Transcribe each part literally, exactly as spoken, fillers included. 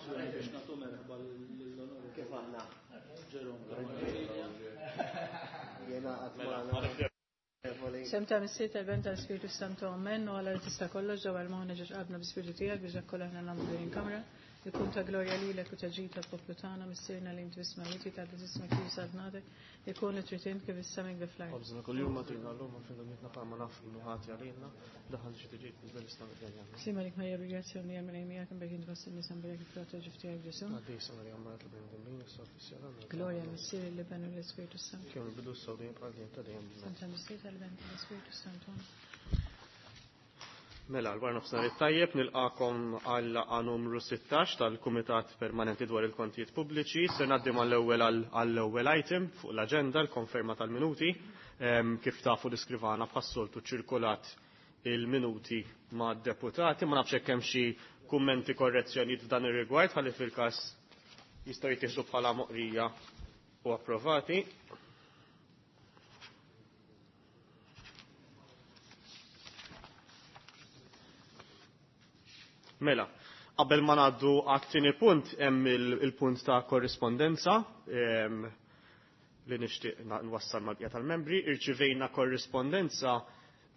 Biex nagħtu merħba lill-Onorevoli. Kif aħna? Jerome. Jena għatmana. Semta missier tal-Ben tal-Spiritu Santu Amen u għala tista' kollox ġewwa l-moħna ġeġ qabna bi-Spiritu tiegħek biex dak kollha aħna nagħmlu din il-kamra. Ikun ta' glorja lilek u ta' ġid tal-poplu tagħna missierna li inti fis-smewwiet tgħaddi ismek kif saltnatek, ikun li trid int kif is-sema kif fl-art. Ħobżna kuljum agħtina llum u aħfrilna dnubietna bħalma naħfru l-ħati għalina, daħal xi tiġi fil-bel isna mill-ġenja. Sliem għalik Marija bil-grazzja u l-Mulej miegħek imbierka int fost in-nisa mbierek il-frott tal-ġuf tiegħek Ġesù. Qaddisa Marija Omm tal-bnedmin, issa fis-siegħa tagħna. Glorja lill-Missier lill-Iben u lill-Ispirtu Santu. Kemm il-bidu s-sawdin bħal dejjem ta' dejjem. Semta missier tal-Ben tal-Ispirtu Santu. Mela, l-wara nofsinhar it-tajjeb nilqakom għal laqgħa numru sittax tal-Kumitat Permanenti dwar il-Kontijiet Pubbliċi. Se ngħaddi mal-ewwel għall-ewwel item fuq l-aġenda, l-konferma tal-minuti. Ehm, kif tafu l-iskrivana bħas-soltu ċirkulat il-minuti ma' deputati. Ma nafx hekk hemm xi kummenti korrezzjonijiet f'dan ir-rigward ħalli fil-każ jistgħu jittieħdu bħala moqrija u approvati. Mela, qabel ma ngħaddu għat-tieni punt hemm il-punt ta' korrispondenza ehm, li nixtieq nwassal mal-bqija tal-membri. Irċivejna korrispondenza,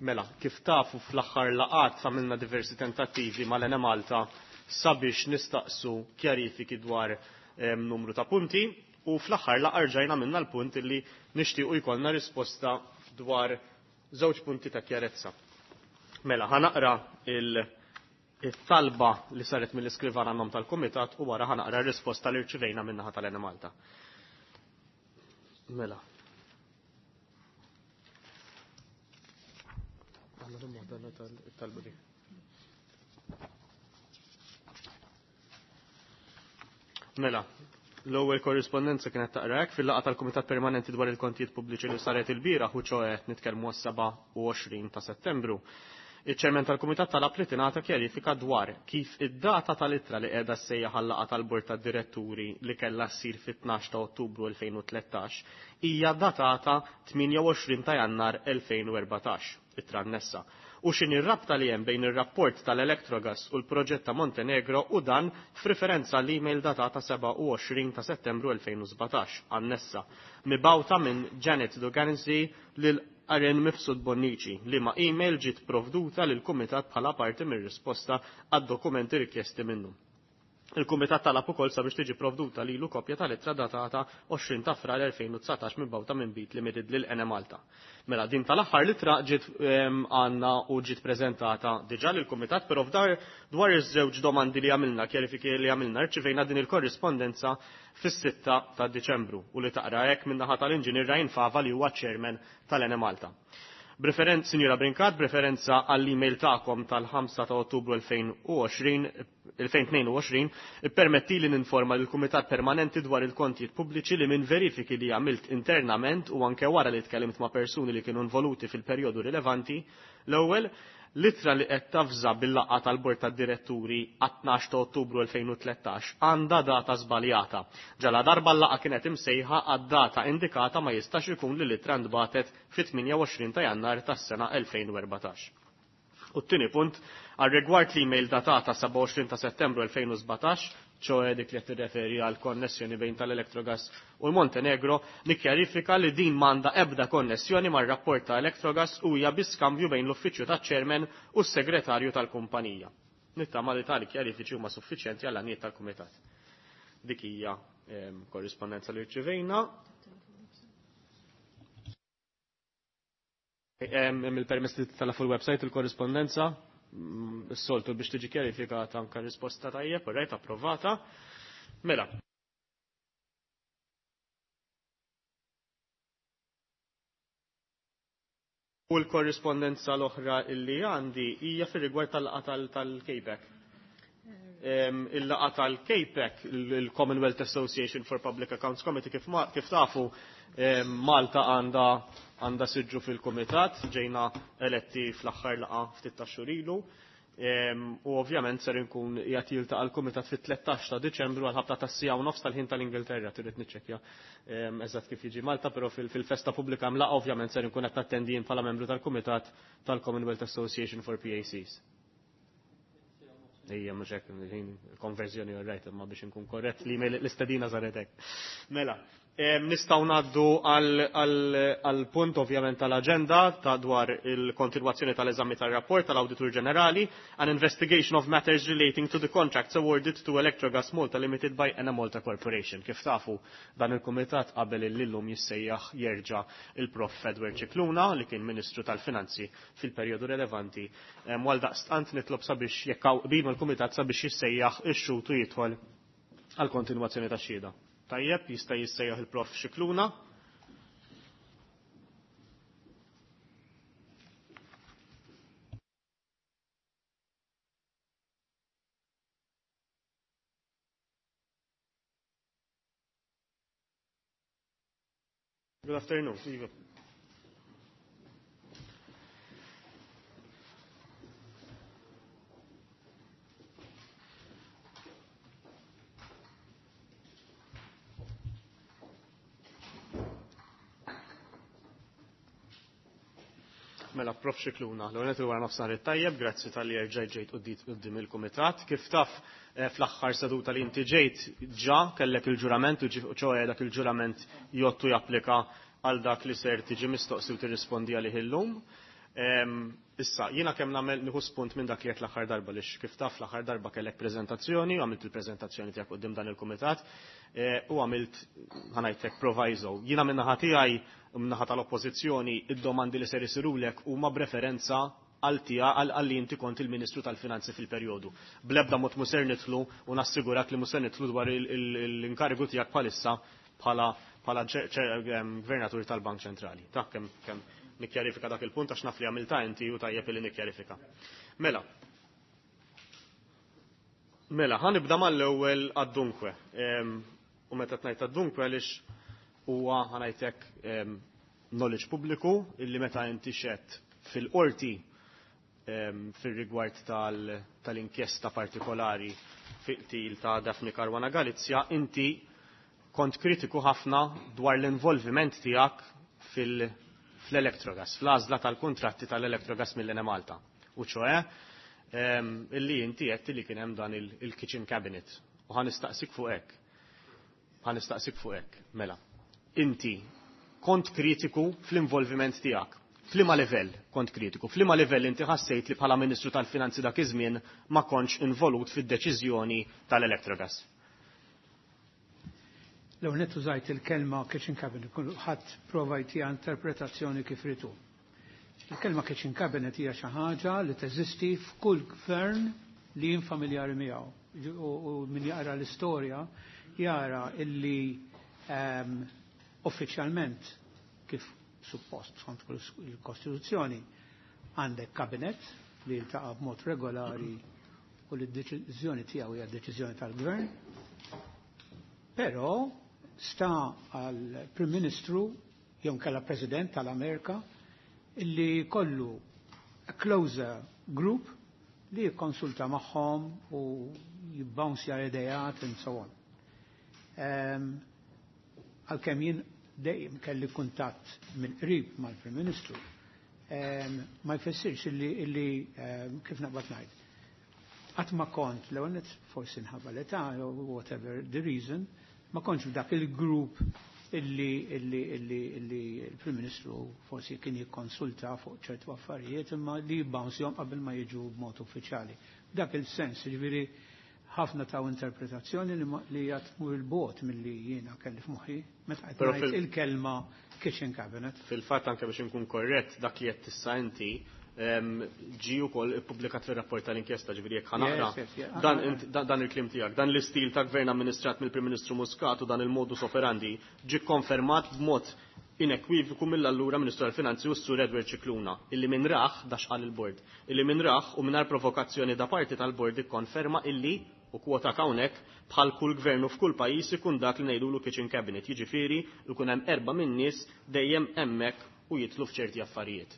mela, kif tafu fl-aħħar laqgħat għamilna diversi tentattivi mal-Enemalta sabiex nistaqsu kjarifiki dwar ehm, numru ta' punti u fl-aħħar laqgħa rġajna minna l-punt li nixtiequ jkollna risposta dwar żewġ punti ta' kjarezza. Mela, ħanaqra il- it-talba li saret mill-iskrivana nom tal-Kumitat u wara ħanaqra r-risposta li rċivejna min-naħa tal-Enemalta. Mela. Għandna l-mod tal-talba di. Mela, l-ewwel korrispondenza kienet taqra hekk fil-laqgħa tal-Kumitat Permanenti dwar il-Kontijiet Pubbliċi li saret ilbieraħ u ċoe nitkellmu għas-sebgħa u għoxrin ta' Settembru. Iċ-ċermen tal-Kumitat talab li tingħata kjarifika dwar kif id-data tal-ittra li qiegħda ssejjaħ għal-laqgħa tal-Bord tad-Diretturi li kellha ssir fit-tnax ta' Ottubru elfejn u tlettax hija datata tmienja u għoxrin ta' Jannar elfejn u erbatax, ittra annessa. U x'inhi r-rabta li hemm bejn ir-rapport tal-Electrogas u l-proġett ta' Montenegro u dan f'riferenza l-email datata sebgħa u għoxrin ta' Settembru elfejn u sbatax, annessa, mibgħuta minn Janet Duganzi lil Aren Mifsud Bonnici, li ma' email ġiet provduta lil kumitat bħala parti mir-risposta għad-dokumenti rikjesti minnu. Il-Kumitat talab ukoll sabiex tiġi provduta lilu kopja tal-ittra datata għoxrin ta' Frar elfejn u dsatax mibgħuta minn Bit Limited lil Enemalta. Mela din tal-aħħar l-ittra ġiet, ehm, għandna u ġiet preżentata diġà lill-Kumitat, però f'dar dwar iż-żewġ domandi li għamilna, kjarifiki li għamilna, rċivejna din il-korrispondenza fis-sitta ta' Diċembru u li taqra hekk min-naħa tal-Inġinier Ryan Fava li huwa chairman tal-Enemalta. B'referenza, Sinjura Brincat, b'referenza għall-email tagħkom tal-ħamsa ta' Ottubru elfejn u għoxrin, elfejn tnejn u għoxrin, ippermetti li ninforma lill-Kumitat Permanenti dwar il-Kontijiet Pubbliċi li minn verifiki li għamilt internament u anke wara li tkellimt ma' persuni li kienu involuti fil-perjodu rilevanti, l-ewwel l-ittra li qed tafża bil-laqgħa tal-Bord tad-Diretturi għat-tnax ta' Ottubru elfejn u tlettax għandha data żbaljata. Ġala darba l-laqgħa kienet imsejħa għad-data indikata ma jistax ikun li l-ittra ntbagħtet fit-tmienja u għoxrin ta' Jannar tas-sena elfejn u erbatax. U t-tieni punt, għal rigward l-email datata sebgħa u għoxrin ta' Settembru elfejn u sbatax, ċoe dik li qed tirreferi għal konnessjoni bejn tal-Electrogas u l-Montenegro, nikkjarifika li din m'għandha ebda konnessjoni mar-rapport ta' Electrogas u hija bi skambju bejn l-uffiċċju taċ-chairman u s-segretarju tal-kumpanija. Nittama li tali kjarifiċi huma suffiċjenti għall għanijiet tal-Kumitat. Dik hija, ehm, korrispondenza li rċivejna. Hemm il-permess li titla' fuq il-website il-korrispondenza, mm, s-soltu biex tiġi kjarifikata anke risposta tajjeb, u rajt approvata. Mela. U l-korrispondenza l-oħra illi għandi hija fir-rigward tal-laqgħa tal-, tal-K PAC. Em, il-laqgħa tal-K PAC, il-Commonwealth Association for Public Accounts Committee, kif ma-, kif tafu, em, Malta għandha, għandha siġġu fil-kumitat, ġejna eletti fl-aħħar laqgħa ftit ta' xhur ilu. Em, u ovvjament ser inkun qiegħed jiltaqa' l-kumitat fit-tlettax ta' Diċembru għal ħabta tas-sija u nofs tal-ħin tal-Ingilterra, trid niċċekkja, em, eżatt kif jiġi Malta, però fil-, fil-festa pubblika mlaqa ovvjament ser inkun qed nattendi jien bħala membru tal-kumitat tal-Commonwealth Association for P A Cs. Ejja, mhux hekk konverżjoni all right, imma biex inkun korrett l-email l-istedina saret hekk. Mela, nistgħu ngħaddu għal punt ovvjament tal-aġenda ta' dwar il-kontinwazzjoni tal-eżami tar-rapport tal-Awditur Ġenerali an investigation of matters relating to the contracts awarded to Electrogas Malta Limited by Enemalta Corporation. Kif tafu dan il-kumitat qabel illum jissejjaħ jerġa' il-Prof Edward Scicluna li kien Ministru tal-Finanzi fil-perjodu relevanti. Għal daqstant nitlob sabiex jekk hawn qbil mal-kumitat sabiex jissejjaħ ix-xhud u jidħol għal kontinwazzjoni tax-xhieda. Tajjeb, jista' jissejjaħ il-Prof Scicluna. Good afternoon. Iva. Mela, Prof Scicluna, l-għonet il-wara nofsinhar it-tajjeb, grazzi tal-li erġajt ġejt quddiem il-kumitat. Kif taf fl-aħħar seduta li inti ġejt ġa kellek il-ġurament u ċoħe dak il-ġurament jottu japplika għal dak li ser tiġi mistoqsi u tirrispondi għalih illum. Issa, jiena kemm nagħmel nieħu spunt minn dak li qed l-aħħar darba lix kif taf l-aħħar darba kellek preżentazzjoni, għamilt il-preżentazzjoni tiegħek quddiem dan il-kumitat u għamilt ħanajtek proviso. Jiena min-naħa tiegħi min-naħa tal-oppożizzjoni id-domandi li ser isirulek huma b'referenza għal tija għal li inti kont il-Ministru tal-Finanzi fil-perjodu. Bl-ebda mod mhu ser nidħlu u nassigurak li mhu ser nidħlu dwar l-inkarigu tiegħek bħalissa bħala bħala gvernatur tal-Bank Ċentrali. Ta' kemm kemm nikkjarifika dak il-punt għax naf li għamilta inti u tajjeb li nikkjarifika. Mela. Mela, ħa nibda mal-ewwel għad-dunkwe. U meta tnajt għad-dunkwe għaliex huwa ħanajtek knowledge pubbliku illi meta inti xed fil-qorti fil-rigward tal-inkjesta partikolari fil-qtil ta' Daphne Caruana Galizia, inti kont kritiku ħafna dwar l-involviment tiegħek fil- fl-Electrogas, fl-għażla tal-kontratti tal-Electrogas mill-Enemalta. U ċoħe, illi inti għedt li kien hemm dan il-kitchen cabinet. U ħa nistaqsik fuq hekk. Ħa nistaqsik fuq hekk, mela. Inti kont kritiku fl-involviment tiegħek. F'liema livell kont kritiku? F'liema livell inti ħassejt li bħala Ministru tal-Finanzi dak iż-żmien ma kontx involut fid-deċiżjoni tal-Electrogas? L-ewwel nett użajt il-kelma kitchen cabinet, ħadd prova jtiha interpretazzjoni kif ritu. Il-kelma kitchen cabinet hija xi ħaġa li teżisti f'kull gvern li jien familjari miegħu. U min jaqra l-istorja jara illi um, uffiċjalment kif suppost skont il-Kostituzzjoni għandek kabinet li jiltaqa' b'mod regolari u li d-deċiżjoni tiegħu hija d-deċiżjoni tal-gvern. Però sta għal Prim Ministru jew kella President tal-Amerika illi kollu a closer group li jikkonsulta magħhom u jibbounsja idejat and so on. Għalkemm jien dejjem kelli kuntatt minn qrib mal-Prim Ministru, ma jfissirx illi, illi kif naqbad ngħid. Qatt ma kont l-ewwel forsi nħabba l-età whatever the reason, ma kontx f'dak il-grupp illi illi illi illi il-Prim Ministru forsi kien jikkonsulta fuq ċertu affarijiet imma li jibbounsjhom qabel ma jiġu b'mod uffiċjali. Dak il-sens, ġifieri ħafna taw interpretazzjoni li hija tmur il-bot milli jiena kelli f'moħħi meta qed ngħid il-kelma kitchen cabinet. Fil-fatt anke biex inkun korrett dak li qed tissa inti ġi wkoll ippubblikat fir-rapport tal-inkjesta, ġifieri jekk ħanaqra dan il-kliem tiegħek, dan l-istil ta' gvern amministrat mill-Prim Ministru Muscat u dan il-modus operandi ġi konfermat b'mod inekwivoku mill-allura Ministru tal-Finanzi u s-Sur Edward Scicluna, illi minn raħ dax qal il-bord, illi minn raħ u mingħajr provokazzjoni da parti tal-bord ikkonferma illi u kwota hawnhekk bħal kull gvernu f'kull pajjiż ikun dak li ngħidulu kitchen cabinet, jiġifieri jkun hemm erba' min-nies dejjem hemmhekk u jitlu f'ċerti affarijiet.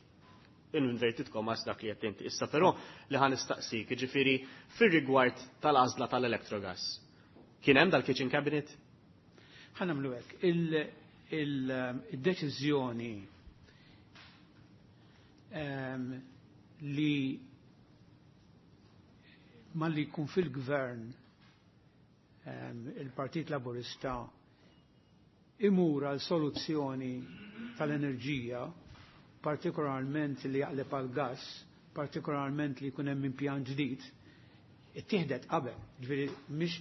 Inverted commas dak li qed inti. Issa però li ħa nistaqsik, jiġifieri fir-rigward tal-għażla tal-Electrogas. Kien hemm dal-kitchen cabinet? Ħa nagħmlu hekk. Il-deċiżjoni li malli jkun fil-gvern il-Partit Laburista imur għal soluzzjoni tal-enerġija, partikolarment li jaqleb għal gas, partikolarment li jkun hemm impjant ġdid, ittieħdet qabel, ġifieri mhix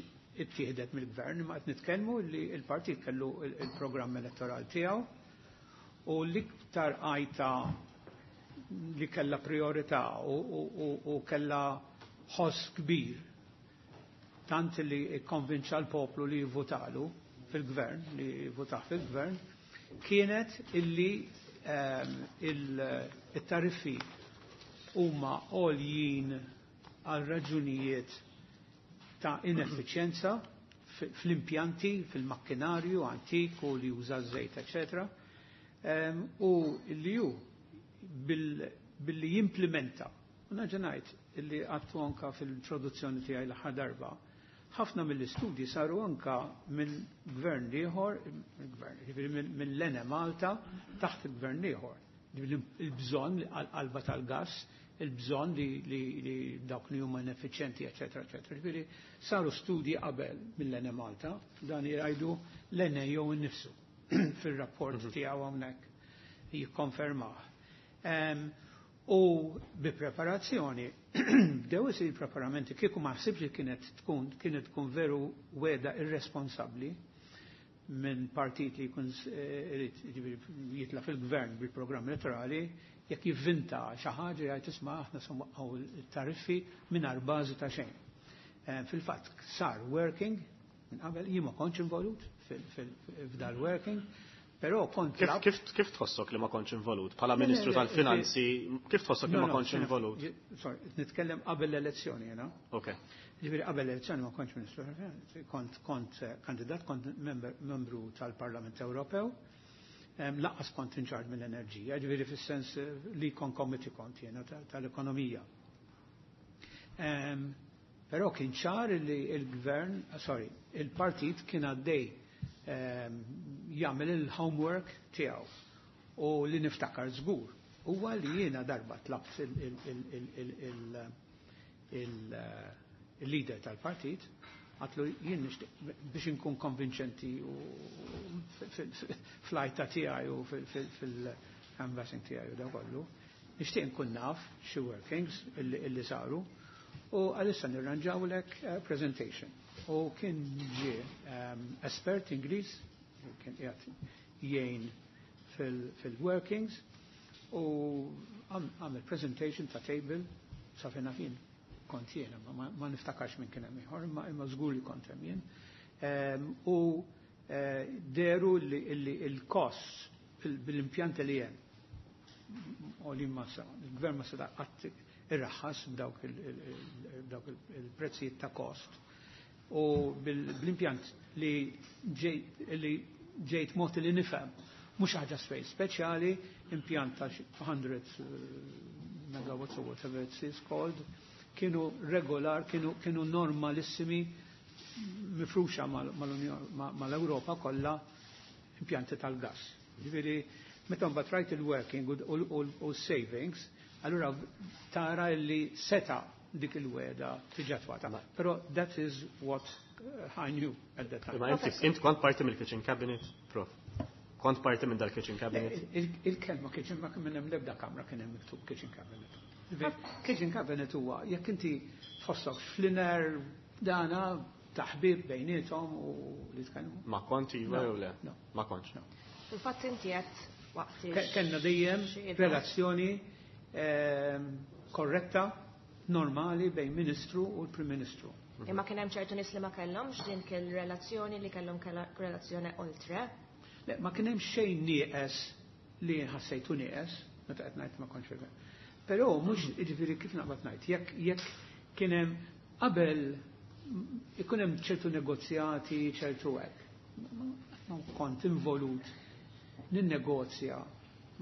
ittieħdet mill-gvern, ma qed nitkellmu li l-partit kellu il-programm elettorali tiegħu u l-iktar għajta li kella priorità u, u, u kella ħoss kbir tant li konvinċa l-poplu li jivvotalu fil-gvern, li jivvotaħ fil-gvern, kienet illi um, il-tariffi huma għoljin għal raġunijiet ta' ineffiċjenza fl-impjanti, fil-makkinarju antik u li juża żejt, eċetera. Um, u li ju billi jimplementa. U naġa ngħid illi għattu anka fil-introduzzjoni tiegħi l-aħħar darba, ħafna mill-istudji saru anka minn gvern ieħor, gvern, jiġifieri minn l-Enemalta taħt il-gvern ieħor. Il-bżonn għal-qalba tal-gas, il-bżonn li, li, li dawk li huma ineffiċjenti, eċetera, eċetera. Ġifieri saru studji qabel mill-Enemalta, dan jgħidu l-N E O innifsu fil-rapport mhm. tiegħu hawnhekk jikkonfermah. Um, u bi preparazzjoni, bdew isir preparamenti, kieku ma ħsibx li kienet tkun, kienet tkun veru wegħda irresponsabbli minn partit li jkun irid jitla fil-gvern bil-programm elettorali, jekk jivvinta xi ħaġa jgħid, "Isma', aħna se nwaqqgħu tariffi mingħajr bażi ta' xejn." Fil-fatt sar working minn qabel, jien ma kontx involut f'dal working, però kont Kif, kif, kif tħossok li ma kontx involut? Bħala Ministru tal-Finanzi, kif tħossok li ma kontx involut? Sorry, nitkellem qabel l-elezzjoni jena. Ok. Ġifieri qabel l-elezzjoni ma kontx Ministru tal-Finanzi, kont kont kandidat, kont membru tal-Parlament Ewropew, lanqas kont in charge mill-enerġija, ġifieri fis-sens li kon committee kont jena tal-ekonomija. Però kien ċar li il-gvern, sorry, il-partit kien għaddej jagħmel il-homework tiegħu u li niftakar żgur huwa li jiena darba tlabt il-leader tal-partit, għedtlu jien nixtieq biex inkun konvinċenti u fl-għajta tiegħi u fil-canvassing tiegħi u da kollu, nixtieq nkun naf xi workings illi saru u għalissa nirranġawlek presentation. U kien ġie um, espert Ingliż, kien qiegħed jgħin fil-workings u għamel presentation ta' table sa fejn jien kont jiena, ma, ma niftakarx minn kien hemm ieħor, imma imma żgur li kont hemm jien. Um, u uh, deru li il-costs bil-impjanti li hemm u li ma sa, il-gvern ma seta' qatt irraħħas b'dawk il-prezzijiet ta' cost u bil-impjant li ġejt ġejt mod li nifhem mhux ħaġa spej speċjali, impjant ta' mija megawatts or whatever it is called, kienu regolar, kienu, kienu normalissimi mifruxa mal-Europa kollha impjanti tal-gas. Ġifieri, meta mbagħad rajt il-working u savings, allura tara li seta dik il-wegħda tiġi attwata. Però that is what uh, I knew at that time. Ma inti int kont parti mill-kitchen cabinet, prof? Kont parti minn dal-kitchen cabinet? Il-kelma kitchen ma kien hemm l-ebda kamra kien hemm miktub kitchen cabinet. Kitchen cabinet huwa jekk inti tħossok fl-inner dana taħbib bejniethom u li tkellmu. Ma kont iva jew le? Ma kontx. Fil-fatt inti qed waqt Kellna dejjem relazzjoni ehm, korretta, normali bejn Ministru u l-Prim Ministru. Imma kien hemm ċertu nies li ma kellhomx din kien relazzjoni li kellhom relazzjoni oltre. Le, ma kien hemm xejn nieqes li ħassejtu nieqes, meta qed ngħid ma kontx. Però mhux, jiġifieri kif naqbad ngħid, jekk jekk kien hemm qabel ikun hemm ċertu negozjati, ċertu hekk. Ma kont involut ninnegozja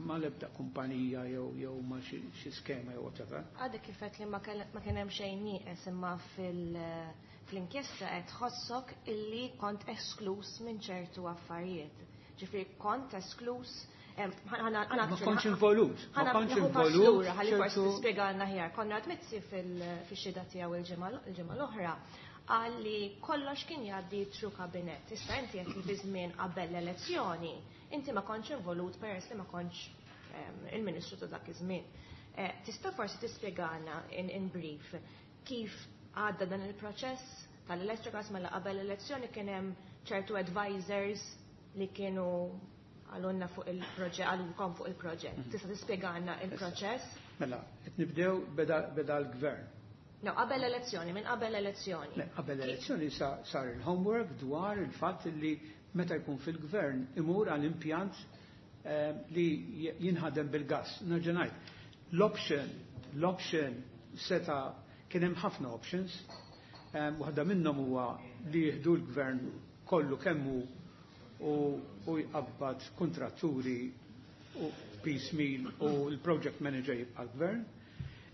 ma l-ebda kumpanija jew jew ma xi skema jew whatever. Għadek kif għedt li ma kien hemm xejn nieqes, imma fil-inkjesta qed tħossok illi kont esklus minn ċertu affarijiet. Ġifieri kont esklus Ma kontx involut. Ma kontx involut. Ħalli forsi tispjegalna aħjar. Konrad Mizzi fil-xhieda tiegħu il-ġimgħa l-oħra qal li kollox kien jgħaddi through kabinett. Issa inti qed li fi żmien qabel l-elezzjoni, inti ma kontx involut peress li ma kontx il-Ministru ta' dak iż-żmien. Tista' forsi tispjegana in brief kif għadda dan il-proċess tal-Electrogas mela qabel l-elezzjoni kien hemm ċertu advisors li kienu għalunna fuq il-proġett, għalunkom fuq il-proġett. Tista' tispjegana il-proċess? Mela, qed nibdew beda l-gvern. No, qabel l-elezzjoni, minn qabel l-elezzjoni. Le, qabel l-elezzjoni sar il-homework dwar il-fatt li meta jkun fil-gvern imur għal impjant li jinħadem bil-gas. Nerġa' ngħid, l-option, l-option seta' kien hemm ħafna options. Waħda minnhom huwa li jieħdu l-gvern kollu kemmu u jqabbad kontratturi u piecemeal u l-project manager jibqa' l-gvern.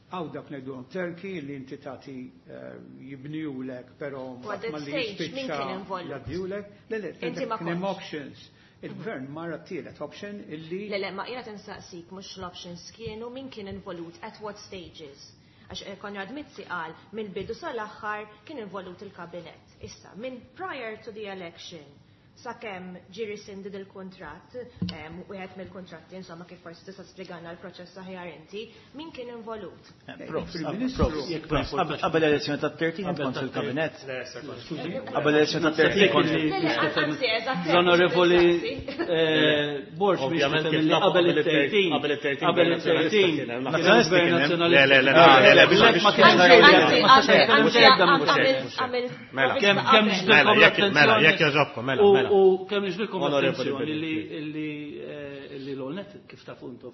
Għaw dak ngħidulhom Turkey li inti tagħti jibniulek però malli jispiċċa jgħaddiulek. Le le, kien hemm options. Il-gvern marra t-tielet option illi. Le le, ma jiena tinsaqsik mhux l-options kienu min kien involut at what stages. Għax Konrad Mizzi qal mill-bidu sal-aħħar kien involut il-kabinett. Issa, minn prior to the election sakemm ġie rescinded il-kuntratt, wieħed mill-kuntratti, insomma kif forsi tista' spjegana l-proċess aħjar inti, min kien involut? Qabel l-elezzjoni tat-tletin kont fil-kabinett. Qabel l-elezzjoni tat-tletin kont. L-Onorevoli Borg biex qabel it-tletin. Qabel it-tletin. Le le le le ma kienx Kemm kemm Mela, jekk jogħġobkom, mela, mela. U kemm niġbilkom attenzjoni li l-OLNET kif tafu intom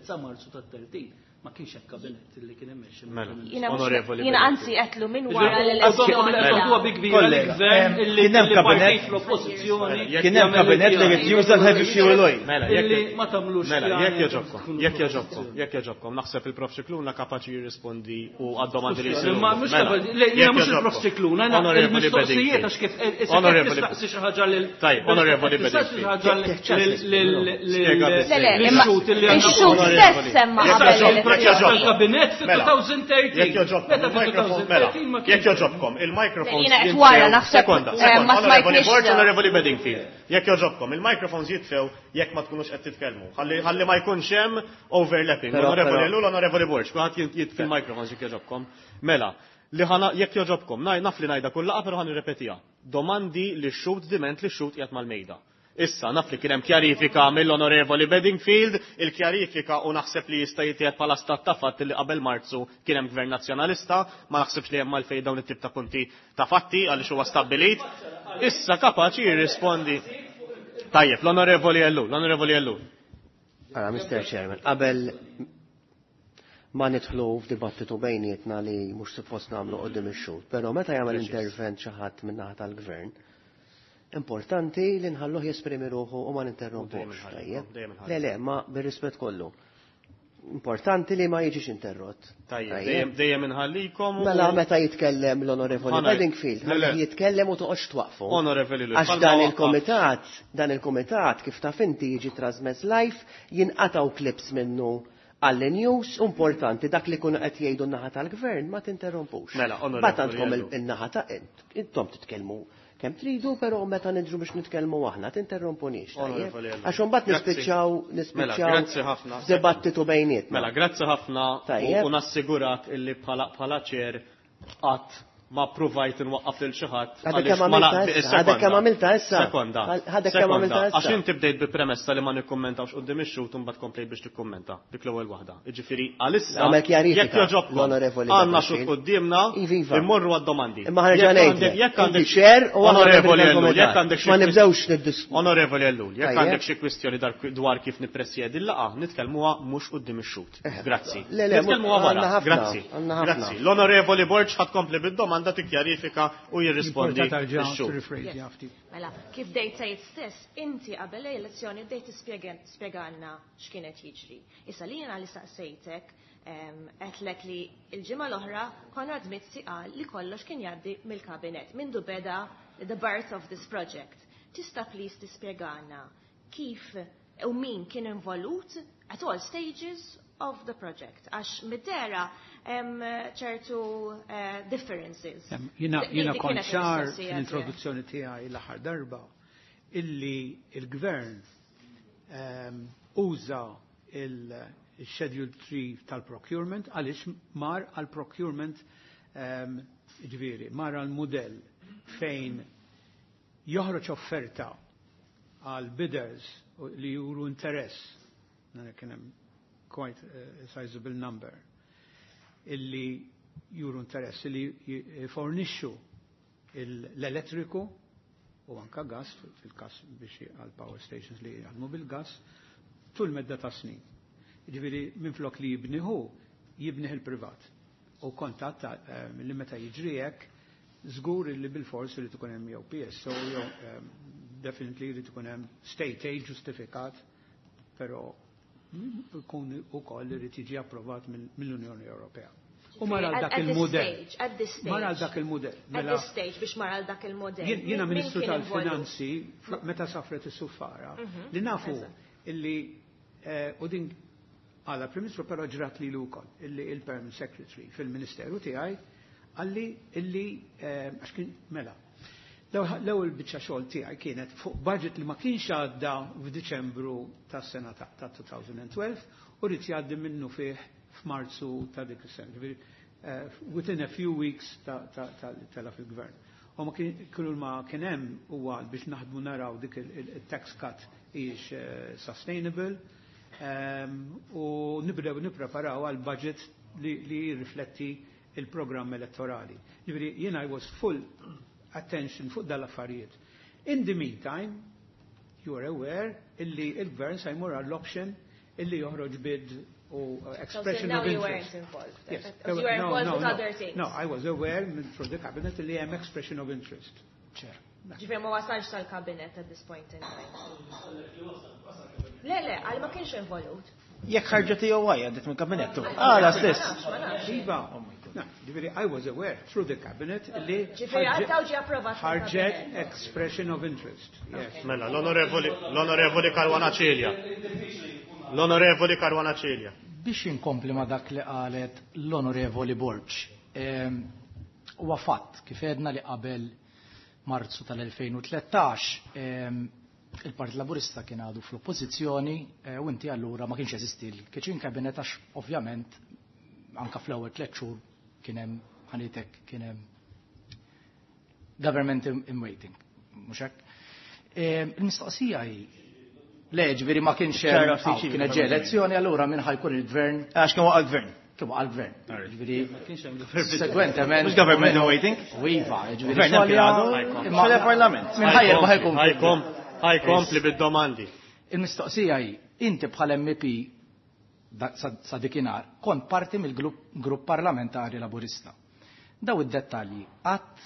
sa Marzu tat-tletin ma kienx hekk kabinett li kien immexxi. Jiena anzi qedlu minn wara l-elezzjoni. Huwa bi kbira l-gvern illi partit fl-oppożizzjoni. Kien hemm kabinett li qed juża l-heavy fuel oil. Illi ma tagħmlux. Mela, jekk jogħġobkom, jekk jogħġobkom, jekk jogħġobkom, naħseb il-Prof Scicluna kapaċi jirrispondi u għad-domandi li jsiru. Ma mhux jiena mhux il-Prof Scicluna, il-mistoqsijiet għax kif tistaqsi xi ħaġa lil Tajjeb, Onorevoli Bedingfield. Ix-xhud stess semma qabel il-kabinett fit-elfejn u tletin. Jekk jogħġobkom, il-microphones. Jiena qed wara naħseb. Sekonda, sekonda. Onorevoli Borg, Onorevoli Bedingfield. Jekk jogħġobkom, il-microphones jitfew jekk ma tkunux qed titkellmu. Ħalli ma jkunx hemm overlapping. Onorevoli Ellul, Onorevoli Borg, kulħadd jitfi il-microphones jekk jogħġobkom. Mela, li ħana jekk jogħġobkom, naf li ngħidha kull laqgħa però ħa nirrepetiha. Domandi li x-xhud diment li x-xhud qiegħed mal-mejda. Issa, naf li kien hemm kjarifika mill-Onorevoli Bedingfield, il-kjarifika u naħseb li jista' jitqiegħed bħala stat ta' fatt li qabel Marzu kien hemm gvern nazzjonalista, ma naħsibx li hemm għalfejn dawn it-tip ta' punti ta' fatti għaliex huwa stabbilit. Issa kapaċi jirrispondi. Tajjeb, l-Onorevoli Ellul, l-Onorevoli Ellul. Ara, Mister Chairman, qabel ma nidħlu f'dibattitu bejnietna li mhux suppost nagħmlu qudiem ix-xhud, però meta jagħmel intervent xi ħadd min-naħa tal-gvern, importanti li nħalluh jesprimi ruħu u ma ninterrompux. Le, le, ma bir-rispett kollu. Importanti li ma jiġix interrott. Tajjeb, dejjem inħallikom. Mela meta jitkellem l-Onorevoli Bedingfield, jitkellem u toqgħodx twaqfu. Onorevoli Għax dan il-komitat, dan il-komitat kif taf inti jiġi trasmess live, jinqataw clips minnu għall-news, importanti dak li kunu qed jgħidu n-naħa tal-gvern ma tinterrompux. Mela, Onorevoli. Bat għandkom in-naħa ta' intom titkellmu kemm tridu, però meta nidru biex nitkellmu aħna tinterrompunix. Għax imbagħad nispiċċaw nispiċċaw dibattitu bejnietna. Mela, grazzi ħafna u nassigurak illi bħala bħala ċer qatt ma provajt nwaqqaf lil xi ħadd. Għadek kemm għamilta issa. Sekonda. Għadek kemm għamilta issa. Għax inti bdejt bi premessa li ma nikkummentawx quddiem ix-xhud u mbagħad komplejt biex tikkummenta. Dik l-ewwel waħda. Jiġifieri għalissa jekk jogħġobkom għandna xhud quddiemna immorru għad-domandi. Imma ħareġa ngħidlek. Jekk għandek ċer u Onorevoli Ellul, jekk għandek ma nibdewx niddiskutu. Onorevoli Ellul, jekk għandek xi kwistjoni dwar kif nippresjedi l-laqgħa, nitkellmuha mhux quddiem ix-xhud. Grazzi. Nitkellmuha wara. Grazzi. Grazzi. L-Onorevoli Borg ħadd kompli bid-domanda tikkjarifika u jirrispondi. Mela, kif dejt sejt stess, inti qabel l-elezzjoni bdejt tispjegalna x'kienet jiġri. Issa li jiena li saqsejtek qedlek li l-ġimgħa l-oħra Konrad Mizzi qal li kollox kien jgħaddi mill-kabinett mindu beda the birth of this project. Tista' please tispjegana kif U min kien involut at all stages of the project. Għax mid-dehra hemm ċertu eh, differences. Jiena Dik- jiena dik kont kienet ċar il-mistoqsija fl-introduzzjoni tiegħi l-aħħar darba illi il-gvern ehm, uża il-Schedule three tal-procurement għaliex mar għal-procurement, ehm, ġifieri, mar għal-modell fejn joħroġ offerta għal bidders li juru interess, kien hemm quite a sizable number, illi juru interess li jfornixxu l-elettriku u anka gas fil-kas biex għal power stations li jaħdmu bil-gas tul medda ta' snin. Ġifieri minflok li jibniħu, jibniħ il-privat. U kontat eh, li meta jiġri hekk, żgur li bil-fors li tkun hemm jew P S O jew eh, definitely li tkun hemm state aid ġustifikat, però jkun ukoll irid jiġi approvat mill-Unjoni Ewropea. U mar għal dak il-modell. Mar għal dak il-modell. At this stage biex mar għal dak il-modell. Jiena Ministru tal-Finanzi, meta safret is-suffara, mhm. li nafu illi eh, u din għala Prim Ministru, però ġrat li l-ukoll, illi il-Permanent Secretary fil-Ministeru tiegħi għalli illi eh, għax kien mela. L-ewwel biċċa xogħol tiegħi kienet fuq budget li ma kienx għadda f'Diċembru tas-sena ta' elfejn u tnax u rrid jgħaddi minnu fih f'Marzu ta' dik is-sena. Eh, within a few weeks tela fil-gvern. U ma kienu ma kien hemm huwa biex naħdmu naraw dik il-tax cut hijiex eh, sustainable ehm, u nibdew nippreparaw għal budget li jirrifletti il-programm elettorali. Ġifieri jiena I was full attention fuq dal-affarijiet. In the meantime, you are aware illi il-gvern se jmur għall-option illi joħroġ bid u uh, expression so of you interest. weren't involved. Yes. You were involved no, with no, other things. No, I was aware through the cabinet li hemm expression of interest. Chair. Ġifieri ma wasalx tal-kabinet at this point in time. Le, le, għal ma kienx involut. Jekk ħarġet E O I għaddit minn kabinettu. Għala stess. Iva, no, ġifieri I was aware through the cabinet li Ġifieri għaddaw ġi approvat. ħarġet expression of interest. Yes. Mela, l-onorevoli l-onorevoli Caruana Cilia. L-onorevoli Caruana Cilia. Biex inkompli ma dak li qalet l-onorevoli Borg. Huwa fatt kif edna li qabel Marzu tal-elfejn u tlettax il-Partit Laburista kien għadu fl-oppożizzjoni eh, u inti allura ma kienx jeżisti l-kitchen cabinet għax ovvjament anka fl-ewwel tliet xhur kien hemm ħanitek kien hemm government in, in waiting, mhux hekk? Il-mistoqsija hi, le, ġifieri ma kienx ċara hemm ftit aw, kienet ġie elezzjoni, allura min ħa jkun il-gvern? Għax kien waqa' gvern. Kien waqa' l-gvern. Ġifieri Ma kienx hemm segwentement. Mhux government in waiting. U iva, ġifieri Gvern hemm kien xolja, għadu. imma Xolja parlament. Min ħajjer ma ħajkun. Ħajkom, ħajkompli bid-domandi. Il-mistoqsija hi, inti bħal M P da- sa sa dikinhar kont parti mill-grupp parlamentari Laburista. Daw id-dettalji qatt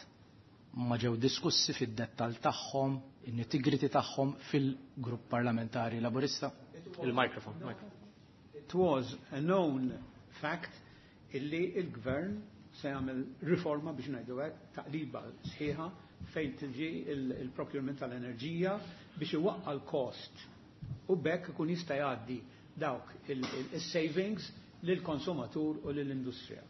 ma ġew diskussi fid-dettall tagħhom, in-nitty-gritty tagħhom fil-grupp parlamentari Laburista? Il-mikrofon. It was a known fact illi il-gvern se jagħmel riforma, biex ngħidu hekk, taqliba sħiħa fejn tiġi il-procurement tal-enerġija biex iwaqqa l-cost u bekk ikun jista' jgħaddi dawk il-savings lill-konsumatur u lill-industrija.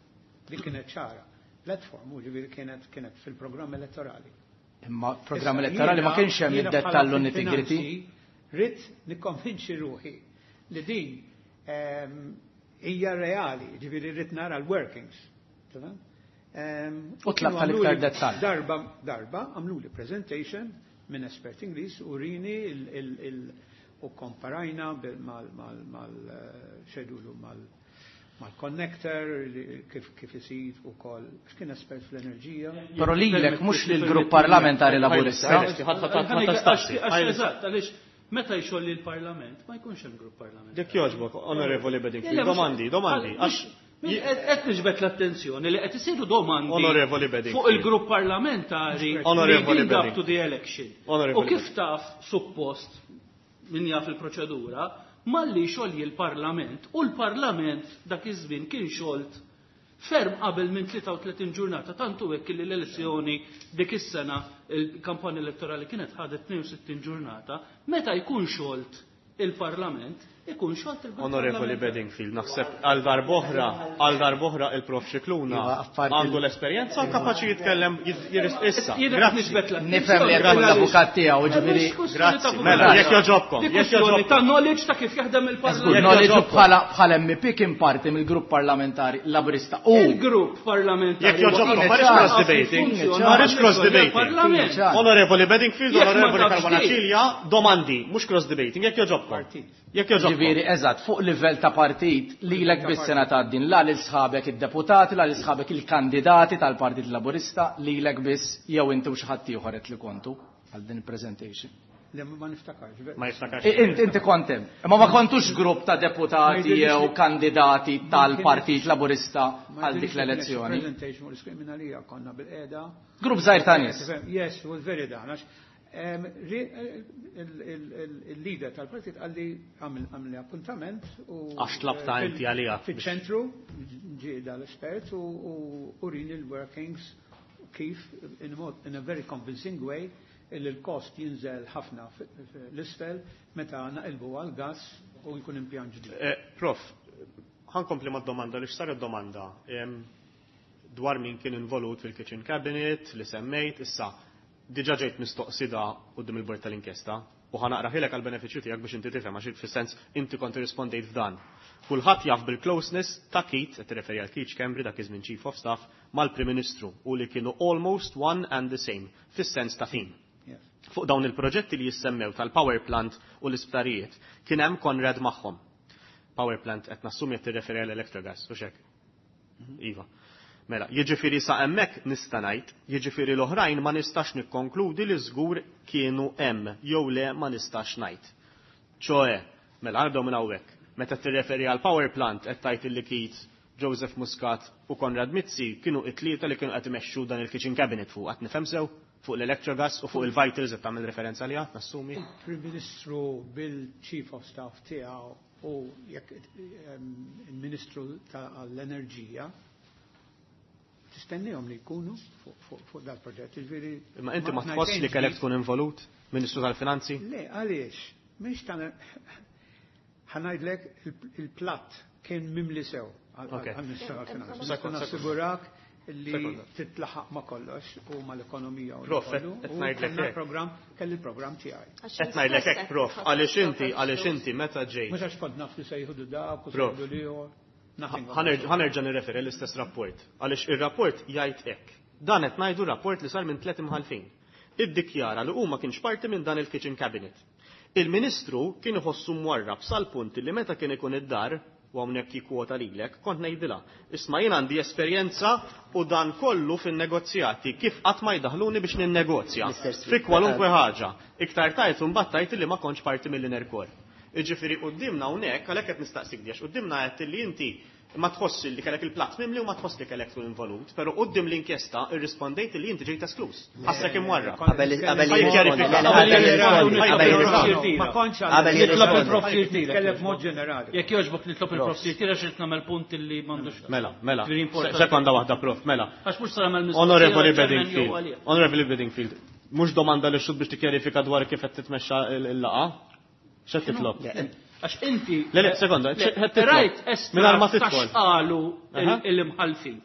Dik kienet ċara. Platform, u ġifieri kienet kienet fil-programm elettorali. Imma programm elettorali ma kienx hemm Jiena id-dettall u bħala nitty-gritty. fil-finanzi ridt nikkonvinċi ruħi li din ehm, hija reali, ġifieri rrid nara l-workings. Tamam? Ehm, U tlab kienu tal-iktar għamluli dettall. Darba, darba għamlu li presentation minn espert Ingliż u rini il, il, il, u komparajna bil- mal, mal, mal, eh, xedulu mal, mal-connector li- kif, kif isir u kol, kien espert fl-enerġija. Però lilek, mhux lill-grupp parlamentari Laburista. Eżatt, għaliex meta jxolli l-parlament, ma jkunx hemm grupp parlamentari. Jekk jogħġbok, onorevoli Bedingfield, domandi, domandi. Għax Qed niġbed l-attenzjoni li qed isiru domandi Onorevoli Bedingfield. fuq il-grupp parlamentari Onorevoli leading up Bedingfield. to the election. Onorevoli U kif taf suppost min jaf il-proċedura, malli xolji l-parlament u l-parlament dak iż-żmien kien xolt ferm qabel minn tlieta u tletin ġurnata, tantu hekk li l-elezzjoni dik is-sena, il-kampanja elettorali kienet ħadet tnejn u sittin ġurnata, meta jkun xolt il-Parlament ikun xolt il-grupp. Onorevoli Bedingfield, naħseb għal darb'oħra, għal darb'oħra il-Prof Scicluna għandu l-esperjenza u kapaċi jitkellem issa. Nifhem li jekk l-avukat tiegħu, ġifieri. Grazzi. Mela, jekk jogħġobkom. Di kwestjoni ta' knowledge ta' kif jaħdem il-Parlament. Knowledge bħala bħala M P kien parti mill-grupp parlamentari Laburista. U il-grupp parlamentari. Jekk jogħġobkom, ma rridx cross debating. Ma rridx cross debating. Onorevoli Bedingfield, Onorevoli Caruana Cilia, domandi, mhux cross debating, jekk jogħġobkom. Jekk jogħġobkom. Ġifieri, eżatt, fuq livell ta' partit lilek biss sena tgħaddin la lil sħabek id-deputati, la lil sħabek il-kandidati tal-Partit Laburista, lilek biss jew inti u xi ħadd ieħor qed li kontu għal din il-presentation. Le, ma niftakarx. Ma niftakarx. Inti inti kont hemm. Imma ma kontux grupp ta' deputati jew kandidati tal-Partit Laburista għal dik l-elezzjoni. Presentation u l-iskriminalija konna bil-qiegħda. Grupp żgħir ta' nies. Yes, was very dan. Il-leader tal-partit għalli għamli appuntament u għax tlabta inti għalija. Fiċ-ċentru ġie dal-espert u urini l-workings kif in a very convincing way illi l-kost jinżel ħafna l-isfel meta naqilbu għal-gas u jkun impjant ġdid. Prof, ħankompli mad-domanda li x'sar id-domanda dwar min kien involut fil-kitchen cabinet li semmejt issa. Diġa ġejt mistoqsida quddiem il-bord tal-inkjesta u ħanaqra ħilek għall-benefiċċju tiegħek biex inti tifhem għax fis-sens inti kont irrispondejt f'dan. Kulħadd jaf bil-closeness ta' Keith, qed tirreferi għal Keith Schembri dak iż-żmien Chief of Staff, mal-Prim Ministru u li kienu almost one and the same fis-sens ta' team. Fuq dawn il-proġetti li jissemmew tal-power plant u l-isptarijiet kien hemm Konrad magħhom. Power plant qed nassumi qed tirreferi għal Electrogas, u x'hekk? Iva. Mela, jiġifieri sa hemmhekk nista' ngħid, jiġifieri l-oħrajn ma nistax nikkonkludi li żgur kienu hemm jew le ma nistax ngħid. Ċoe, mela nibdew minn hawnhekk. Meta tirreferi għal power plant qed tgħid illi Keith, Joseph Muscat u Konrad Mizzi kienu it-tlieta li kienu qed imexxu dan il-kitchen cabinet fuq, qed nifhem sew, fuq l-Electrogas u fuq il-Vitals qed tagħmel referenza għaliha, nassumi. Il-Prim Ministru bil-Chief of Staff tiegħu u jekk il-Ministru tal-Enerġija tistennihom li jkunu fuq dal-proġett. Jiġifieri Imma inti ma tħoss li kellek tkun involut, Ministru tal-Finanzi? Le, għaliex? Mhix ta' ħanajdlek il-platt kien mimli sew għal-Ministru tal-Finanzi. Nista' nassigurak li titlaħaq ma' kollox u mal-ekonomija u Prof, qed ngħidlek hekk. Program, kelli l-programm tiegħi. Qed ngħidlek hekk, Prof, għaliex inti, għaliex inti meta ġejt. Mhux għax kont naf li se jieħdu dak u se jieħdu l-ieħor. Ħanerġa' nirreferi l-istess rapport, għaliex ir-rapport jgħid hekk. Dan qed ngħidu rapport li sar minn tliet imħalfin. Iddikjara li huma kienx parti minn dan il-kitchen cabinet. Il-Ministru kien iħossu mwarrab sal-punt li meta kien ikun id-dar, u hawnhekk jikkwota lilek, kont ngħidilha, isma' jien għandi esperjenza u dan kollu fin-negozjati kif qatt ma jdaħluni biex ninnegozja fi kwalunkwe ħaġa. Iktar tard imbagħad tgħid li ma kontx parti mill-inner core. Jiġifieri quddiemna hawnhekk għalhekk qed nistaqsik għax quddiemna qed li inti ma tħoss li kellek il-platt mimli u ma tħoss li kellek tkun involut, però quddiem l-inkjesta irrispondejt li inti ġejt esklus. Ħassek imwarrab. Qabel qabel jirrispondi, qabel jirrispondi, qabel jirrispondi. Ma kontx Qabel Nitlob jirrispondi. il-Prof Sirtira. Nitkellem b'mod ġenerali. Jekk jogħġbok nitlob il-Prof Sirtira x'qed nagħmel punt li m'għandux. Mela, mela. Very important. Sekonda waħda, Prof, mela. Għax mhux sar nagħmel mistoqsija Onorevoli għal Chairman jew Bedingfield. għalija. Onorevoli Bedingfield, mhux domanda li xud biex tikkjarifika dwar kif qed titmexxa l-laqgħa? X'qed titlob? Għax inti. Le, le, sekonda, Le, x'qed titlob? Rajt estratt Mingħajr ma ta' tidħol. x'qalu Aha. il-imħalfin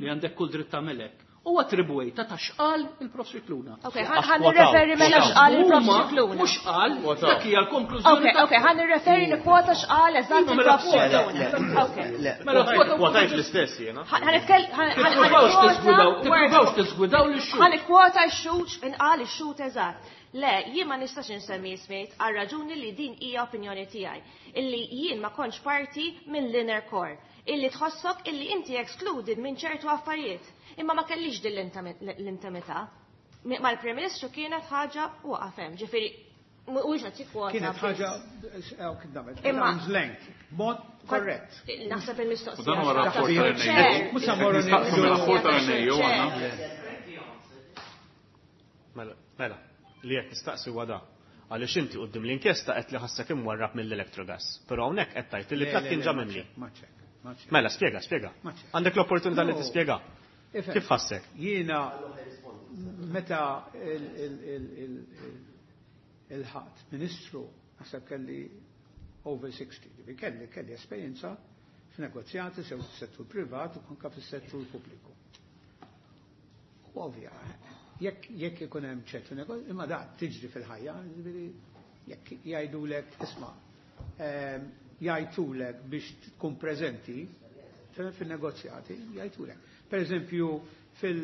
li għandek kull dritt tagħmelek. U attribwejta ta' x'qal il-Prof Scicluna. Ok, ħan nirreferi mela x'qal il-Prof Scicluna. Mhux qal, dak hija l-konklużjoni. Ok, ok, ħan nirreferi nikkwota x'qal eżatt Iva, mela il-Prof Scicluna. Ok. Mela kwota Kwotajt l-istess jiena. Ħan nitkell ħan Tippruvawx tiżgwidaw, tippruvawx tiżgwidaw lix-xhud. Ħan ikkwota x-xhud inqal ix-xhud eżatt. Le, jien ma nistax insemmi ismijiet għal raġuni li din hija opinjoni tiegħi, illi jien ma kontx parti minn l-inner core, illi tħossok illi inti excluded minn ċertu affarijiet. Imma ma kellix din l-intimità. Mal-Prim Ministru kienet ħaġa u waqaf hemm, ġifieri mhuwiex qed jikkwota. Kienet ħaġa, eh, kif nagħmel, Imma arm's length, mod korrett. Naħseb il-mistoqsija. U dan huwa rapport tal-N A U. Mhux se mmorru Nistaqsu mir-rapport tal-N A U għandna. Mela, mela, li qed nistaqsi huwa da. Għaliex inti quddiem l-inkjesta qed li ħassek imwarrab mill-Electrogas. Però hawnhekk qed tgħid li platt kien ġa mimli. Ma ċek, ma ċek. Mela, spjega, spjega. Ma ċek. Għandek l-opportunità li No. tispjega. Ifhem. Kif ħassek? Jiena meta il-ħadd ministru, Naħseb kelli over sixty, ġifieri kelli kelli esperjenza f'negozjati sew fis-settur privat u anke fis-settur pubbliku. U ovvja, jekk jekk ikun hemm ċertu negozju, imma da tiġri fil-ħajja, ġifieri jekk jgħidulek isma' jgħidulek biex tkun preżenti fil-negozjati, jgħidulek. Per eżempju, fil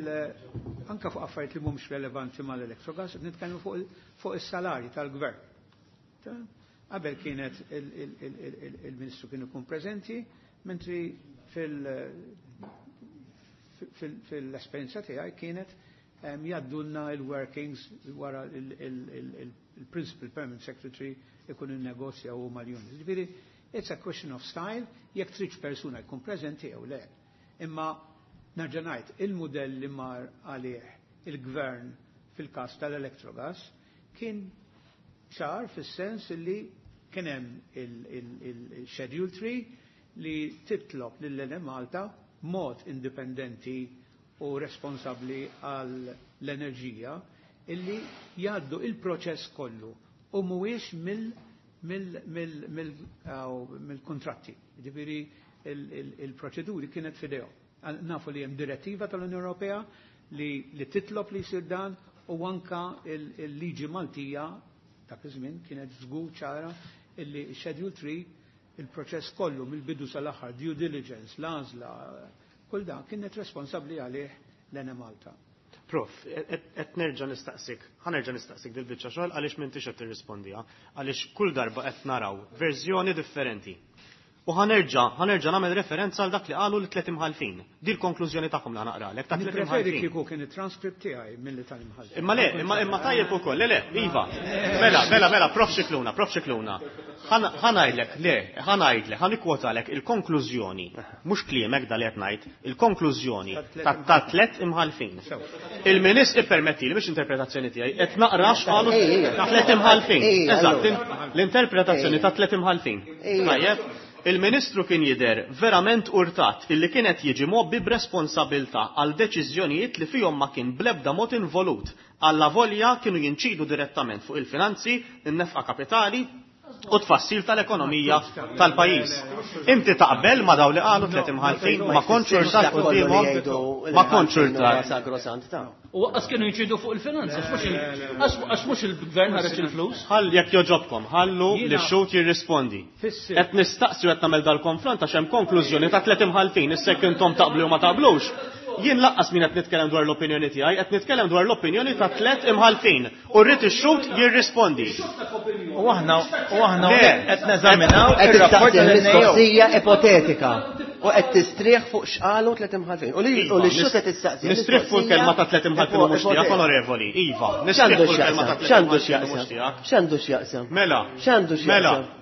anka fuq affarijiet li mhumiex relevanti mal-Electrogas, nitkellmu fuq is-salarji tal-gvern. Qabel kienet il-Ministru kien ikun preżenti, mentri fil-esperjenza tiegħi kienet jgħaddulna il-workings wara il-Principal Permanent Secretary ikun il-negozja u mal-unions. Ġifieri, it's a question of style, jekk tridx persuna jkun preżenti jew le. Imma nerġa' ngħid, il-mudell li mar għalih il-gvern fil-każ tal-Electrogas kien ċar fis-sens li kien hemm il-Schedule three li titlob lill-Enemalta mod indipendenti u responsabbli għall-enerġija illi jgħaddu il-proċess kollu u mhuwiex mill-kontratti. Ġifieri il-proċeduri kienet f'idejhom. Nafu li hemm direttiva tal-Unjoni Ewropea li titlob li jsir dan u anka il-liġi Maltija dak iż-żmien kienet żgur ċara illi Schedule three il-proċess kollu mill-bidu sal-aħħar, due diligence, l-għażla, kull dan kienet responsabbli għalih l-Enemalta. Prof, qed nerġa' nistaqsik, ħa nerġa' nistaqsik dil-biċċa xogħol għaliex m'intix qed tirrispondiha, għaliex kull darba qed naraw verżjoni differenti. U ħa nerġa', ħa nerġa' nagħmel referenza għal dak li qalu l-tliet imħalfin. Di l-konklużjoni tagħhom li ħanaqralek ta' tliet Nippreferi imħalfin. kieku kien it-transcript tiegħi milli tal-imħalfin. Imma le, imma imma tajjeb ukoll, le le, iva. Mela, mela, mela, Prof Scicluna, Prof Scicluna. Ħa ngħidlek, le, ħa ngħidlek, ħa nikkwotalek il-konklużjoni, mhux kliemek dal qed ngħid, il-konklużjoni ta' tliet imħalfin. Il-Ministru ippermetti li biex interpretazzjoni tiegħi qed naqra x'qalu tliet imħalfin. Eżatt, l-interpretazzjoni ta' tliet imħalfin. Tajjeb. Il-Ministru kien jidher verament urtat illi kienet jiġi mgħobbi b'responsabilità għal deċiżjonijiet li fihom ma kien blebda mod involut, alla volja kienu jinċidu direttament fuq il-finanzi, in-nefqa kapitali u tfassil tal-ekonomija tal-pajjiż. Inti taqbel ma daw li qalu tliet imħalfin, ma kontx urtat quddiemhom, ma kontx urtat. U għas kienu jinċidu fuq il-finanzi, għax mhux il-gvern ħareġ il-flus. Ħall jekk joġobkom, ħallu li x-xhud jirrispondi. Qed nistaqsi u qed nagħmel dal-konfront għax hemm konklużjoni ta' tliet imħalfin, issa jekk intom taqblu u ma taqblux. Jien laqqas min qed nitkellem dwar l-opinjoni tiegħi, qed nitkellem dwar l-opinjoni ta' tliet imħalfin u rrid ix-xhud jirrispondi. U aħna u aħna Le. qed neżaminaw Qed ir-rapport tistaqsi tal-N A O. mistoqsija ipotetika u qed tistrieħ fuq x'qalu tliet imħalfin. U li u li x-xhud qed tistaqsi. Nistrieħ fuq il-kelma ta' tliet imħalfin u mhux tiegħek, onorevoli. Iva, nistrieħ X'għandu fuq il-kelma ta' x'jaqsam? tliet X'għandu imħalfin u mhux x'jaqsam? tiegħek. X'għandu x'jaqsam? Mela. X'għandu Mela. x'jaqsam?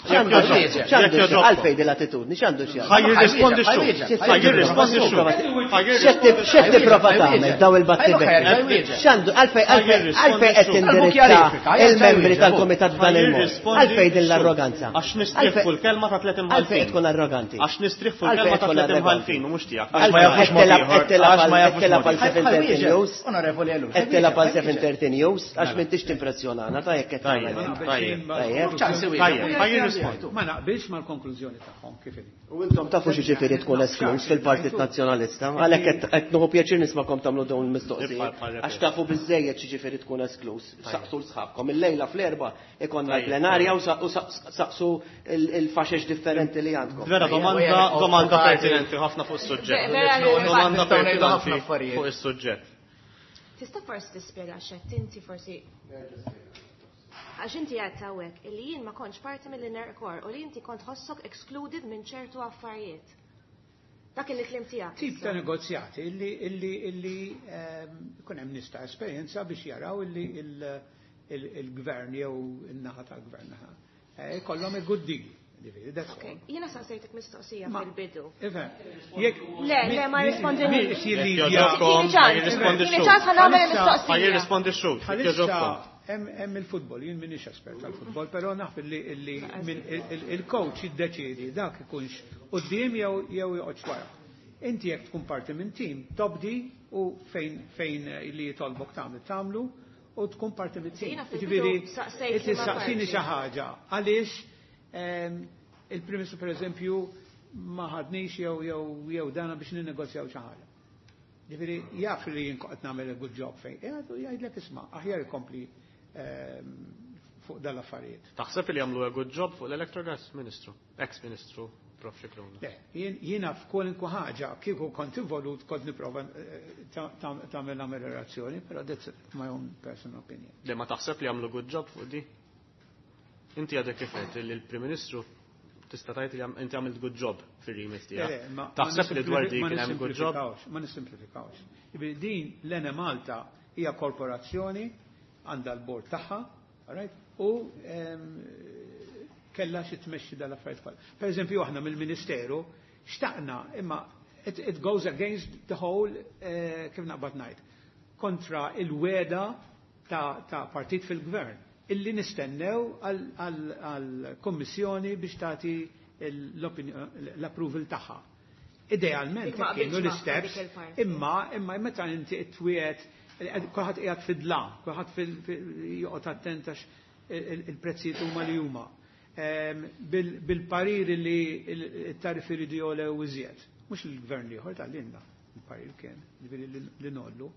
X'għandu Jekk x'jaqsam? jogħġobkom. X'għandu Jekk x'jaqsam? Għalfejn din l-attitudni, x'għandu x'jaqsam? Ħa jirrispondi x-xhud. Ħa jirrispondi x-xhud. Ħa jirrispondi X'qed tipprova tagħmel daw il-battibekki? X'għandu għalfejn għalfejn għalfejn qed tindirizza il-membri tal-kumitat f'dan il-mod? Għalfejn din l-arroganza? Għax nistrieħ fuq il-kelma ta' tliet imħalfin. Għalfejn tkun arroganti? Għax nistrieħ fuq il-kelma ta' tliet imħalfin u mhux tiegħek. Għax ma jafux Qed tilgħab- mod ieħor. qed tilgħab Għax ma għal- jafux qed tilgħab mod għal ieħor. seven thirty News. Onorevoli Ellul. Qed tilgħab għal seven thirty News għax m'intix timpressjonana ta' jekk qed Tajjeb, tagħmel. tajjeb. Tajjeb. Tajjeb, ħa jirrispondi. Ma naqbilx mal-konklużjoni tagħhom kif inhi. U intom tafu xi ġifieri tkun esklus fil-Partit Nazzjonalista, għalhekk qed qed nieħu pjaċir nismakom tagħmlu dawn il-mistoqsijiet, għax tafu biżejjed xi ġifieri tkun esklus. Saqsu l-sħabkom. Illejla fl-erba' ikonna l-plenarja u sa- u saqsu il-faxex differenti li għandkom. Vera domanda domanda pertinenti ħafna fuq is-suġġett. Vera, Domanda nistgħu ngħidu ħafna pertinenti affarijiet. fuq is-suġġett. Tista' forsi tispjega x'qed inti forsi Għax inti għedt hawnhekk illi jien ma kontx parti mill-inner core u li inti kont ħossok excluded minn ċertu affarijiet. Dak il-kliem tiegħek. Tip ta' negozjati illi illi illi ehm, ikun hemm nies ta' esperjenza biex jaraw illi il- il- il-gvern jew in-naħa tal-gvern naħa. Eh, Ikollhom a good deal. Ġifieri, that's Okay, all. jiena saqsejtek mistoqsija Ma- fil-bidu. Ifhem, jekk Le, le, ma rispondinix. mi- Jekk Jekk jogħġobkom, Tini ċans, ħa jirrispondi tini x-xhud. ċans ħa nagħmel Bħalissa- Ħa il-mistoqsija. jirrispondi x-xhud. Jekk Bħalissa jogħġobkom. hemm hemm il-futbol, jien m'iniex espert tal-futbol, però naf illi illi min- il- il- il-coach jiddeċiedi dak ikunx quddiem jew jew joqgħodx wara. Inti jekk tkun parti minn tim, tobdi u fejn fejn li jitolbok tagħmel tagħmlu u tkun parti mit-tim. Jiena fil-bidu Ġifieri, saqsejt inti li ma saqsini parti. xi ħaġa. Għaliex ehm, il-Prim Ministru pereżempju ma ħadnix jew jew jew dana biex ninnegozjaw xi ħaġa. Ġifieri jaf li jien qed nagħmel a good job fejn. Qiegħed u jgħidlek isma' aħjar ikompli ehm, fuq dal-affarijiet. Taħseb li jagħmlu a good job fuq l-Electrogas, Ministru, ex-Ministru Prof Scicluna. Le, jien- jiena f'kwalunkwe ħaġa kieku kont involut kont nipprova eh, ta- ta- tagħmel ameliorazzjoni, però that's my own personal opinion. Le ma taħseb li jagħmlu good job fuq di? Inti għadek kif għedt li l-Prim Ministru tista' tgħid li għam- inti għamilt good job fir-remit Le, tiegħek. le, ma- ma Taħseb li dwar di ma kien hemm good job? nissimplifikawx, Ma nissimplifikawx. Jiġifieri din l-Enemalta hija korporazzjoni għandha l-bord tagħha, all right? U ehm, kella xi tmexxi dal-affarijiet kollha. Per eżempju aħna mill-Ministeru xtaqna imma it, it goes against the whole eh, kif naqbad ngħid kontra il-weda ta', ta' partit fil-gvern illi nistennew għal-kommissjoni biex tagħti l-approval tagħha. Idealment Dik ma kienu qabilx magħha l-steps, dik il-parti. imma imma meta inti twiet kulħadd qiegħed fid-dlam, kulħadd fil- fil- joqgħod attent għax il- il-prezzijiet huma li huma. Ehm, bil- Bil-parir li il-tariffi jridu jogħlew iżjed. Mhux il-gvern ieħor tal-linna, il-parir kien, ġifieri li- li nollu.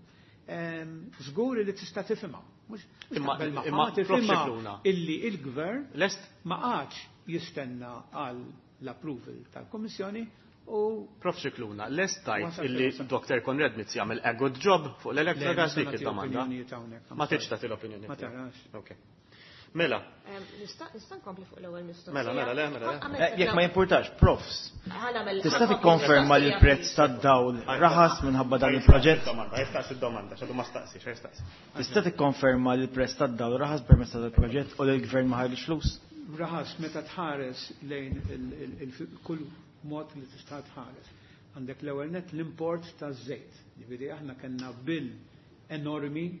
Ehm, Żgur li tista' tifhimha. Mhux mhux Imma- taqbel magħha, imma ma Prof tifhimha Scicluna. illi il-gvern Lest ma qagħadx jistenna għal l-approval tal-Kommissjoni u Prof Scicluna, lest tajt Wasal illi fil-wasal. Dr. Konrad Mizzi jagħmel a good job fuq l-Electrogas Le, dik nista' nagħti id-domanda. opinjonijiet hawnhekk, Ma tridx tagħti l-opinjoni. Ma tiegħek. tarax. Ok. Mela, Em, Nista' nista' nkompli fuq l-ewwel mistoqsija. Mela, mela, le, mela, le. Kont għamilt Eh, Jekk ma jimpurtax, profs, Ħa nagħmel- tista' ħa nkompli tikkonferma li mistoqsija, l-prezz please. tad-dawl raħas minħabba dan il-proġett? Domanda, jistaqsi d-domanda, x'għadu ma staqsi, x'jistaqsi. Tista' tikkonferma li l-prezz tad-dawl raħas permezz tal-proġett u li l-gvern ma ħarġ flus? Raħas meta tħares lejn il- il- il- kull mod li tista' tħares. Għandek l-ewwel net l-import taż-żejt. Ġifieri aħna kellna bill enormi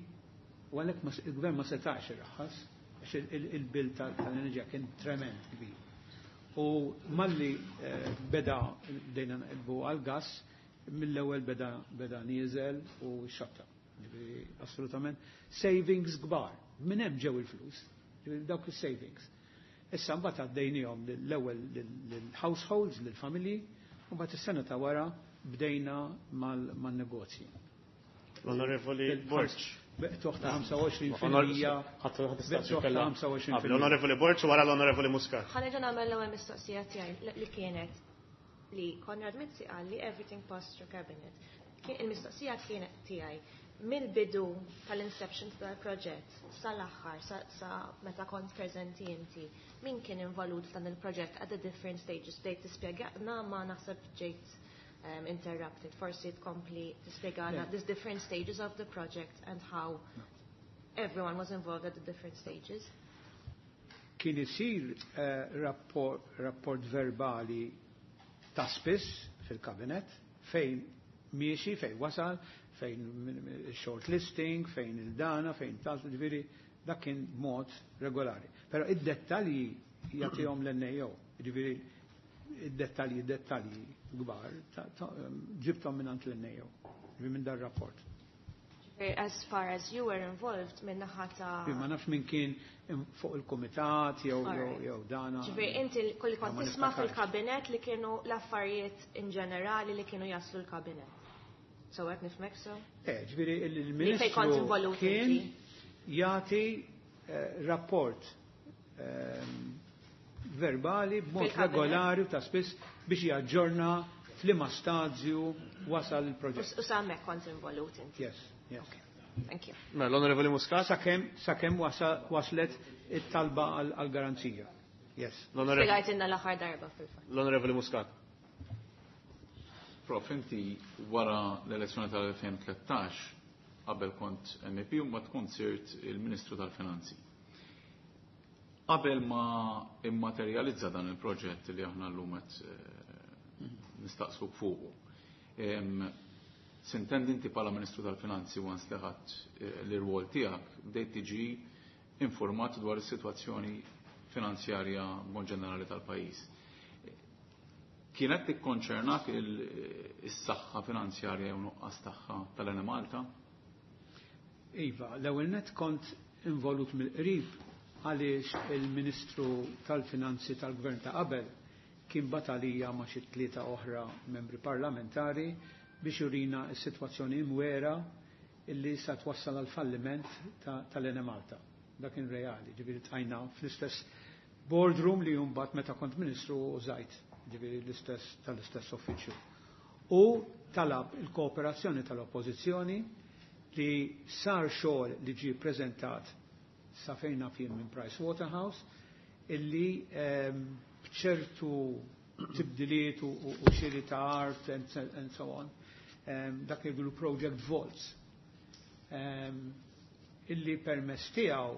u għalhekk ma- il-gvern ma setax irraħas għax il- il- il-bill tal- tal-enerġija kien trement kbir. U malli eh, beda bdejna naqilbu għal-gas, mill-ewwel beda beda nieżel u xatta. Ġifieri assolutament savings kbar. Minn hemm ġew il-flus, ġifieri dawk is-savings. Issa mbagħad għaddejnihom l-ewwel lill-households, lill-familji, u mbagħad is-sena ta' wara bdejna mal- man-negozji. L-Onorevoli Borg. Beqtuħ ta' ħamsa u għoxrin fil-mija. Ħadd ħadd istaqsi Beqtuħ ta' kellha. ħamsa u għoxrin fil-mija. Qabel, L-Onorevoli Borg u wara l-Onorevoli Muscat. Ħa nerġa' nagħmel l-ewwel mistoqsija tiegħi li- li kienet li Konrad Mizzi qal li everything passed through cabinet. Kien il-mistoqsija kienet tiegħi mill-bidu tal-inception tal-proġett sal-aħħar sa, sa meta kont preżenti inti, min kien involut f'dan il-proġett at the different stages? Bdejt tispjegana ma naħseb ġejt um, interrupted. Forsi tkompli tispjegana Yeah. these different stages of the project and how everyone was involved at the different stages. Kien isir eh, rapport, rapport verbali ta' spiss fil-kabinet fejn miexi, fejn wasal, fejn shortlisting, fejn il-dana, fejn tal, ġifieri dak kien mod regolari. Però id-dettalji jagħtihom l-N A O, ġifieri id-dettalji, dettalji kbar, ta- ta- ġibthom minn l-N A O, ġifieri minn dar rapport. As far as you were involved minn naħa ta' Ma nafx min kien fuq il-komitat jew jew Alright. jew dana. Ġifieri inti kolli kont Ma tisma' niftakarx. fil-kabinet li kienu l-affarijiet in ġenerali li kienu jaslu l-kabinet. So qed nifhmek so? Eh, ġifieri Li fej kont il-ministru involut kien inti. jagħti eh, rapport ehm, verbali b'mod Fil-kabinet. regolari u ta' spiss biex jaġġorna f'liema stadju wasal il-proġett. U sa hemmhekk kont involut inti. Yes, yes. Thank you. Mela, l-Onorevoli Muscat? Sakemm sakemm wasa- waslet it-talba għal-garanzija. Yes. L-Onorevoli Spjegajtilna l-aħħar darba fil-fatt. l-Onorevoli Muscat. Prof, inti wara l-elezzjoni tal-elfejn u tlettax, qabel kont M E P u ma tkun sirt il-Ministru tal-Finanzi. Qabel ma immaterializza dan il-proġett li aħna llum qed eh, nistaqsuk fuqu. Em, Sintendi inti bħala Ministru tal-Finanzi once li ħadd eh, l-irwol tiegħek bdejt tiġi informat dwar is-sitwazzjoni finanzjarja mod ġenerali tal-pajjiż. Kienet tikkonċernak il- is-saħħa finanzjarja jew nuqqas tagħha tal-Enemalta? Iva, l-ewwel net kont involut mill-qrib għaliex il-Ministru tal-Finanzi tal-Gvern ta' qabel kien batalija ma' xi tlieta oħra membri parlamentari biex jurina s-sitwazzjoni imwera illi sa twassal għal falliment tal-Enemalta. Dak kien reali, ġifieri tqajna fl-istess boardroom li mbagħad meta kont ministru użajt, ġifieri l-istess tal-istess uffiċċju. U talab il-kooperazzjoni tal-Oppożizzjoni li sar xogħol li ġie preżentat sa fejn naf jien minn Price Waterhouse illi ehm, bċertu tibdiliet u u xiri ta' art and, and so on, ehm, dak li jgħidu Project Vaults, ehm, illi permess tiegħu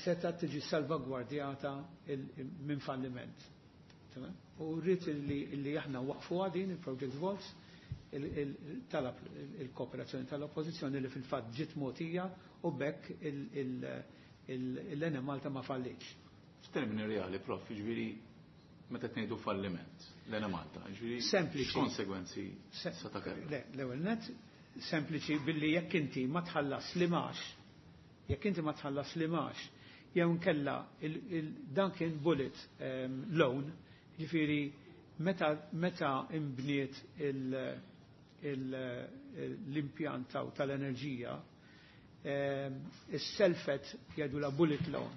seta tiġi salvagwardjata minn falliment. Tamam? U rrid illi, illi aħna waqfu din il-Project Vaults, talab il-kooperazzjoni tal-oppożizzjoni li fil-fatt ġiet mogħtija u bekk l-Enemalta ma fallitx. F'termini reali, prof, ġifieri meta tgħidu falliment l-Enemalta, ġifieri Sempliċi. x'konsegwenzi seta' kellha? Le, l-ewwel net sempliċi billi jekk inti ma tħallas l-imgħax, jekk inti ma tħallas l-imgħax, jew nkella dan kien bullet um, loan, ġifieri meta meta imbniet l-impjant tal-enerġija, ehm, is-selfet jgħidu la bullet loan,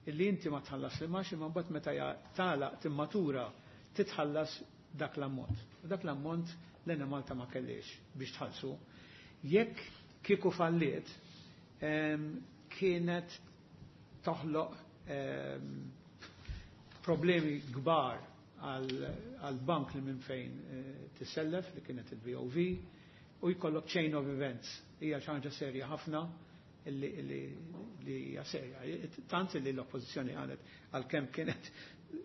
illi inti ma tħallas l-imgħax imma mbagħad meta tagħlaq timmatura titħallas dak l-ammont. U dak l-ammont l-Enemalta ma kellix biex tħallsu. Jekk kieku falliet, ehm, kienet toħloq ehm, problemi kbar għal bank li minn fejn eh, tissellef li kienet il-B O V u jkollok chain of events. Hija xi ħaġa serja ħafna li hija serja. Tant li l-oppożizzjoni qalet, għalkemm kienet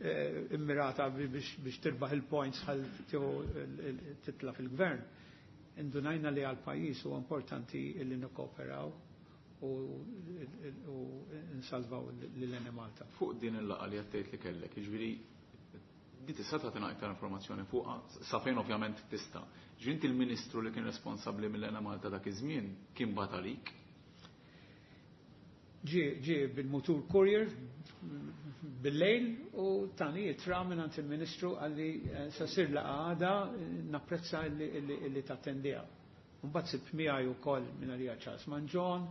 eh, immirata biex tirbaħ il-points ħal titla fil-gvern. Indunajna li għal-pajjiż huwa importanti li nikkooperaw u nsalvaw l-Enemalta. Fuq din il-laqgħa li għattejt li kellek, jiġifieri di tista' tagħtina iktar informazzjoni fuqha, sa fejn ovvjament tista'. Ġifieri inti il-Ministru li kien responsabbli mill-Enemalta dak iż-żmien kien bagħat għalik? Ġie ġie bil-mutur courier bil-lejl u tani ittra minn il-Ministru qalli eh, sa ssir laqgħa, napprezza illi tattendiha. Mbagħad sibt miegħi wkoll minn għalija Charles Mangion,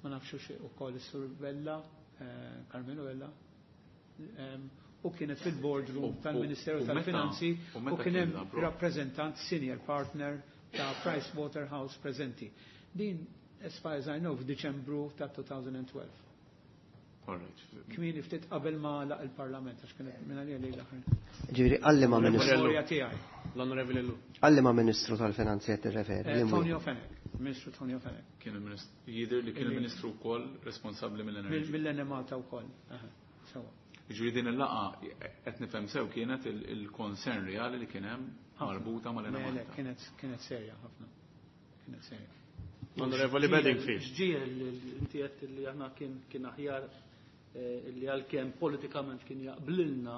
ma nafxu ukoll is-Sur Bella, eh, Carmelo Bella, u kienet fil-boardroom tal-Ministeru tal-Finanzi u kien hemm rappreżentant senior partner ta' Price Waterhouse preżenti. Din, as far as I know, f'Diċembru ta' elfejn u tnax. Kmieni ftit qabel ma laq il-Parlament, għax kienet minn għalija lejl aħħar. Ġifieri għal liema Ministru. L-Onorevoli Ellul. Għal liema Ministru tal-Finanzi qed tirreferi? Eh, Tonio Fenech, Ministru Tonio Fenech. Kien il-Ministru, jidher li kien il-Ministru wkoll responsabbli mill-enerġija. Mill-Enemalta wkoll. Sewa. Ġifieri din il-laqgħa, qed nifhem sew, kienet il-concern reali li kien hemm marbuta mal-Enemalta. Kienet kienet serja ħafna. Kienet serja. Onorevoli Bedingfield. X'ġiegħel inti għedt li aħna kien kien aħjar eh, li għalkemm politikament kien jaqblilna,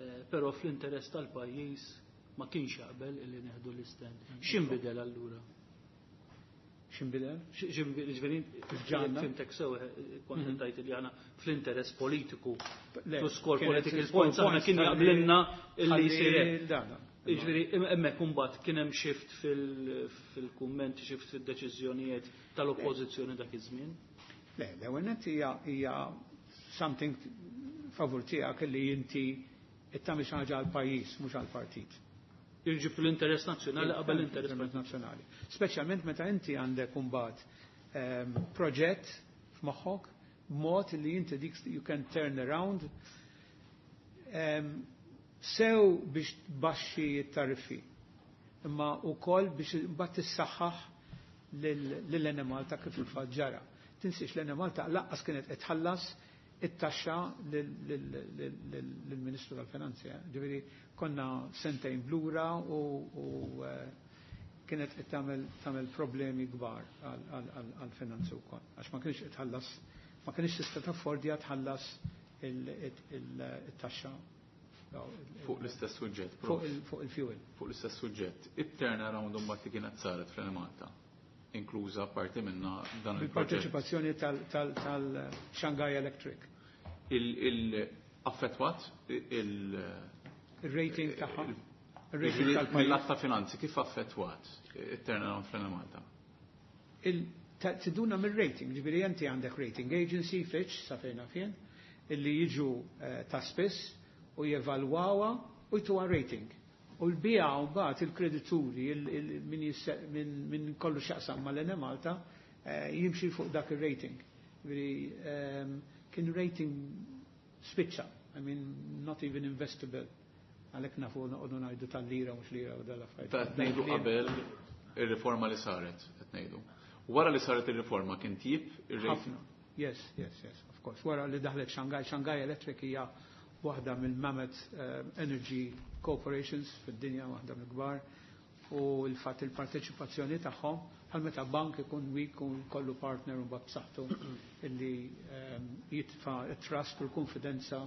eh, però fl-interess tal-pajjiż ma kienx jaqbel illi neħdu l-istand. X'inbidel allura? X'inbidel? Ġifieri fhimtek sew, eh, kont mhm. tajt li aħna fl-interess politiku to score political points aħna kien jaqblilna illi jsir. Ġifieri hemmhekk imbagħad kien hemm shift fil-kummenti, shift fid-deċiżjonijiet tal-oppożizzjoni dak iż-żmien? Le, l-ewwel hija hija something favur tiegħek li inti tagħmel xi ħaġa għall-pajjiż mhux għall-partit. Jiġi fl-interess nazzjonali qabel l-interess nazzjonali. Speċjalment meta inti għandek imbagħad ehm, proġett f'moħħok mod li inti dik you can turn around ehm, sew biex tbaxxi t-tariffi imma wkoll biex mbagħad tissaħħaħ lill-Enemalta kif il-fatt ġara. Tinsiex, l-Enemalta lanqas kienet qed tħallas it-taxxa lill-Ministru tal-Finanzi. Eh. Ġifieri konna sentejn blura u eh, kienet qed tagħmel problemi kbar għall-finanzi wkoll. Għax ma kienx qed tħallas, ma kienx tista' taffordja tħallas it-taxxa. Fuq l-istess suġġett. Fuq il-fuel. Fuq l-istess suġġett. It-turnaround mbagħad li kienet saret fl-Malta. inkluża parti minna dan il-proġett. Il-parteċipazzjoni tal-Shanghai Electric. Il-affettwat il- Il-rating tagħha. Il-rating tal-pajjiż. Mill-att ta' finanzi kif affettwat it-turnaround fl-Enemalta? Tiduna mill-rating, ġifieri inti għandek rating agency, Fitch, sa fejna fien, illi jiġu ta' spiss u jevalwawa u jtuha rating. U l-bija mbagħad il-kredituri min kollu x'jaqsam mal-Enemalta jimxi fuq dak ir-rating. Ġifieri kien rating spiċċa, I mean not even investable. Għalhekk nafu noqogħdu ngħidu tal-lira mhux lira u dal-affarijiet. Ta' qed ngħidu qabel ir-riforma li saret, qed ngħidu. Wara li saret ir-riforma kien tjib ir-rating? Ħafna. Yes, yes, yes, of course. Wara li daħlet Shanghai, Shanghai Electric hija waħda mill-Mammoth Energy Corporations fid-dinja, waħda mill-kbar, u l-fatt il-parteċipazzjoni tagħhom bħal meta bank ikun weak u kollu partner u mbagħad b'saħħtu illi jitfa' it-trust u l-konfidenza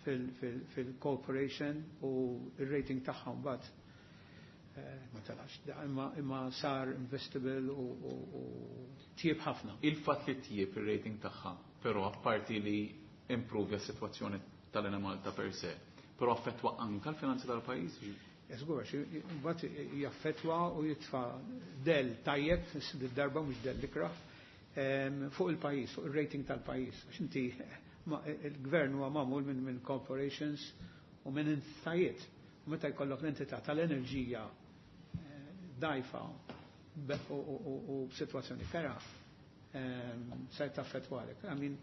fil-corporation u il-rating tagħhom mbagħad ma telax, imma imma sar investable u tjieb ħafna. Il-fatt li tjieb ir-rating tagħha, però apparti li improvja s-sitwazzjoni tal-Enemalta per se, però affettwa anka l-finanzi tal-pajjiż? Żgur, mbagħad jaffettwa u jitfa' del tajjeb, darba mhux del ikrah, fuq il-pajjiż, fuq ir-rating tal-pajjiż. Għax inti il-gvern huwa magħmul minn minn corporations u minn entitajiet. U meta jkollok l-entità tal-enerġija dajfa u b'sitwazzjoni kera, se taffettwalek. I mean,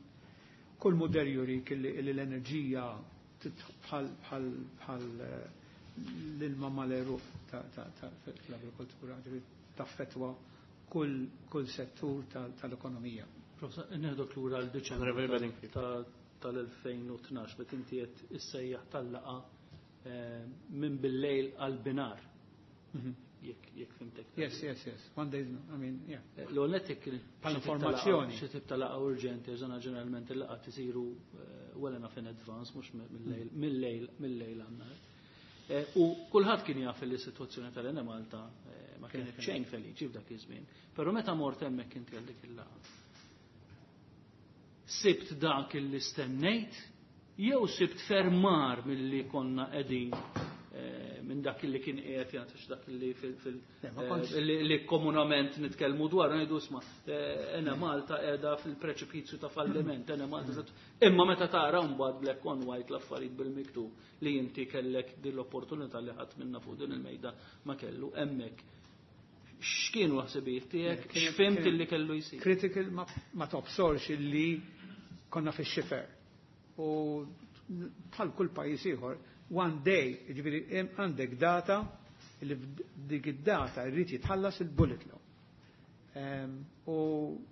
kull mudell jurik li l-enerġija bħal bħal l-ilma mal-għeruq fl-agrikoltura, taffettwa kull settur tal-ekonomija. Professor, neħdok lura l-Diċembru tal-elfejn u tnax, meta inti qed issejjaħ tal-laqa minn bil-lejl għal binar. Jekk jekk fimtek. Yes, yes, yes. One day, I mean, yeah. L-ewwel nett jekk Bħal informazzjoni. Xi tip ta' laqgħa urġenti, ġena ġeneralment il-laqgħa tisiru well enough in advance, mhux mill-lejl, mill-lejl, mill-lejl għan-nhar. U kulħadd kien jaf li s-sitwazzjoni tal-Enemalta ma kienet xejn feliċi f'dak iż-żmien. Però meta mort hemmhekk inti għal dik il-laqgħa, sibt dak li stennejt jew sibt fermar milli konna qegħdin minn dak li kien qiegħed jagħti dak li fil, fil, li, li komunament nitkellmu dwar ngħidu isma' Enemalta qiegħda fil-preċipizju ta' falliment, Enemalta. Imma meta tara mbagħad black on white l-affarijiet bil-miktub li inti kellek din l-opportunità li ħadd minna fuq din il-mejda ma kellu hemmhekk. X'kienu ħsibijiet tiegħek? X'fimt illi kellu jsir? Critical ma, ma tobsorx illi konna fix-xifer. U bħal kull pajjiż ieħor, one day, jiġifieri għandek data li dik id-data jrid jitħallas il-bullet loan. U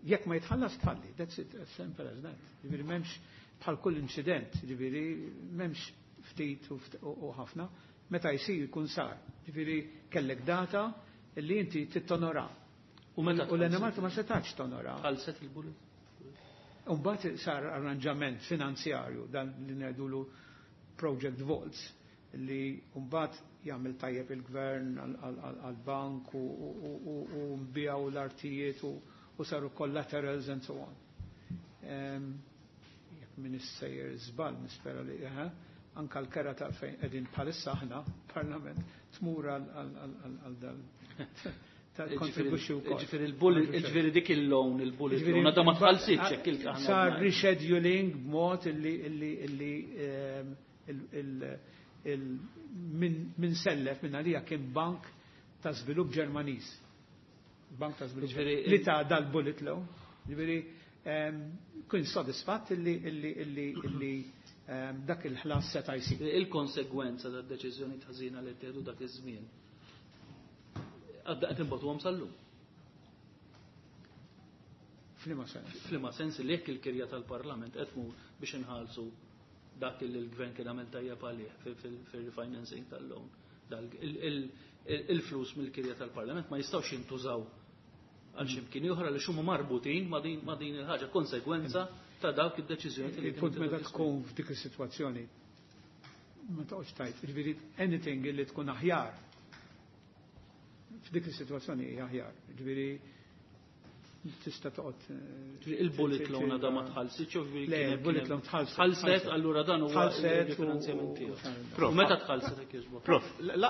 jekk ma jitħallas tfalli, that's it, as simple as that. Jiġifieri m'hemmx bħal kull incident, jiġifieri m'hemmx ftit u ħafna, meta jsir jkun sar. Jiġifieri kellek data li inti tittonora. U meta U l-Enemalta ma setax tonora. Tħallset il-bullet? U mbagħad sar arranġament finanzjarju dan li ngħidulu Project Vaults li mbagħad jagħmel tajjeb il-gvern għall-bank u nbijaw l-artijiet u saru collaterals and so on. Jekk min issejjer żball nispera li anka l-kera ta' fejn qegħdin bħalissa aħna parlament tmur għal dal kontribuxxi wkoll. Ġifieri il-bullet, ġifieri dik il-loan, il-bullet loan, għadha ma tħallsitx hekk il- Sar rescheduling b'mod illi illi illi min sellef minn għalija kien bank ta' żvilupp Ġermaniż. Bank ta' żvilupp li ta' dal-bullet loan. Ġifieri kien sodisfatt illi illi illi illi dak il-ħlas seta' jsir. Il-konsegwenza tad-deċiżjoni ħażina li ttieħdu dak iż-żmien għadda qed inbagħtuhom sal-lum. F'liema sens? F'liema sens li jekk il-kirja tal-Parlament qed tmur biex inħallsu dak li l-gvern kien għamel tajjeb għalih fil-refinancing tal-loan. Il-flus mill-kirja tal-Parlament ma jistgħux jintużaw għal xi mkien oħra li huma marbutin ma' din il-ħaġa, konsegwenza ta' dawk id-deċiżjoni li Il-punt meta tkun f'dik is-sitwazzjoni ma toqgħodx tajt, jiġifieri anything li tkun aħjar f'dik is-sitwazzjoni hija aħjar. Jiġifieri Tista' toqgħod eh, Il-bullet loan għadha ma tħallsitx, jew Le, il-bullet loan tħallset. Tħallset, allura dan huwa Tħallset u- il-finanzjament tiegħu. Prof. U meta tħallset hekk jogħġbok? Prof, la,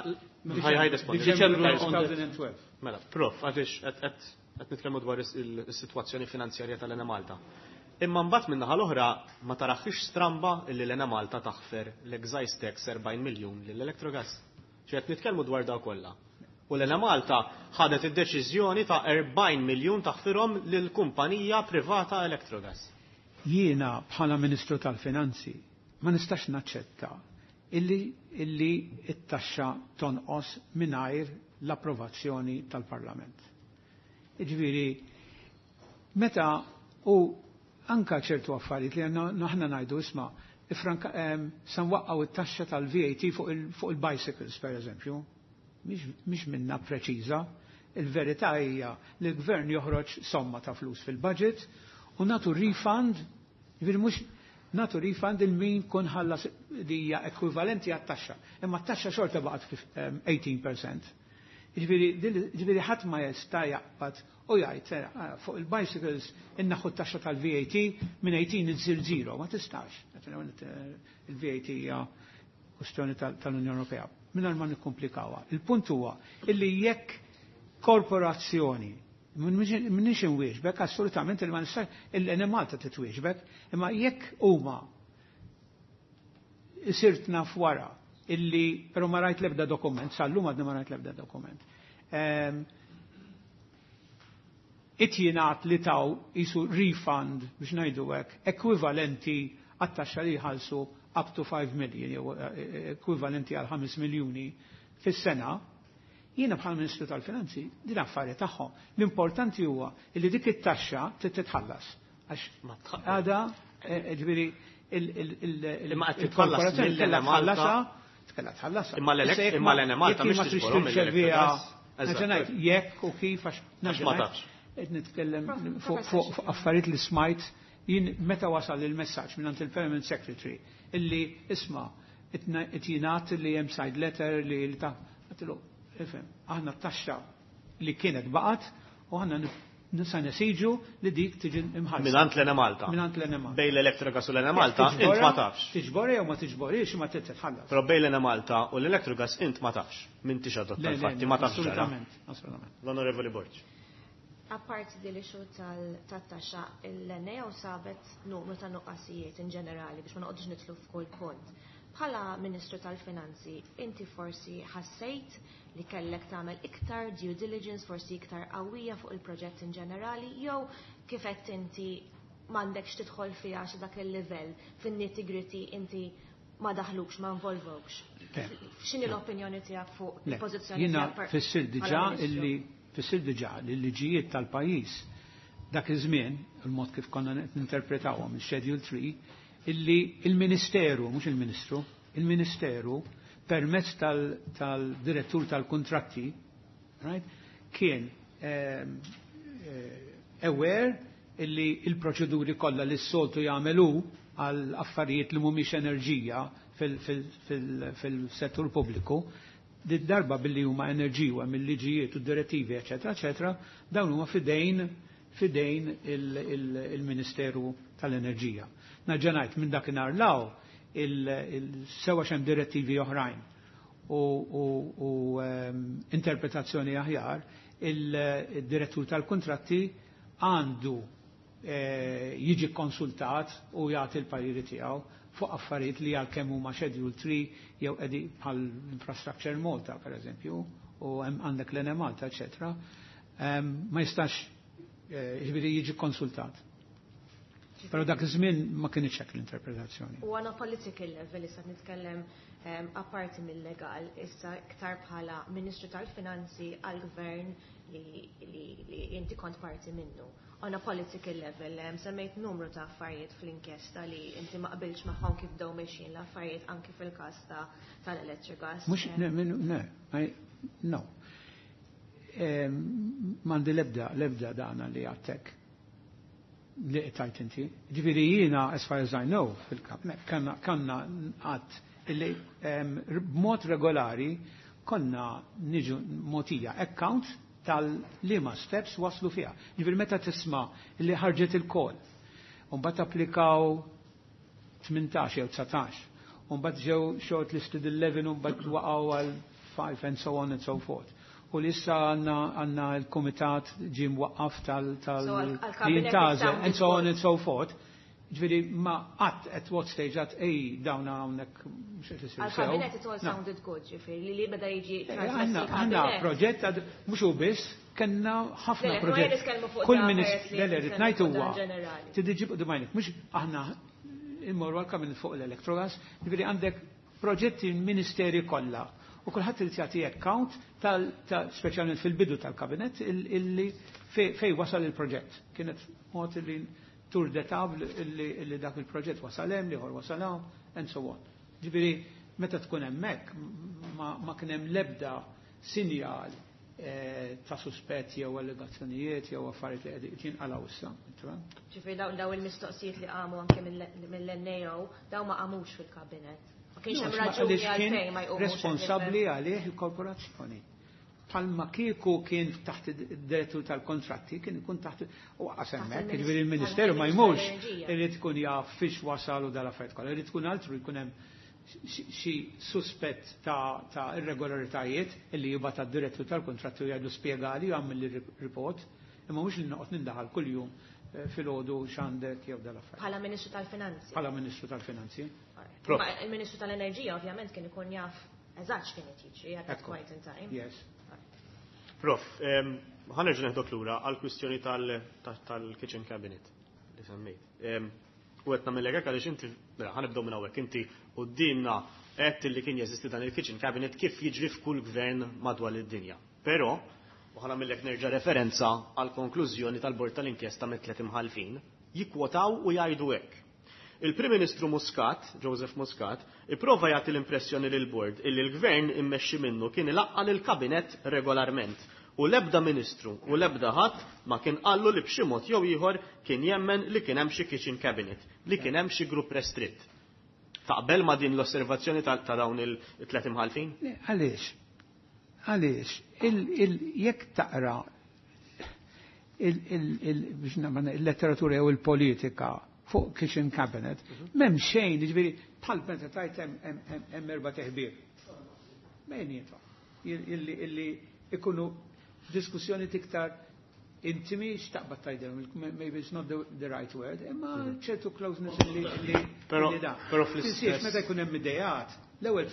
ħaj ħaj rispondi. Diċembru elfejn u tnax. Mela, prof, għaliex qed qed qed nitkellmu dwar is- il-sitwazzjoni finanzjarja tal-Enemalta. Imma mbagħad min-naħa l-oħra ma taraħx stramba illi l-Enemalta taħfer l-excise tax erbgħin miljun lill-Electrogas. Ġi qed nitkellmu dwar daw kollha. U l-Enemalta ħadet id-deċiżjoni ta' erbgħin miljun taħfirhom lill-kumpanija privata Electrogas. Jiena bħala Ministru tal-Finanzi ma nistax naċċetta illi illi it-taxxa tonqos mingħajr l-approvazzjoni tal-Parlament. Jiġifieri, meta u anka ċertu affarijiet li għandna aħna ngħidu, isma', ifranka em, sa nwaqqgħu it-taxxa tal-V A T fuq il- fuq il-bicycles, per eżempju, mhix minna preċiża. Il-verità hija li l-gvern joħroġ somma ta' flus fil-budget u nagħtu refund, jiġifieri mhux nagħtu refund il min kun ħallas li hija ekwivalenti għat-taxxa. Imma t-taxxa xorta baqgħet tmintax fil-mija. Jiġifieri jiġifieri ħadd ma jista' jaqbad u jgħid eh, fuq il-bicycles innaħu t-taxxa tal-V A T minn tmintax itsir zero, ma tistax. Il-V A T hija kwestjoni tal-Unjoni Ewropea. Mingħajr ma nikkomplikawha. Il-punt huwa illi jekk korporazzjoni, m'iniex inwieġbek, assolutament il ma nistax, il-Enemalta titwieġbek, imma jekk huma sirt naf wara illi, però ma rajt lebda dokument, sal-lum għadni ma rajt lebda dokument. Ehm, Itjinat li taw jisu refund, biex ngħidu hekk, ekwivalenti għat-taxxa li jħallsu up to five million, jew eh, ekwivalenti għal ħames miljuni fis-sena, jiena bħal Ministru tal-Finanzi, din affari tagħhom. L-importanti huwa li dik it-taxxa trid titħallas. Għax għada, eh, ġifieri, Imma qed titħallas il-korporazzjoni kellha mill-Enemalta. tħallasha, kellha tħallasha. Imma l-elek- Issa jekk imma ma- l-Enemalta jekk mhix ma tridx tiġborhom tirċeviha, mill-Electrogas. nerġa' ngħid, jekk u kif, għax Għax ma nerġa' tafx. qed nitkellem Prof- fuq fuq fuq affarijiet li smajt jien meta wasal il-messaġġ minn il-Permanent Secretary illi isma' qed jingħad li hemm side letter li li ta' għedtlu, ifhem, aħna t-taxxa li kienet baqgħet u aħna nisa nesiġu li dik tiġi imħallsa. Mingħand l-Enemalta. Mingħand l-Enemalta. Bejn l-Electrogas u l-Enemalta int ma tafx. Tiġbora jew ma tiġborix, ma titħallas. Però bejn l-Enemalta u l-Electrogas int ma tafx. M'intix adotta Le, le, l-fatti, ma tafx ġara. Assolutament, assolutament. L-Onorevoli Borg. Apparti di li xu tal-taxxa, l-N A O sabet numru ta' nuqqasijiet in ġenerali biex ma noqgħodux nidħlu f'kull punt. Bħala Ministru tal-Finanzi, inti forsi ħassejt li kellek tagħmel iktar due diligence, forsi iktar qawwija fuq il-proġett in ġenerali, jew kif qed inti m'għandekx tidħol fiha xi dak il-livell fin-nitty-gritty inti ma daħlukx, ma involvokx? Le. X'inhi l-opinjoni tiegħek fuq Le, il-pożizzjoni jiena tiegħek per- fissir diġà bħala Ministru? illi fissir diġà li l-liġijiet tal-pajjiż dak iż-żmien, il-mod kif konna ninterpretawhom il-Schedule three, illi il-Ministeru, mhux il-Ministru, il-Ministeru permezz tal-direttur tal-kontratti, right, kien ehm, eh, aware illi il-proċeduri kollha li s-soltu jagħmelu għal affarijiet li mhumiex enerġija fil-settur pubbliku, di darba billi huma enerġija mill-liġijiet u direttivi, eċetera, eċetera, dawn huma fidejn fidejn il-Ministeru tal-Enerġija. Nerġa' ngħid, minn dakinhar law il-sewa xem direttivi oħrajn u, u, u um, interpretazzjoni aħjar, il-direttur tal-kontratti għandu eh, jiġi konsultat u jagħti l-pariri tiegħu fuq affarijiet li għalkemm huma Schedule three jew qegħdi bħal Infrastructure Malta, per eżempju, u hemm għandek l-Enemalta, eċetera. Em, ma jistax eh, jiġifieri jiġi konsultat. Però dak iż-żmien ma kienx hekk l-interpretazzjoni. U on a political level, issa nitkellem um, apparti mill-legal, issa iktar bħala Ministru tal-Finanzi għal-Gvern li, li, li inti kont parti minnu. On a political level, um, semmejt numru ta' affarijiet fl-inkjesta li inti ma qbilx magħhom kif daw mexjin l-affarijiet anki fil-każ ta' tal-Electrogas. Mux, ne, ne, ne, no. Em, M'għandi lebda, lebda dana li għattek li tajt inti. Ġifieri jiena, as far as I know, fil-kabinet, kanna, kanna għat illi em, b'mod regolari konna niġu mogħtija account tal-liema steps waslu fiha. Ġifieri meta tisma' li ħarġet il-call, u mbagħad applikaw tmintax jew dsatax, u mbagħad ġew shortlisted eleven u mbagħad waqgħu għal five and so on and so forth. U li issa għandna l-kumitat ġie mwaqqaf tal tal li jintgħażel and so on and so forth. Ġifieri ma qatt at what stage għat ej dawna hawnhekk mhux qed isir sew. Għall-kabinet it all sounded good, ġifieri li li beda jiġi Għandna għandna proġett mhux hu biss, kellna ħafna proġett. Kull ministru, le le rrid ngħid huwa trid iġib quddiem għajnek, mhux aħna immorru għall-kabinet fuq l-Electrogas, ġifieri għandek proġetti ministeri kollha. U kulħadd irid jagħti account tal speċjalment fil-bidu tal-kabinet illi fej wasal il-proġett. Kienet mod illi tour de table illi dak il-proġett wasal hemm, l-ieħor wasal hawn, and so on. Ġifieri meta tkun hemmhekk ma kien hemm l-ebda sinjal ta' suspetti jew allegazzjonijiet jew affarijiet li qegħdin jinqalgħu issa. Ġifieri daw il-mistoqsijiet li qamu anke mill-N A O daw ma qamux fil-kabinet. Ma kienx hemm raġuni għalfejn ma jqumux. Responsabbli għalih il-korporazzjoni. Palma kieku kien taħt id-direttur tal-kontratti, kien ikun taħt u għas hemmhekk, jiġifieri il-Ministeru ma jmurx, irid ikun jaf fiex wasal u dal-affarijiet kollha, irid ikun altru jkun hemm xi suspett ta' irregolaritajiet illi jibgħat għad-direttur tal-kontratti u jgħidu spjegali u jagħmel report, imma mhux li noqgħod nindaħal kuljum filgħodu x'għandek jew dal-affarijiet. Bħala Ministru tal-Finanzi. Bħala Ministru tal-Finanzi. Il-Ministru tal-Enerġija ovvjament kien ikun jaf eżatt x'kien qed jiġri at that point in time. Yes. Prof, ħa nerġa' neħdok lura għall-kwistjoni tal-kitchen cabinet li semmejt. U qed nagħmel hekk għaliex inti, mela ħa nibdew minn hawnhekk, inti quddiemna għedt li kien jeżisti dan il-kitchen cabinet kif jiġri f'kull gvern madwar id-dinja. Però, u ħa nagħmellek nerġa' referenza għall-konklużjoni tal-bord tal-inkjesta mit-tliet imħallfin, jikkwotaw u jgħidu hekk. Il-Prim Ministru Muscat, Joseph Muscat, ipprova jagħti l-impressjoni lil bord illi l-gvern immexxi minnu kien ilaqqa' lill-kabinet regolarment u l-ebda ministru u l-ebda ħadd ma kien qallu li b'xi mod jew ieħor kien jemmen li kien hemm xi kitchen cabinet, li kien hemm xi grupp restritt. Taqbel ma din l-osservazzjoni ta' dawn il-tliet imħallfin? Le, għaliex? Għaliex? Jekk taqra il-letteratura jew il-politika fuq kitchen cabinet, m'hemm xejn, jiġifieri bħal meta tajt hemm erba' teħbir. Bejniethom. Illi ikunu diskussjoni tiktar intimi, x'taqbad tgħidilhom, maybe it's not the, the right word, imma ċertu closeness illi illi da. Però fl-istess. Meta jkun hemm idejat, l-ewwel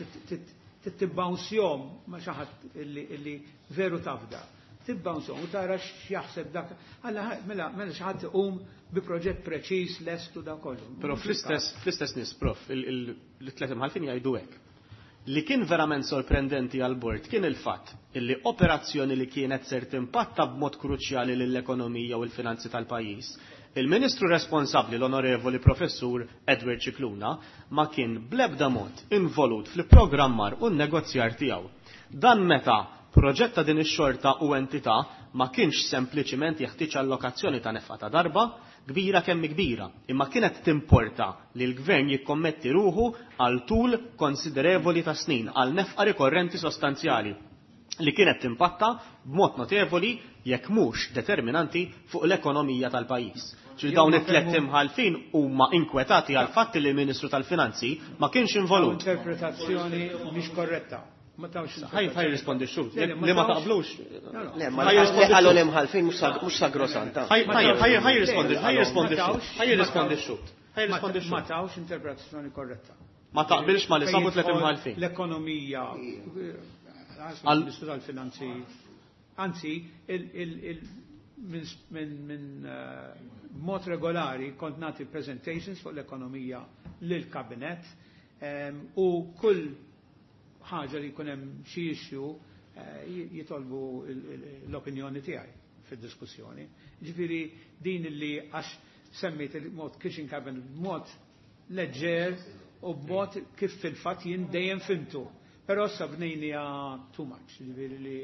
tibbouncjhom ma' xi ħadd illi veru tafda. Tibbouncjhom u tara x'jaħseb dak. Alla mela mela xi ħadd iqum bi proġett preċiż lest u da kollu. Però fl-istess fl-istess nies, prof, il-tliet imħallfin jgħidu hekk. Li kien verament sorprendenti għal-bord kien il-fatt illi operazzjoni li kienet ser timpatta b'mod kruċjali lill-ekonomija u l-finanzi tal-pajjiż, il-Ministru responsabbli l-Onorevoli Professur Edward Scicluna ma kien bl-ebda mod involut fil-programmar u n-negozjar tiegħu. Dan meta proġett ta' din ix-xorta u entità ma kienx sempliċiment jeħtieġ allokazzjoni ta' nefqa ta' darba, kbira kemm kbira, imma kienet timporta li l-gvern jikkommetti ruħu għal tul konsiderevoli ta' snin, għal nefqa rikorrenti sostanzjali li kienet timpatta b'mod notevoli jekk mhux determinanti fuq l-ekonomija tal-pajjiż. Ġifieri dawn it-tliet imħallfin huma inkwetati għal fatt li l-Ministru tal-Finanzi ma kienx involut. Interpretazzjoni mhix korretta. Ma tawx Ħaj ħaj rispondi x-xhud. Li ma taqblux. Le, ma li qalu l-imħallfin mhux sagrosanta. Ħaj ħaj rispondi, ħaj rispondi x-xhud. Ħaj rispondi x-xhud. Ħaj rispondi x-xhud. Ma tawx interpretazzjoni korretta. Ma taqbilx ma li sabu tliet imħallfin. L-ekonomija, għal-Ministru tal-Finanzi, anzi, minn mod regolari kont nagħti presentations fuq l-ekonomija lill-kabinet u kull ħaġa li jkun hemm xi issue jitolbu l-opinjoni tiegħi fid-diskussjoni. Ġifieri din li għax semmejt il-mod kitchen cabinet b'mod leġġer u b'mod kif fil-fatt jien dejjem fimtu. Però issa bnejnija too much, ġifieri li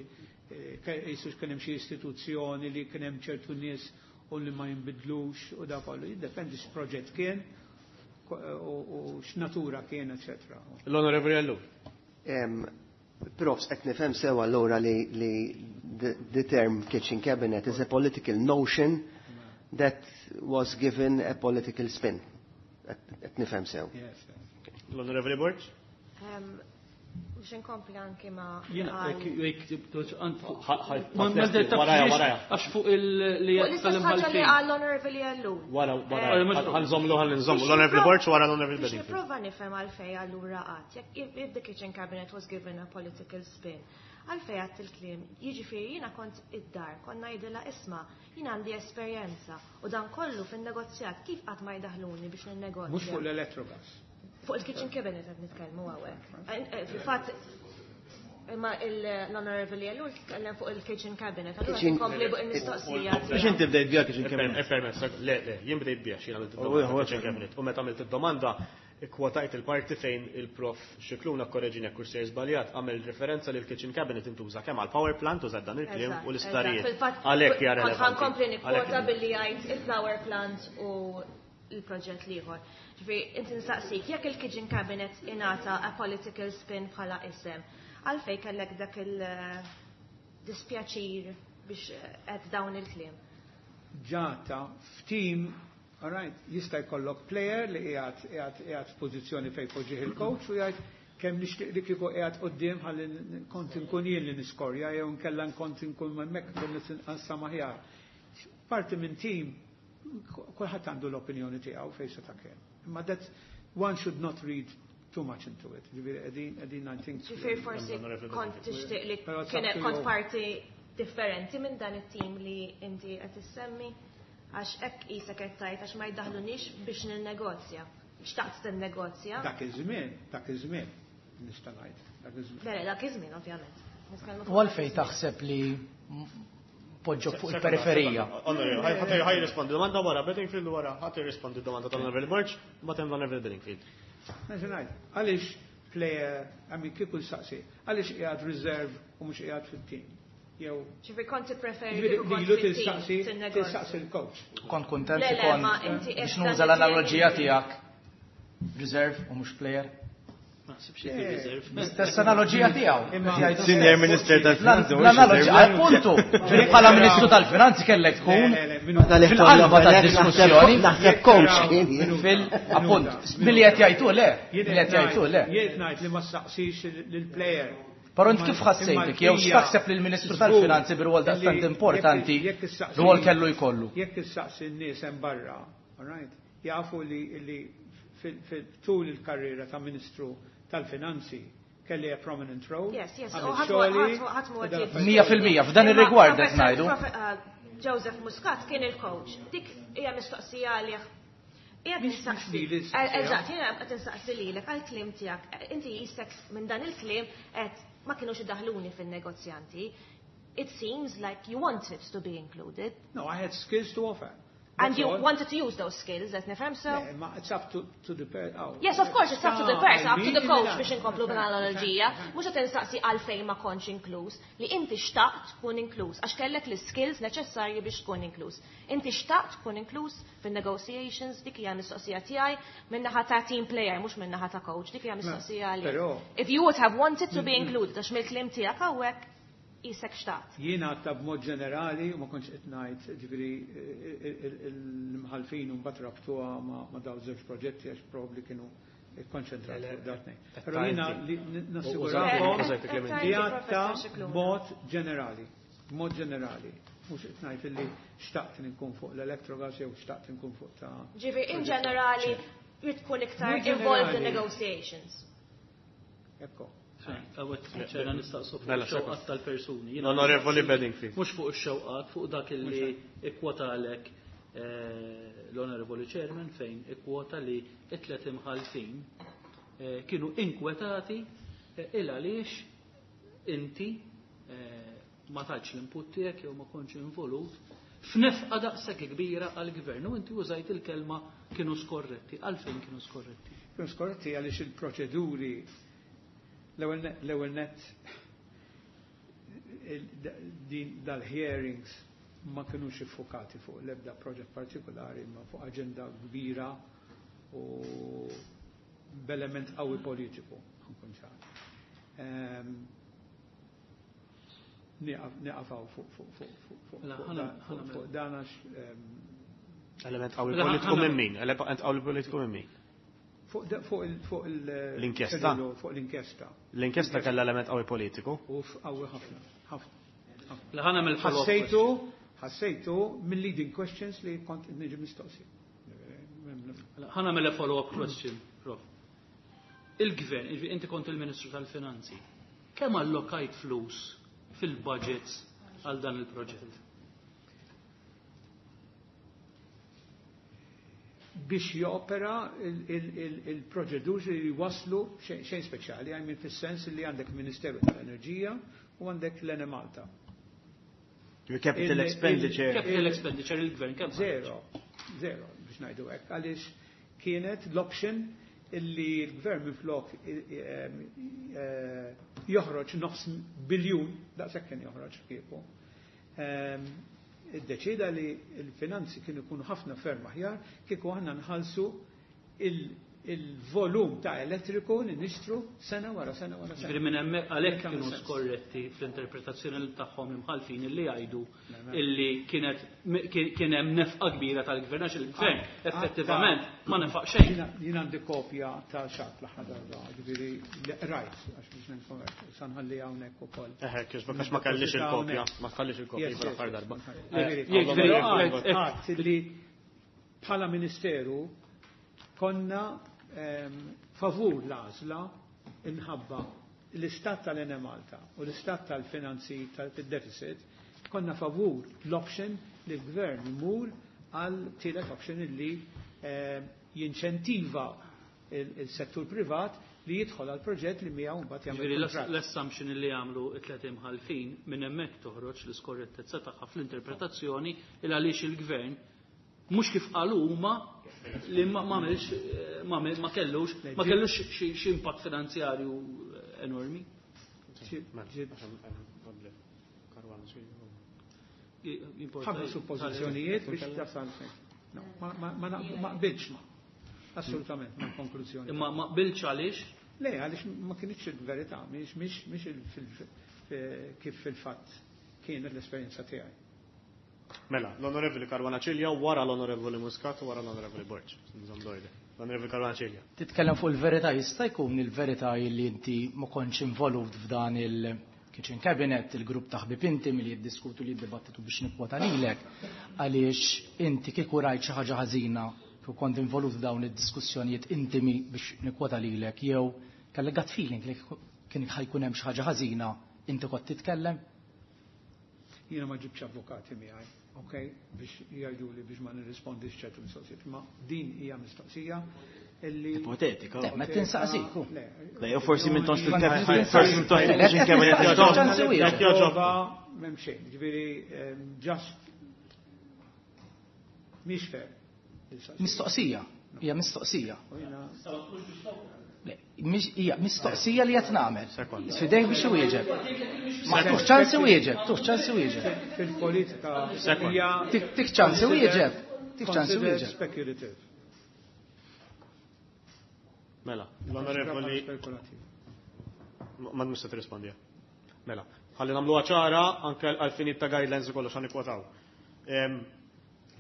jisux kien hemm xi istituzzjoni li kien hemm ċertu nies u li ma jinbidlux u da kollu. Jiddependi x'proġett kien u x'natura kien, eċetera. L-Onorevoli Ellul. Profs, qed nifhem sew allura li, li the, the term kitchen cabinet is a political notion that was given a political spin. Qed nifhem sew. Yes, yes. L-Onorevoli Borg? Um, Biex inkompli anki ma' Jiena għal- jekk- jekk tibdux għand fuq- Ħa- ħa- Ma- ma- ħa- Waraja, waraja. Għax fuq il- li Fuq l-istess ħaġa li tal-imħalfin. qal l-Onorevoli Ellul. Wara, wara. Eh, mhux- Ħa nżommu, ħa nżommu. Biex L-Onorevoli nipprova- Borg wara l-Onorevoli Biex Bedingfield. nipprova nifhem għalfej allura qatt, jekk if, if the kitchen cabinet was given a political spin, għalfej għedt il-kliem, jiġifieri jiena kont id-dar, konna ngħidilha isma', jiena għandi esperjenza u dan kollu fin-negozjat kif qatt ma jdaħluni biex ninnegozja. Mhux fuq l-Electrogas. Fuq il-kitchen cabinet qed nitkellmu hawnhekk. Eh, eh, Fil-fatt imma l-Honorable Ellul tkellem fuq il-kitchen cabinet, allura Kitchen- nkompli fuq il-mistoqsija. Biex inti bdejt biha kitchen cabinet. Permess, le, le, jien bdejt biha xi għamilt Oh, id-domanda oh, kitchen cabinet. U meta għamilt id-domanda, ikkwotajt il-parti fejn il-prof Scicluna korreġini jekk sejjer żbaljat għamel referenza li l-kitchen cabinet intuża kemm għal power plant użat dan il-kliem Eżatt, u l-isptarijiet. eżatt. Fil-fatt, Għalhekk hija kont relevanti. ħa nkompli nikkwota Għalhekk- billi jgħid il-power plant u il-proġett l-ieħor. Ġifieri, inti nsaqsik, jekk il-kitchen cabinet ingħata a political spin bħala isem, għalfej kellek dak il-dispjaċir biex qed dawn il-kliem. Ġata f'team, all right, jista' jkollok player li qiegħed qiegħed qiegħed f'pożizzjoni fejn poġġih il-coach u jgħid kemm nixtieq li kieku qiegħed quddiem ħalli kont inkun jien li niskorja jew nkella kont inkun hemmhekk kont nqassam aħjar. Parti minn team kulħadd għandu l-opinjoni tiegħu fejn se ta' kien. Imma that one should not read too much into it. Ġifieri qegħdin qegħdin I think. Ġifieri forsi kont tixtieq li Però it's kien up to kont you. parti differenti minn dan it-team li inti qed issemmi għax hekk qisek qed tgħid għax ma jdaħlunix biex ninnegozja. Xtaqt tinnegozja. Dak iż-żmien, dak iż-żmien nista' ngħid. Dak iż-żmien. Le, le, dak iż-żmien ovvjament. Nitkellmu fuq U għalfej taħseb li poġġok fuq il-periferija. Onorevoli, ħa jirrispondi domanda wara Bedingfield u wara ħa jirrispondi domanda tal-Onorevoli Borg, mbagħad hemm l-Onorevoli Bedingfield. Nerġa' ngħid, għaliex player, I mean kieku nsaqsi, għaliex qiegħed reserve u mhux qiegħed fit-team? Jew Ġifieri kont tippreferi Ġifieri kieku kont lilu fit-team tistaqsi tinnegozja. tistaqsi l-coach. Kont kontent Le, li le, kont ma inti biex qed nuża dan l-analogija it-team. tiegħek reserve u mhux player. Ma naħsibx li kien reserve. L-istess analogija tiegħu. Imma- Jgħidu Senior stess. Minister tal-Finanzi, mhux L-analogija, reserve. appuntu, ġifieri bħala Ministru tal-Finanzi kellek tkun Le, le, le, minu- fil-qalba tad-diskussjoni. Naħseb coach kien. Fil, appunt, milli qed jgħidu le, Jien milli qed qed jgħidu le. ngħid- Jien qed ngħid li ma staqsix lill-player. Però int kif ħassejtek, jew x'taħseb li l-Ministru tal-Finanzi bir-rwol daqstant importanti rwol kellu jkollu? Jekk issaqsi n-nies hemm barra, all right, jafu li li fil- tul il-karriera ta' Ministru tal-Finanzi kelli a prominent role. Yes, yes. għamilt U ħadd xogħli, ħadd ħadd u dan ħadd Mija fil-mija, f'dan Imma ir-rigward qed Professor- ngħidu. Profe- uh, Joseph Muscat kien il-coach. Dik hija mistoqsija għalih. Qiegħed Mhix- nistaqsi. mhux lili Eh, ssaqsija. Eżatt, jiena qed insaqsi lilek għall-kliem tiegħek. Inti jistek minn dan il-kliem qed ma kinux idaħluni fin-negozjanti. It seems like you wanted to be included. No, I had skills to offer. And That's you all. wanted to use those skills, qed nifhem so? Yeah, ma it's up to, to the per oh. Yes, of course, it's up to the Ah, person, up to the I mean, coach yeah. biex inkomplu bl-analogija. Mhux qed insaqsi għalfejn ma kontx inkluż, li inti xtaqt tkun inkluż, għax kellek l-skills neċessarji biex tkun inkluż. Inti xtaqt tkun inkluż fin-negotiations, dik hija mistoqsija tiegħi min-naħa ta' team player, mhux min-naħa ta' coach, dik hija mistoqsija għalik. Però- If you would have wanted to be included, għax mill-kliem tiegħek hawnhekk qisek xtaqt. Jiena għadta b'mod ġenerali, u ma kontx qed ngħid, ġifieri l-imħalfin u mbagħad rabtuha ma' ma' dawn żewġ proġetti għax probabbli kienu ikkonċentrati fuq dat Però jiena li nassigurakom Użajt il-kliem li għadta b'mod ġenerali, b'mod ġenerali. Mhux qed ngħid illi xtaqt nkun fuq l-Electrogas jew xtaqt nkun fuq ta' Ġifieri in ġenerali jrid tkun iktar Mod involved in ġenerali. negotiations. Ekko. Għawet, ċena nistaqsu fuq Mela, ix-xewqat tal-persuni. Jiena L-Onorevoli nistaqsi- Bedingfield. Mhux fuq ix-xewqat, fuq dak illi ikkwotalek eh, l-Onorevoli Chairman fejn ikkwota li it-tlet imħalfin eh, kienu inkwetati eh, il għaliex inti eh, ma tajtx l-input tiegħek jew ma kontx involut f'nefqa daqshekk kbira għall-gvern u inti użajt il-kelma kienu skorretti. Għalfejn kienu skorretti? Kienu skorretti għaliex il-proċeduri l-ewwel net- l-ewwel net il- da- din dal-hearings ma kinux iffokati fuq l-ebda proġett partikolari ma fuq aġenda kbira u b'element qawwi politiku. Nkun ċar. Ehm, Nieqaf hawn fuq fuq fuq fuq fuq dan għax Element qawwi politiku minn min? Element qawwi politiku minn min? Fuq fuq l-inkjesta. Fuq l-inkjesta. L-inkjesta kellha element qawwi politiku? Uf, qawwi ħafna, ħafna. Ħassejtu, ħassejtu mill-leading questions li kont niġi mistoqsi. Ħa nagħmel follow-up question, Prof. Il-gvern, inti kont il-Ministru tal-Finanzi, kemm allokajt flus fil-budgets għal dan il-proġett? Biex jopera il-proċeduri li waslu xejn speċjali, għajmin fis-sens li għandek Ministeru tal-Enerġija u għandek l-Enemalta. Capital expenditure. Capital expenditure il-gvern kemm? Zero, zero biex ngħidu hekk, għaliex kienet l-option illi l-gvern minflok joħroġ nofs biljun, daqshekk kien joħroġ kieku. Iddeċida li l-finanzi kienu jkunu ħafna ferm aħjar kieku aħna nħallsu il-volum ta' elettriku li nixtru sena wara sena wara sena. Ġifieri minn hemmhekk għalhekk kienu skorretti fl-interpretazzjoni tagħhom imħalfin illi jgħidu illi kienet kien hemm nefqa kbira tal-gvern għax il-gvern effettivament ma nefaq xejn. Jien għandi kopja ta' xatt l-aħħar darba, ġifieri rajt għax biex nfhem sa nħalli hawnhekk ukoll. Eħe, għax ma kellix il-kopja, ma tħallix il-kopja l-aħħar darba. Ġifieri li bħala ministeru konna favur l-għażla inħabba l-istat tal-Enemalta u l-istat tal-finanzi tal-deficit, konna favur l-option li l-gvern imur għal tielet option li jinċentiva il-settur privat li jidħol għal proġett li miegħu mbagħad jagħmel kuntratt. L-assumption li jagħmlu t-tliet imħalfin minn hemmhekk toħroġ l-iskorrettezza tagħha fl-interpretazzjoni il għaliex il-gvern mhux kif qalu huma li ma għamilx ma kellux ma kellux xi impatt finanzjarju enormi. Ħafna suppożizzjonijiet biex tasal. Ma qbilx assolutament ma' konklużjoni. Imma ma qbilx għaliex? Le, għaliex ma kienx il-verità, mhix mhix kif fil-fatt kienet l-esperjenza tiegħi. Mela, l-Onorevoli Caruana Cilia, wara l-Onorevoli Muscat u wara l-Onorevoli Borg. L-Onorevoli Caruana Cilia. Titkellem fuq il-verità, jista' jkun il-verità li inti ma kontx involut f'dan il-kitchen cabinet, il-grupp ta' ħbieb inti milli jiddiskutu li jiddibattitu biex nikkwota lilek, għaliex inti kieku rajt xi ħaġa ħażina kieku kont involut f'dawn id-diskussjonijiet intimi biex nikkwota lilek, jew kellek gut feeling li kien ħajkun hemm xi ħaġa ħażina, inti kont titkellem? Jiena ma ġibx avukati miegħi, ok, biex jgħidu li biex ma nirrispondix ċertu mistoqsijiet, ma din hija mistoqsija illi ipotetika. Ma tinsaqsik. Le, jew forsi minn tonx forsi minn tonx il-kitchen cabinet. Jogħġobha m'hemm xejn, ġifieri just mhix fair. Mistoqsija, hija mistoqsija. Hija mistoqsija li qed nagħmel. Sfidejk biex iwieġeb. Ma tux ċans iwieġeb, tux ċans iwieġeb. Fil-politika hija tik ċans iwieġeb, tik ċans iwieġeb. Speculative. Mela, l-Onorevoli ma nista' tirrispondi. Mela, ħalli nagħmluha ċara anke għal finit ta' guidelines u kollox ħanikwotaw.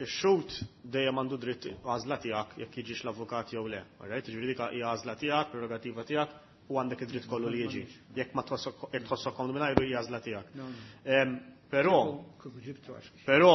Ix-xhud dejjem għandu dritt għażla tiegħek jekk jiġix l-avukat jew le. Alright, jiġifieri dik hija għażla tiegħek, prerogativa tiegħek u għandek id-dritt kollu li jiġi. Jekk ma tħossok jekk tħossok komdu mingħajru hija għażla tiegħek. Però però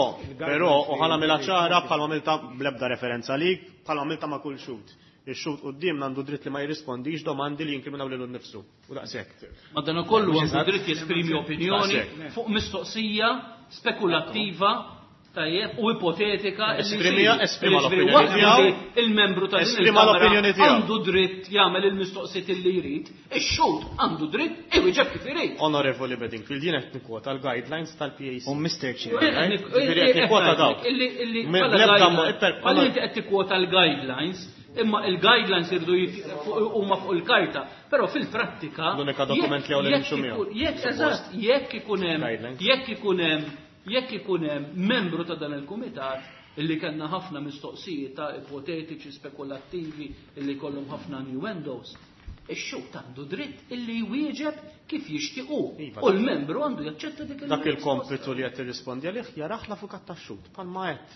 però u ħa nagħmilha ċara bħalma għamilta bl-ebda referenza lik, bħalma għamilta ma' kull xhud. Ix-xhud qudiemna għandu dritt li ma jirrispondix domandi li jinkriminaw lilu nnifsu. U daqshekk. Ma dan ukollu għandu dritt jesprimi opinjoni fuq mistoqsija spekulattiva tajjeb u ipotetika. Esprimija, esprima l-opinjoni tiegħu. Il-membru ta' din il-kamra għandu dritt jagħmel il-mistoqsijiet li jrid, ix-xhud għandu dritt iwieġeb kif irid. Onorevoli Bedingfield, jien qed nikkwota l-guidelines tal-P A C. U Mister Chair, Ġifieri qed nikkwota dawk. Illi inti qed tikkwota l-guidelines, imma il-guidelines irdu huma fuq il-karta, però fil-prattika l-unika dokument li hawn li nimxu miegħu. Jekk eżatt, jekk ikun hemm, jekk ikun hemm jekk ikun hemm membru ta' dan il-kumitat illi kellna ħafna mistoqsijiet ta' ipotetiċi spekulattivi illi jkollhom ħafna innuendos, Ix-xhud għandu dritt illi jwieġeb kif jixtiequ. Iva, U l-membru għandu jaċċetta dik Dak il-kompitu li qed tirrispondi għalih jarah l-avukat tax-xhud, bħalma qed.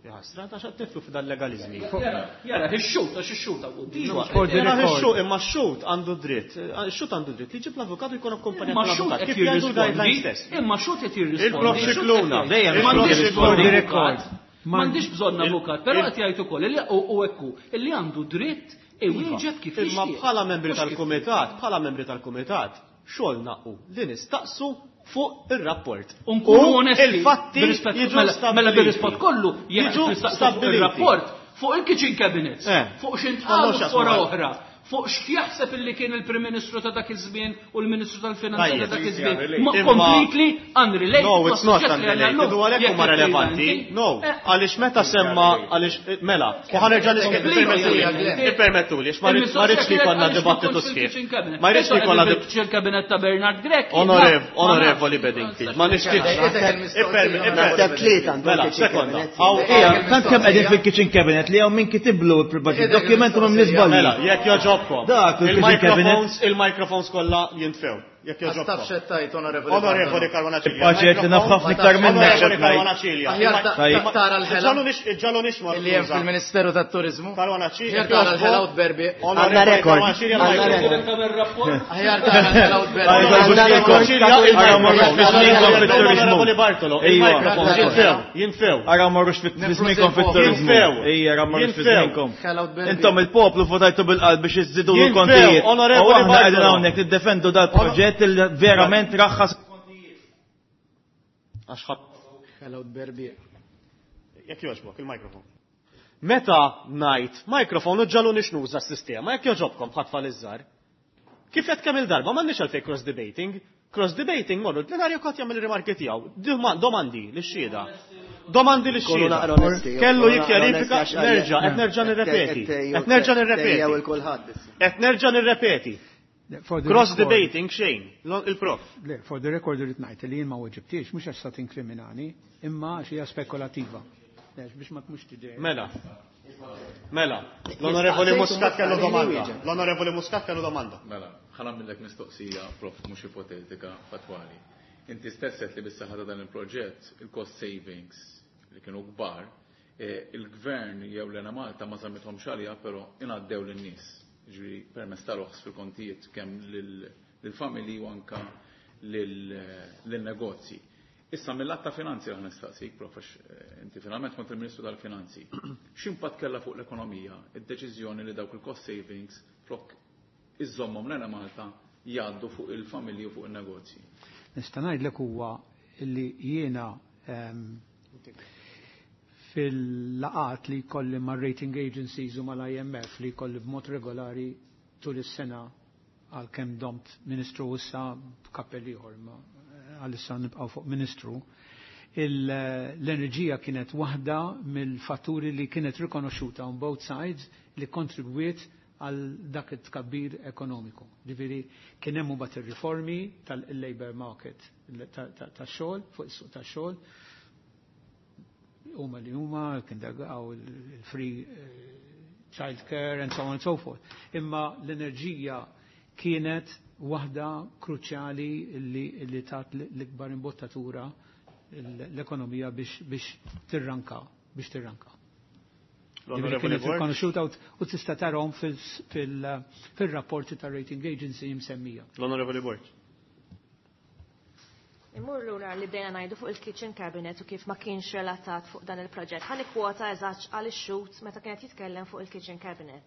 Jaħasra ta' x'qed tiflu f'dan legaliżmi. Jara, jara, ix-xhud għax ix-xhud hawn quddiem. Iva, For the Jarah record. ix-xhud, imma x-xhud għandu dritt. Ix-xhud għandu dritt li jġib l-avukat u jkun akkompanjat Imma x-xhud mill-avukat. qed Kif jgħidu l-guidelines jirrispondi, stess. imma x-xhud qed jirrispondi. Il-Prof X-xhud qed Scicluna, jgħid. dejjem M'għandix il-Prof bżonn Scicluna. avukat. M'għandix bżonn avukat, però qed jgħid ukoll illi u hekk hu, illi għandu dritt iwieġeb kif Imma jixtieq. bħala membri Mhux kif tal-kumitat, bħala membri tal-kumitat, xogħolna hu li nistaqsu fuq ir-rapport. U nkunu U onesti. Il-fatti bir-rispett- jiġu mela- Mela stabbiliti. bir-rispett kollu, jekk Jiġu nistaqsu fuq stabbiliti. ir-rapport, fuq il-kitchen cabinets, Eh. fuq x'intqalu Kollox jaqsmu fora mal- oħra, fuq x'jaħseb illi kien il-Prim Ministru ta' dak iż-żmien u l-Ministru tal-Finanzi ta' Tajjeb. dak iż-żmien. Ma Imma- completely unrelated. No, it's not mas-suġġett li għandna unrelated, llum. u għalhekk Jekk huma qed relevanti. tgħidha No, inti. Eh, għaliex meta semma, għaliex, eh, mela, u ħa nerġa' Completely. Ippermettuli, għax ma rridx ma rridx li jkollna dibattitu sħiħ. Ma rridx li jkollna dibattitu Kitchen cabinet ta' Bernard Grech. Onorev, onorevoli Bedingfield, ma nixtieqx. Naħseb tlieta għandhom Mela, kitchen sekonda. cabinet. Hawn- Ija, tant kemm qegħdin fil-kitchen cabinet li hawn min kitiblu il-budget dokument u minn żbalji. Mela, jekk joġobkom. Dak il-kitchen Il-microphones, il-microphones kollha jintfew. Jekk joġobkom. Taf xettajt, onorevoli. Onorevoli Caruana Cilia. Il-budget li naf ħafna iktar minnek Onorevoli xed Caruana ngħid. Cilia. Aħjar ta- Tajjeb. tara l-ħela Ġallu nix, ġallu nix illi hemm fil-Ministeru tat-Turizmu. Caruana Cilia. Aħjar tara l-ħela u tberbi. Għandna Onorevoli rekord. Caruana Cilia. Għandna il-microphone. rekord. Ir-rapport. Aħjar tara l-ħela u tberbi. Għajdu l-buxkikom. Ara morrux fi żmienkom fit-turizmu. Onorevoli Bartolo, Ejwa. il-microphones jinfew, jinfew. Ara morrux fi żmienkom fit-turizmu. Jinfew. Ejja, ara morrux fi Jinfew. żmienkom. Ħela u tberbi. Intom il-poplu votajtu bil-qalb biex iżidu Jinfew, l-kontijiet. U onorevoli aħna qegħdin Bartolo. hawnhekk niddefendu dal-proġett li verament raħħas Għax ħadd Ħela u tberbi. Jekk joġbok, il-mikrofon. Meta ngħid mikrofon u ġallu nix nuża s-sistema, jekk joġobkom bħat tfal iż-żgħar. Kif qed kemm il-darba m'għandniex għalfejn cross debating. Cross debating morru l-plenarju kont jagħmel rimarki tiegħu. Doma- Domandi lix-xhieda. Domandi Kunu lix-xhieda. naqra onesti. Kellu kunu naqra jikkjarifika, onesti għax nerġa', qed nerġa' nirrepeti. Qed nerġa' Tejjew nirrepeti. il-kulħadd issa. Qed nerġa' nirrepeti. For the Cross record- debating xejn, l- il-prof. Le, for the record irrid ngħid li jien ma weġibtix mhux għax sa tinkriminani, imma għax hija spekulativa. Le, biex ma tmux tidher. Mela. Mela, l-Onorevoli Muscat kellu domanda. L-Onorevoli Muscat kellu domanda. Mela, ħa nagħmillek mistoqsija, prof, mhux ipotetika, fatwali. Inti stess għedt li bis-saħħa ta' dan il-proġett, il-cost savings li kienu kbar, eh, il-gvern jew l-Enemalta ma żammithomx għaliha, però ingħaddew lin-nies. Ġifieri permezz ta' roħs fil-kontijiet kemm lil- lill-familji u anka lil- lil-negozji. Issa mill-att ta' finanzi ħa nistaqsik, prof, għax, eh, inti finalment kont il-Ministru tal-Finanzi. X'impatt kellha fuq l-ekonomija id-deċiżjoni li dawk il-cost savings flok iżommhom l-Enemalta jgħaddu fuq il-familji u fuq il-negozji? Nista' ngħidlek huwa li jiena ehm, fil-laqat li jkolli ma' rating agencies u mal-I M F li jkolli b'mod regolari tul is-sena, għal kemm domt ministru issa b'kappell ieħor, ma għalissa nibqgħu fuq ministru, l-enerġija kienet waħda mill-fatturi li kienet rikonoxxuta on both sides li kontribwiet għal dak it-tkabbir ekonomiku. Ġifieri kien hemm mbagħad ir-riformi tal-labor market tax-xogħol, fuq is-suq tax-xogħol, huma li huma kien dagaw il-free child care and so on and so forth. Imma l-enerġija kienet waħda kruċjali li, li tat l-ikbar imbottatura l-ekonomija biex, biex tirranka, biex tirranka. L-Onorevoli Kienet Borg. rikonoxxuta u tista' tarahom fil-rapporti ta' rating agency msemmija. L-Onorevoli Borg. Immur lura li bdejna ngħidu fuq il-kitchen cabinet u kif ma kienx relatat fuq dan il-proġett. Ħa nikkwota eżatt għal ix-xhud meta kienet jitkellem fuq il-kitchen cabinet.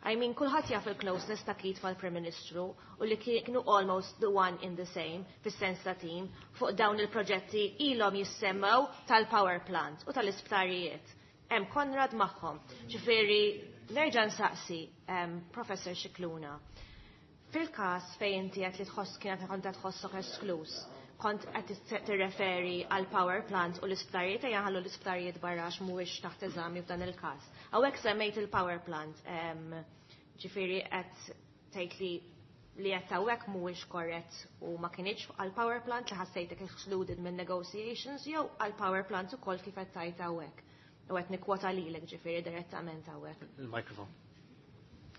I mean, kulħadd jaf il-closeness ta' Keith mal-Prim Ministru u li kienu almost the one in the same, fis-sens ta' team, fuq dawn il-proġetti ilhom jissemmew tal-power plant u tal-isptarijiet. Hemm Konrad magħhom. Ġifieri, nerġa' nsaqsi, um, Professor Scicluna, fil-każ fejn inti qed li tħoss kienet kont qed tħossok esklus, kont qed tirreferi għal power plant u l-isptarijiet, ejja ħallu l-isptarijiet barra għax mhuwiex taħt eżami f'dan il-każ. Hawnhekk semmejt il-power plant, ġifieri qed tgħid li li qed hawnhekk mhuwiex korrett u ma kienx għal power plant li ħassejtek excluded minn negotiations jew għal power plant ukoll kif qed tgħid hawnhekk? U qed nikkwota lilek ġifieri direttament hawnhekk. Il-mikrofon.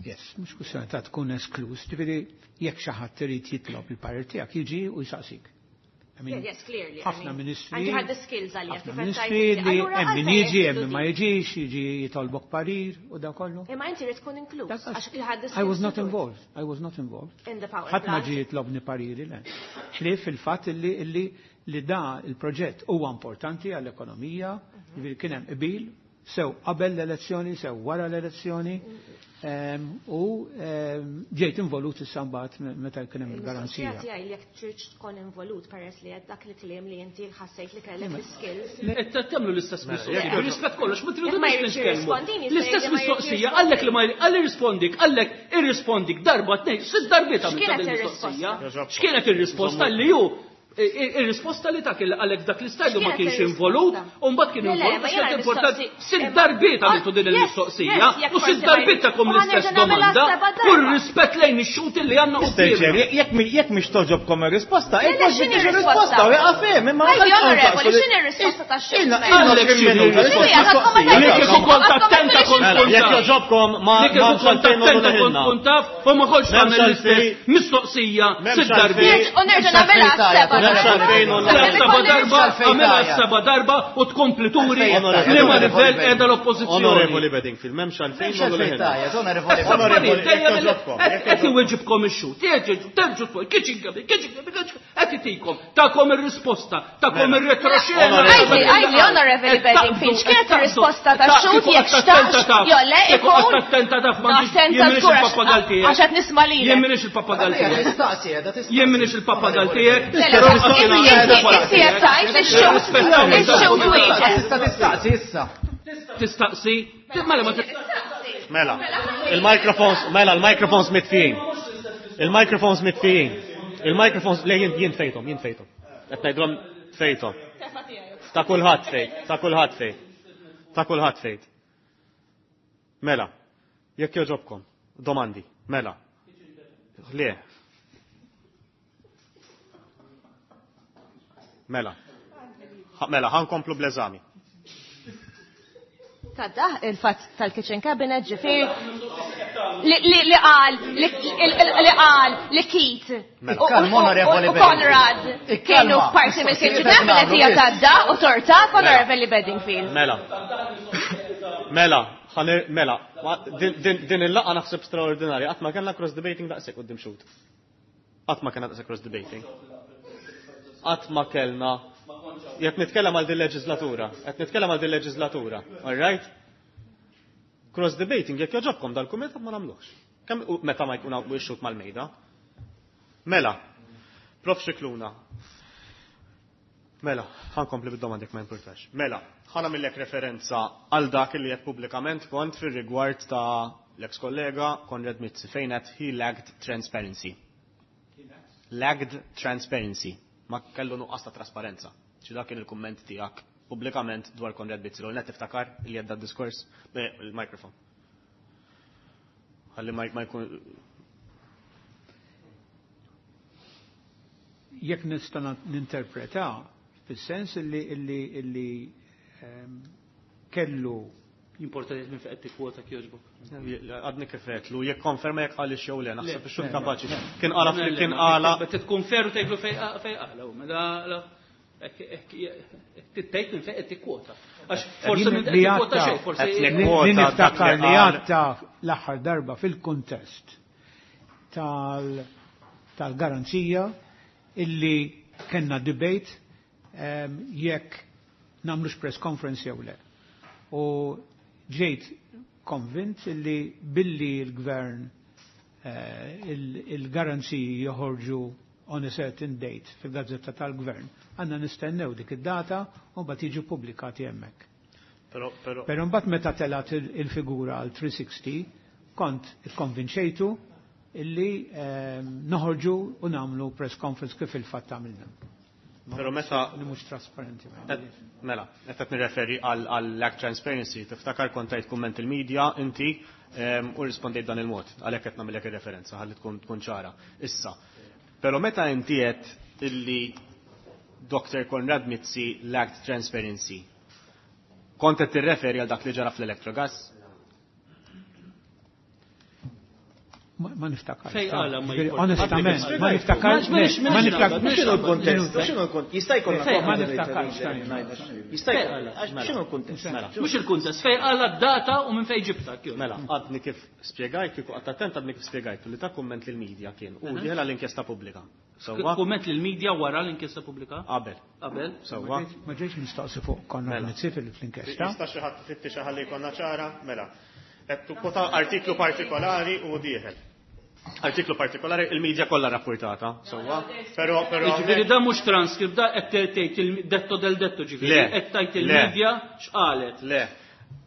Yes, mhux kwistjoni ta' tkun esklus, ġifieri jekk xi ħadd irid jitlob il-parir tiegħek jiġi u jsaqsik. I mean, Yes, clearly. ħafna ministri. And you had the skills għalija. Ħafna ministri li hemm min jiġi, hemm min ma jiġix, jiġi jitolbok parir u da kollu. Imma inti rrid tkun inkluż. Għax you had the I was skills not to do it. involved. I was not involved. In the power Ħadd ma plant. ġie jitlobni pariri le. Ħlief il-fatt illi illi li da il-proġett huwa importanti għall-ekonomija, ġifieri kien hemm qbil sew qabel l-elezzjoni, sew wara l-elezzjoni, ehm, u ehm, ġejt involut issa mbagħad meta kien hemm il-garanzija. Il-mistoqsija tiegħi li jekk trid tkun involut peress li dak li kliem li inti ħassejt li kellek l-skills. Qed tagħmlu l-istess mistoqsija. jekk- Rispett kollox, ma tridu Jekk ma jridx nitkellmu. jirrispondini, jista' L-istess jgħid li ma jridx mistoqsija, għallek li ma għalli rispondik, għallek irrispondik darba tnejn, sitt darbiet għamilt X'kienet din il-mistoqsija. Ir-risposta? X'kienet ir-risposta li hu ir-risposta li ta' kien għalek dak l-istajlu ma X'kienet kienx ir-risposta? involut, u mbagħad kien Le, le, involut, ma għax jiena kienet importanti. l-mistoqsi- Sitt darbiet għamiltu din Yes, il-mistoqsija, yes, jekk u sitt forsi ma darbiet jridx. takom U l-istess ħanerġa' nagħmilha domanda, seba' kull darba. rispett lejn ix-xut li għandna Mister Chair, quddiemna. jekk mi- jekk mhix toġobkom ir-risposta, Le, le, jekk mhux x'inhi biex r-risposta? ir-risposta u jaqaf hemm, imma Għajdi, għalfejn onorevoli, taqsu li- x'inhi r-risposta tax-xut? Ilna- Mela. ilna Għalek għoxrin x'inhi minuta, r-risposta? risposta Li kieku kont attenta kont Mela, tkun jekk taf. joġobkom ma Li kieku ma kont xalfejn attenta noqogħdu kont ħinna. tkun taf u ma kontx M'hemmx tagħmel l-istess għalfejn- mistoqsija M'hemmx sitt darbiet. għalfejn- U nerġa' nagħmilha seba' M'hemmx darba. għalfejn noqogħdu Sakemm Seba ikolli darba, risposta. għamilha seba darba u tkompli turi Onorevoli li ma Onorevoli livell qiegħda l-oppożizzjoni. Onorevoli Bedingfield, m'hemmx għalfejn M'hemmx noqogħdu għalfejn ħinna. tajja, onorevoli Onorevoli, jekk joġobkom, jekk Qed iweġibkom ix-xut, terġgħu terġgħu tfol, kitchen cabinet, kitchen cabinet, qed itikom, takom ir-risposta, takom Mela. ir-retroxena. Għajdi, għajdi, onorevoli Bedingfield, x'kienet ir-risposta tax-xut jekk xtaqx, jew le ikun Attenta taf m'għandix Attenta jien m'iniex żgur il-pappagal għax tiegħek. għax qed nisma' lilek. Jien m'iniex il-pappagal tiegħek. Tistaqsi, edha tistaqsi. Jien m'iniex il-pappagal tiegħek. Le, le, inti inti qed tgħid ix-xut ix-xut wieġeb. Tista' tistaqsi issa. Tistaqsi, mela ma tistaqsi. Mela, il-microphones, mela, il-microphones mitfijin. Il-microphones mitfijin. Il-microphones, le, jien jien fejtom, jien fejtom. Qed ngħidlhom fejtom. Ta' kulħadd fejt, ta' kulħadd fejt. Ta' kulħadd fejt. Mela, jekk joġobkom, domandi, mela. Le. Mela. Ha- Mela, ħankomplu bl-eżami. Tadda il-fatt tal-kitchen cabinet ġifier li li li qal li li qal li Keith Mela. u- u- Kalma, onorevoli u Conrad Bedingfield. kienu Ikkalma. parti mill-kitchen Mistoqsijiet cabinet hija nagħmlu tadda u tortak onorevoli Bedingfield. Mela. Mela, ħanir, mela, ma- din, din, din il-laqgħa naħseb straordinarja, qatt ma kellna cross debating daqshekk quddiem xut. Qatt ma kellna daqshekk cross debating. Qatt ma kellna jekk nitkellem għal din leġislatura, qed nitkellem għal din leġislatura, all right? Cross debating jekk joġobkom dal-kumitat ma nagħmluhx. Kemm u meta ma jkun hawn ix-xut mal-mejda. Mela, Prof Scicluna. Mela, ħankompli bid-domandi jekk ma importax. Mela, ħana millek referenza għal dak li qed pubblikament kont fir-rigward ta' l-ex kollega Konrad Mizzi fejn qed he lacked transparency. Lacked transparency. Ma kellu nuqqas ta' trasparenza. Xi dak kien il-kumment tiegħek pubblikament dwar Konrad Mizzi. L net tiftakar li għadda diskors il-mikrofon. Ħalli ma ma jkun Jekk nista' ninterpreta fis-sens illi illi illi ehm, kellu Jimporta li minn fejn qed tikkwota kjoġbok. Għadni kif għedtlu, jekk konferma jekk għalix jew le, naħseb Le, ix-xut kapaċi. Kien qala kien qala Tkun feru tgħidlu fejn fejn qala, mela la tgħid minn fejn qed tikkwota. Għax forsi minn li qed tikkwota għatta- xejn, forsi Qed li nikkwota li dak niftakar li li qal. għatta l-aħħar darba fil-kuntest tal- tal-garanzija illi kellna debate ehm, jekk nagħmlux press conference jew le. U ġejt konvint illi billi l-gvern eh, il- il-garanziji joħorġu on a certain date fil-gazzetta tal-gvern, għandna nistennew dik id-data u mbagħad jiġu pubblikati hemmhekk. Però però Però mbagħad meta telat il- il-figura għal tliet mija u sittin kont ikkonvinċejtu illi ehm, noħorġu u nagħmlu press conference kif il-fatt għamilna. Però meta Li mhux trasparenti. ma qed- mela, qed qed nirreferi għal għal lack transparency, tiftakar kont tajt kumment il-medja inti ehm, u rispondejt dan il-mod, għalhekk qed nagħmilek ir-referenza ħalli tkun tkun ċara. Issa, però meta inti qed illi Doctor Konrad Mizzi lacked transparency, kont qed tirreferi għal dak li ġara fl-Electrogas? Ma niftakarx. Fej qala ma Ġifieri, Onestament, ma niftakarx. Ma niftakarx. X'inhu l-kuntest? X'inhu l-kuntest? Jista' jkollna Ma niftakarx. Jista' jkollna. X'inhu l-kuntest? Mela. Mhux il-kuntest, fej qala d-data u minn fejn ġibta. Mela, għadni kif spjegajt, kieku qatt attent għadni kif spjegajt li ta' kumment lill-medja kien u dieħel għall-inkjesta pubblika. Sewwa? Kumment lill-medja wara l-inkjesta pubblika? Qabel. Qabel. Sewwa. Ma ġejx mistoqsi fuq Konrad Mizzi fil-inkjesta. Jista' xi ħadd ifittixha ħalli jkollna ċara? Mela. Qed tukkwota artiklu partikolari u dieħel. Artiklu partikolari, il-medja kollha rapportata, sewwa. Però però Ġifieri da mhux transkript, da qed tgħid il-detto del detto ġifieri, Le. qed tgħid Le. il-medja x'qalet. Le,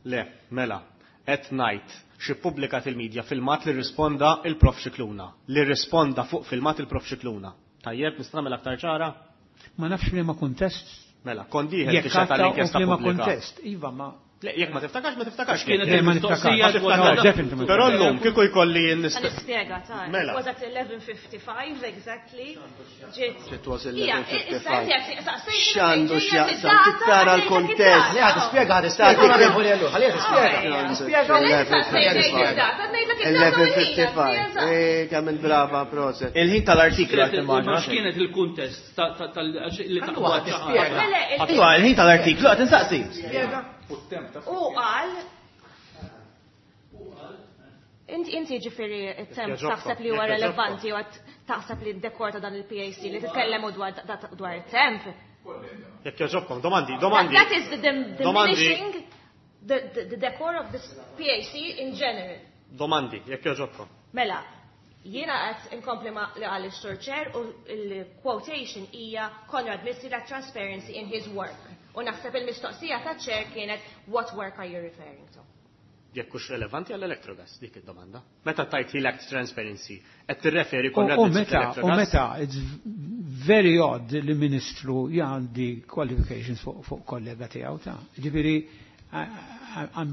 le, mela, qed ngħid xi ppubblikat il-medja filmat li rrisponda il-Prof Scicluna, li rrisponda fuq filmat il-Prof Scicluna. Tajjeb, nista' nagħmel aktar ċara? Ma nafx liema kuntest. Mela, kont dieħel Jekk tixhed għatta u għall-inkjesta f'liema pubblika. kuntest. Iva, ma. Le, jekk ma tiftakarx, ma tiftakarx. Kienet Le, ma il-mistoqsija niftakarx. dwar No, da- definitely ma Però llum kieku jkolli Ħa nispjega ta' Mela. It was at eleven fifty-five exactly. Ġiet. It was Ija, eleven issa fifty-five. inti qed saqsejtni X'għandu fejn ġejja x'jaqsam? id-data, Tara għandek l-kuntest. id-data. Le, ħad tispjega, ħad tispjega. Onorevoli Ellul, ħalliha tispjega. Tispjega. eleven fifty-five. Eh, kemm il-brava proset. Il-ħin tal-artiklu qed Ma nimmaġina. x'kienet il-kuntest ta' ta' tal li Għandu taqwa waħda tispjega. Iva, il-ħin tal-artiklu qed insaqsi. U qal Inti inti ġifieri it-temp Jekk taħseb li huwa jekk relevanti u qed taħseb li d-dekor ta' dan il-P A C li titkellemu dwar dwar it-temp. Jekk jogħġobkom, domandi, domandi. That is the dim- Domandi. diminishing the, the, the decor of this P A C in general. Domandi, jekk jogħġobkom. Mela, jiena qed inkompli ma li qal is-Sur Chair u l-quotation hija Konrad Mizzi lacked transparency in his work. U naħseb il-mistoqsija ta' Chair kienet what work are you referring to? Jekk hux relevanti għall-Electrogas, dik id-domanda. Meta tajt he lacked transparency, qed tirreferi U Konrad u Mizzi meta, u fl-Electrogas? meta, it's very odd li ministru jgħandi qualifications fuq fuq kollega tiegħu ta'. Ġifieri, I- I- I'm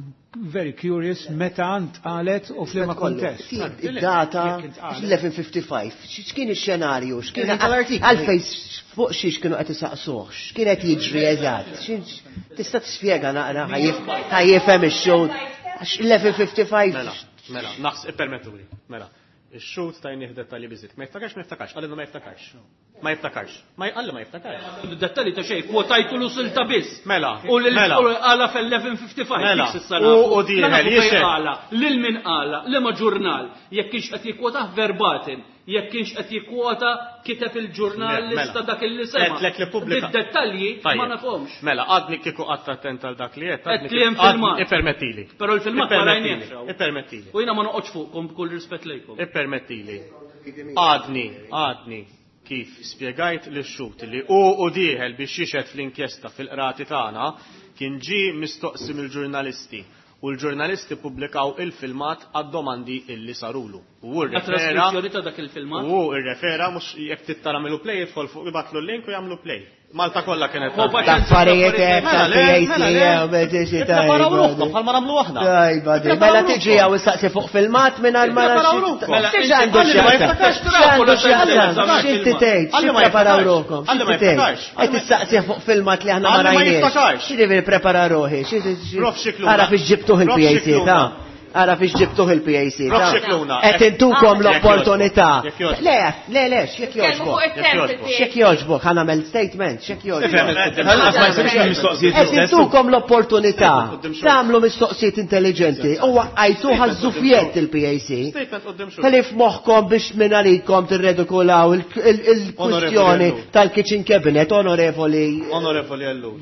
very curious meta ntqalet u f'liema kuntest. Id-data Jekk intqalet. eleven fifty-five. X'kien ix-xenarju? X'kien Il-ħin tal-artiklu. għalfejn fuq xiex kienu qed isaqsuh? X'kien qed jiġri eżatt? X'in- Tista' tispjega naqra ħa jifhem ix-xogħol. Għax eleven fifty-five. Mela, mela, naħs, ippermettuli. Mela, ix-xhud tajnih dettalji biżiet. Ma jiftakarx, ma jiftakarx, qalilna ma jiftakarx. Ma jiftakarx. Ma jqalli ma jiftakarx. Dettalji ta' xejn, kwotajtu l silta biss. Mela, U lil mela. u qala fl-eleven fifty-five. Mela, dik s'issa u- nafu. u dieħel, Mela nafu fejn jixhed. qala, lil min qala, liema ġurnal, jekk kienx qed jikkwotah verbatim, jekk kienx qed jikkwota kiteb il-ġurnalista Mela. dak il-li sema. Qedlek li pubblika. Id-dettalji ma Tajjeb. nafhomx. Mela, għadni kieku qatt attent għal dak li qed, Qed għadni li hemm kif- għadni- filmat. Ippermettili. Però l-filmat ma Ippermettili, rajniex. Ippermettili. U jiena ma noqgħodx fuqkom b'kull rispett lejkom. Ippermettili. Għadni, għadni kif spjegajt li xut li u u dieħel biex jixhed fl-inkjesta fil-qrati tagħna kien ġie mistoqsi mill-ġurnalisti u l-ġurnalisti pubblikaw il-filmat għad-domandi illi sarulu. U hu La rrefera traskrizzjoni ta' dak il-filmat. U hu rrefera mhux jekk tittara milu play jidħol fuq ibatlu l-link u jagħmlu play. Malta kollha kienet Ho, tal- L-affarijiet hekk Mela, le, tal-P A C, mela, le. jew, beh, tiġi Ippreparaw tajba, ruħkom bħalma nagħmlu aħna. Tajba, di. Ippreparaw Mela tiġi ruħkom. hawn issaqsi fuq filmat mingħajr ma Ippreparaw nafx- ruħkom. Mela, X'għandu Għalli ma x'jaqsam? jiftakarx, X'għandu x'jaqsam? Għalli X'inti tgħid? Għalli ma X'ippreparaw jiftakarx. ruħkom? Għalli ma X'inti tgħid? jiftakarx. Qed tistaqsi fuq filmat li aħna ma Għalli ma rajniex. jiftakarx. X'jiġifieri prepara ruħi? Xi- xi- Prof Scicluna. Ara fiex ġibtuh Prof il-P A C Scicluna. ta'. Ara fiex ġibtuh il-P A C Prof ta' Scicluna. Qed intukom Jekk l-opportunità. jogħġbok. Jekk jogħġbok. Le, le, le, x'jekk Tkellmu jogħġbok. fuq it-temp Jekk fil-P A C. X'jekk jogħġbok, ħa nagħmel statement, x'jekk jogħġbok. Ħallas ma jsirx mistoqsijiet Qed l-istess. intukom l-opportunità Quddiem xulxin. tagħmlu mistoqsijiet intelligenti u waqqajtu ħażżufjett il-P A C. Statement quddiem xulxin. Ħalif moħħkom biex minn għalikom tirredikolaw il- il- il-kwistjoni Ellul. tal-kitchen cabinet, onorevoli Onorevoli Ellul.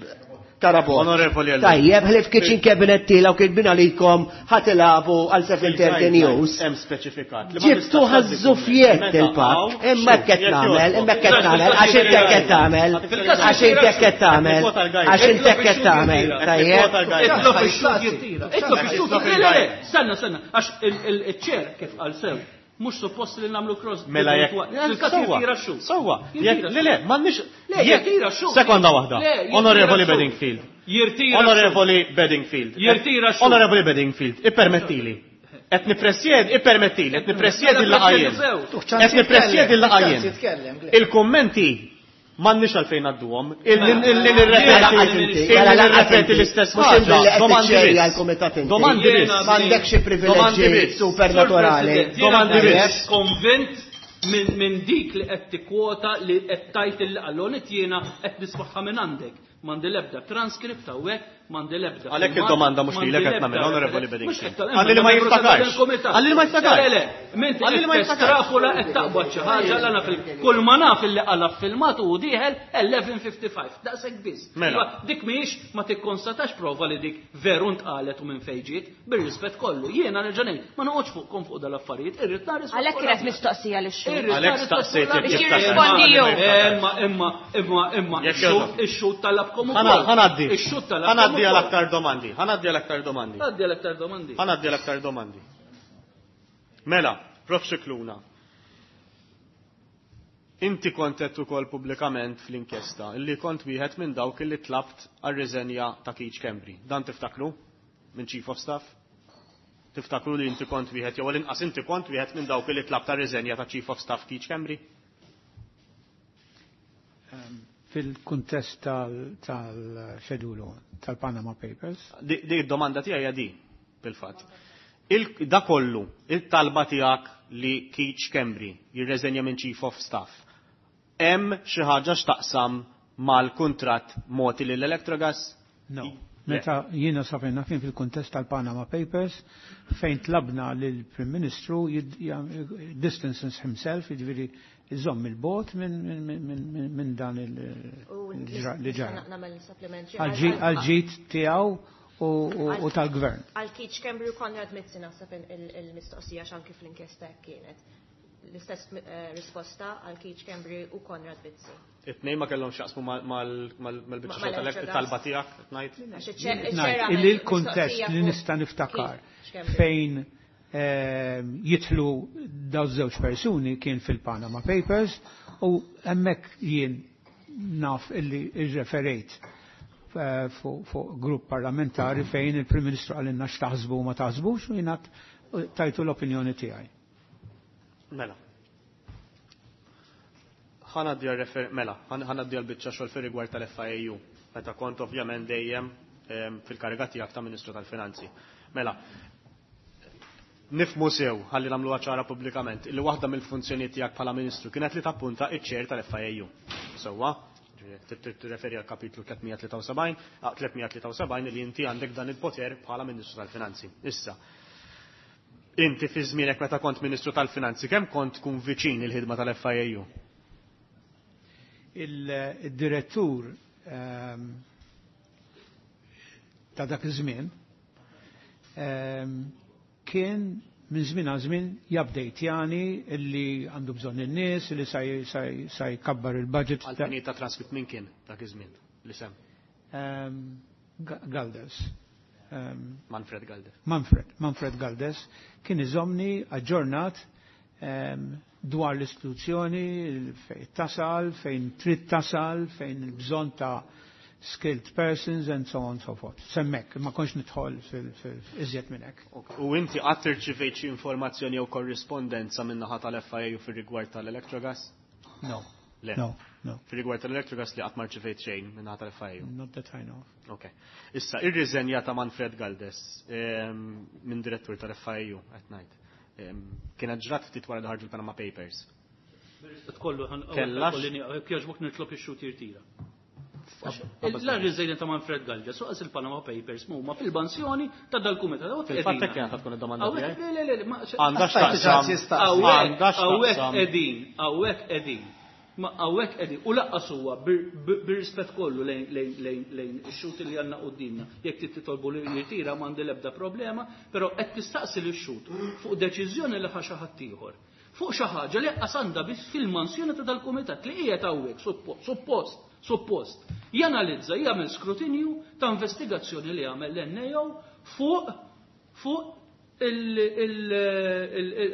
Karabot. Onorevoli Ellul. Tajjeb, ħlif kitchen cabinet tilaw kien minn għalikom ħatilabu għal seven thirty News. Hemm speċifikat. li ma Ġibtu tistax tgħaddi ħażżufjett kumment. il-pak, Meta hawn imma xhud, qed jekk nagħmel, jogħġbok. imma qed nagħmel, għax inti qed tagħmel, għax inti qed tagħmel, għax inti qed tagħmel, tajjeb. Itlob ix-xhud jirtira. Itlob ix-xhud. Le, le, le, stenna, stenna, għax il-ċer kif qal sew, mhux suppost li nagħmlu cross. Mela jekk. Fil-każ Sewwa, jirtira x-xhud. Sewwa. Jirtira Jekk le le, m'għandniex. Le, jekk- jirtira x-xhud. Sekonda waħda. Le, jirtira Onorevoli x-xhud. Bedingfield. Jirtira x-xhud. Onorevoli Bedingfield. Jirtira x-xhud. Onorevoli Bedingfield, ippermettili. Qed nippresjed, ippermettili, qed nippresjedi l-laqgħa jien. Qed nippresjedi l-laqgħa jien. Il-kummenti M'għandniex għalfejn ngħadduhom. Illi nirrepeti l-istess ħaġa. Domandi biss. Domandi biss. M'għandekx xi privileġġi supernaturali. Domandi biss. Konvint minn dik li qed tikkwota li qed tajt il qallonet jiena qed nismaħħa minn għandek. M'għandi l-ebda transkript hawnhekk, m'għandi l-ebda. Għalhekk id-domanda mhux lilek qed nagħmel, Onorevoli Bedingfield. Għalli li ma jiftakarx. Għalli li ma jiftakarx. Le, le, Għalli li ma jiftakarx. Strafula qed taqbad xi ħaġa l fil kull ma naf illi qala filmat u dieħel eleven fifty-five. Daqshekk biss. Mela. Dik mhijiex ma tikkonstatax prova li dik veru ntqalet u minn fejn ġiet, bir-rispett kollu. Jiena nerġa' ngħid, ma noqgħodx fuqkom fuq dal-affarijiet, irrid nara risposta. Għalhekk kienet mistoqsija lix-xhud. Għalhekk staqsejt jekk Biex jirrispondi hu. Imma, imma, imma, imma, Jekk jogħġbok. ix-xhud talabkom ukoll. Ħanaddi. Ix-xhud talabkom Ħanaddi għal ukoll. aktar domandi. Ħanaddi għal aktar domandi. Ħanaddi għal aktar domandi. Ħanaddi għal aktar domandi. Mela, Prof Scicluna. Inti kont qed ukoll pubblikament fl-inkjesta illi kont wieħed minn dawk illi tlabt għar-riżenja ta' Keith Schembri. Dan tiftakru? Minn Chief of Staff? Tiftakru li inti kont wieħed jew l-inqas inti kont wieħed minn dawk illi tlabt għar-riżenja ta' Chief of Staff Keith Schembri? Ehm, fil-kuntest tal-xedulu tal-Panama Papers. Di, di domanda tiegħi hija di, fil-fatt. Il-, da kollu, il-talba tiegħek li Keith Schembri jirreżenja minn Chief of Staff, hemm xi ħaġa x'taqsam mal-kuntratt moti lil Electrogas? No. Le. Meta jiena safejna kien fil-kuntest tal-Panama Papers fejn tlabna lill-Prim Ministru jid-, ja-, distances himself, jiġifieri iżomm il-bot minn, minn, minn, minn, minn dan il-, U il-ġra-, li ġara. nista' nagħmel supplementary. Għal-ġi-, għal-ġid tiegħu u, u, u tal-gvern. Għal Keith Schembri u Konrad Mizzi naħseb il-, il-, il-mistoqsija x'anki fl-inkjesta hekk kienet. L-istess, eh, risposta għal Keith Schembri u Konrad Mizzi. It-tnejn ma kellhom x'jaqsmu mal-, mal-, mal-, mal-biċċa Ma- xogħol tal-elek-, mal-Electrogas. it-talba tiegħek, qed ngħid? Għax iċ-ċer-, Ngħid, iċ-ċera illi għamel l-kuntest mistoqsija li fuq nista' niftakar Keith Schembri. fejn, ehm, jidħlu daw żewġ persuni kien fil-Panama Papers u hemmhekk jien naf illi irreferejt, eh, fuq, fuq grupp parlamentari fejn il-Prim Ministru qalilna x'taħsbu u ma taħsbux u jiena tajtu l-opinjoni tiegħi. Mela. Ħanaddi għal-refer-, mela, ħanaddi għal-biċċa xogħol fir-rigward tal-F I A U, meta kont ovvjament dejjem, ehm, fil-kariga tiegħek ta' Ministru tal-Finanzi. Mela, nifmu sew, ħalli nagħmluha ċara pubblikament, li waħda mill-funzjonijiet tiegħek bħala Ministru kienet li tappunta iċ-chair tal-F I A U. Sewwa, tirreferi għal kapitlu tliet tlieta u sebgħin, ah, tliet tlieta u sebgħin li inti għandek dan il-poter bħala Ministru tal-Finanzi. Issa, inti fi żmienek meta kont Ministru tal-Finanzi, kemm kont tkun viċin il-ħidma tal-F I A U? Il-direttur, ehm, ta' dak iż-żmien, ehm, kien minn żmien għal żmien jabdejtjani illi għandu bżonn in-nies, illi sa j-, sa j-, sa jkabbar il-budget. Għal-fini ta' transkript minn kien dak iż-żmien li sem? Ehm, Ga-, Galdes. Ehm, Manfred Galdes. Manfred, Manfred Galdes kien iżomni aġġornat, ehm, dwar l-istituzzjoni, fejn tasal, fejn trid tasal, fejn il-bżonn ta' skilled persons and so on and so forth. Semmek, ma konx nidħol fil-iżjed minn hekk. U inti qatt irċivejt xi informazzjoni jew korrispondenza minn naħa tal-F I A U fir-rigward tal-Electrogas? No. Le. No, no. Fir-rigward tal-Electrogas li qatt ma rċivejt xejn minn naħa tal-F I A U? Not that I know. Ok. Issa, ir-riżenja ta' Manfred Galdes, ehm, minn direttur tal-F I A U qed ngħid. Ehm, kienet ġrat ftit wara li ħarġu l-Panama Papers. Kollu ħan- Kellax? kollu ni-, jekk jogħġbok nitlob ix-xhud jirtira. Qabel La riżenja ta' Manfred Galdes, u qas il-Panama Papers huma fil-bansjoni ta' dal-kumitat. Hawnhekk Fil-fatt qegħdin. hekk kienet tkun id-domanda Hawnhekk, tiegħi. le, le, le, ma- Għandha Għax tajt x'taqsam. ċans jistaqsi. Hawnhekk, Għandha hawnhekk x'taqsam. qegħdin, hawnhekk qegħdin. Ma hawnhekk qegħdin. U laqqas huwa bir-, bir-, bir-rispett kollu lejn, lejn, lejn, lejn ix-xhud li għandna qudiemna. Jekk trid titolbu li jirtira m'għandi l-ebda problema, però qed tistaqsi lix-xhud fuq deċiżjoni li ħa xi ħadd ieħor. Fuq xi ħaġa li qas għandha biss fil-mansjoni ta' dal-kumitat li qiegħed hawnhekk suppo-, suppost, suppost janalizza, jagħmel skrutinju ta' investigazzjoni li għamel l-N A O fuq, fuq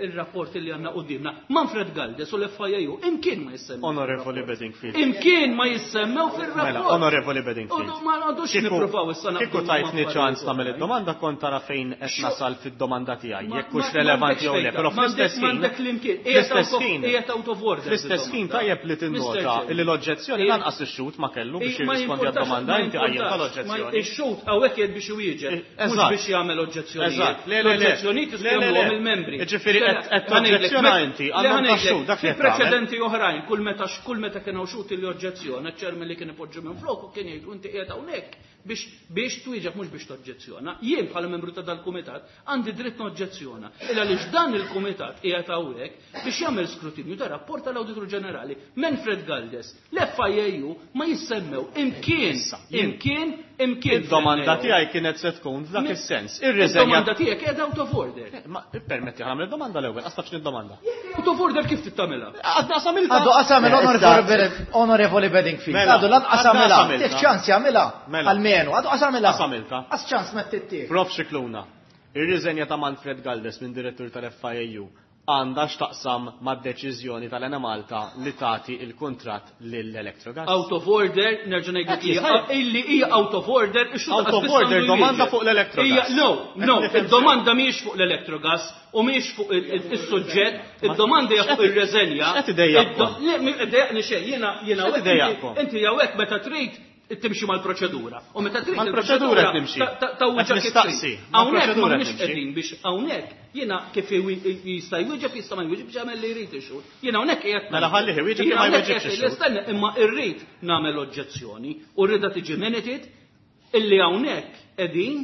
Il-rapport li għandna quddiemna. Manfred Galdes u l-F I A U imkien ma jissemmew. Onorevoli Bedingfield. Imkien ma jissemmew fil-rapport. Mela, Onorevoli Bedingfield. Ma għandux nippruvaw issa. Kieku tajtni ċans tagħmel id-domanda, kont tara fejn qed nasal fid-domanda tiegħi, jekk hux relevanti jew le, però fl-istess ħin. Fl-istess ħin. Qiegħed out of order. Fl-istess ħin tajjeb li tinnota li l-oġġezzjoni lanqas ix-xhud ma kellu biex jirrispondi għad-domanda, inti qajjem tal-oġġezzjoni. Ix-xhud hawnhekk qiegħed biex iwieġeb, mhux biex jagħmel oġġezzjoni. Eżatt. Le, le, le. L-oġġezzjonijiet jistgħu il-membri. Ġifieri qed toġġezzjona inti, għandhom tax-xhud dak li preċedenti oħrajn, kull meta kull meta kienu xhud li oġġezzjona, ċ-chairman li kien ipoġġu minn flok u kien jgħidu: "Inti qiegħed hawnhekk biex biex twieġeb, mhux biex toġġezzjona." Jien bħala membru ta' dal-kumitat għandi dritt noġġezzjona. Illa għaliex dan il-kumitat qiegħed hawnhekk biex jagħmel skrutinju ta' rapport tal-Awditur Ġenerali. Manfred Galdes, l-F I A U ma jissemmew imkien, imkien, imkien. Id-domanda tiegħi kienet se tkun f'dak is-sens. Ir-riżenja. Id-domanda tiegħek qiegħda out of order. Ma permetti ħamel domanda l-ewwel, qas tafx domanda. Out of order kif tittamilha? Għadna għamiltha. Għadu għamilha, Onorevoli Bedingfield. Mela, Għadu lanqas għamilha. Għamiltha. Tif ċans jagħmilha. Mela. Almenu, għadu għamilha. Għamiltha. Qas ċans ma tittieh. Prof Scicluna, ir-riżenja ta' Manfred Galdes minn direttur tal-F I A U għandha x'taqsam mad-deċiżjoni tal-Enemalta li tagħti il-kuntratt lill-Electrogas? Out of order, nerġa' ngħidlek hija illi hija out of order. Out of order, domanda fuq l-Electrogas. No, no, id-domanda mhijiex fuq l-Electrogas u mhijiex fuq is-suġġett, id-domanda hija fuq ir-reżenja. X'qed idejjaqkom? Le, idejjaqni xejn, jiena jiena X'qed idejjaqkom? Inti hawnhekk meta trid timxi mal-proċedura. U meta trid Mal-proċedura qed nimxi. Ta' Qed nistaqsi. Hawnhekk Mal-proċedura m'aħniex qed nimxi. qegħdin biex hawnhekk jiena kif jista' jwieġeb, jista' ma jwieġeb, jagħmel li jrid ix-xhud. Jiena hawnhekk qiegħed Mela ħallih iwieġeb jew ma jwieġibx ix-xhud. Istenna, imma irrid nagħmel oġġezzjoni u rridha tiġi minuted illi hawnhekk qegħdin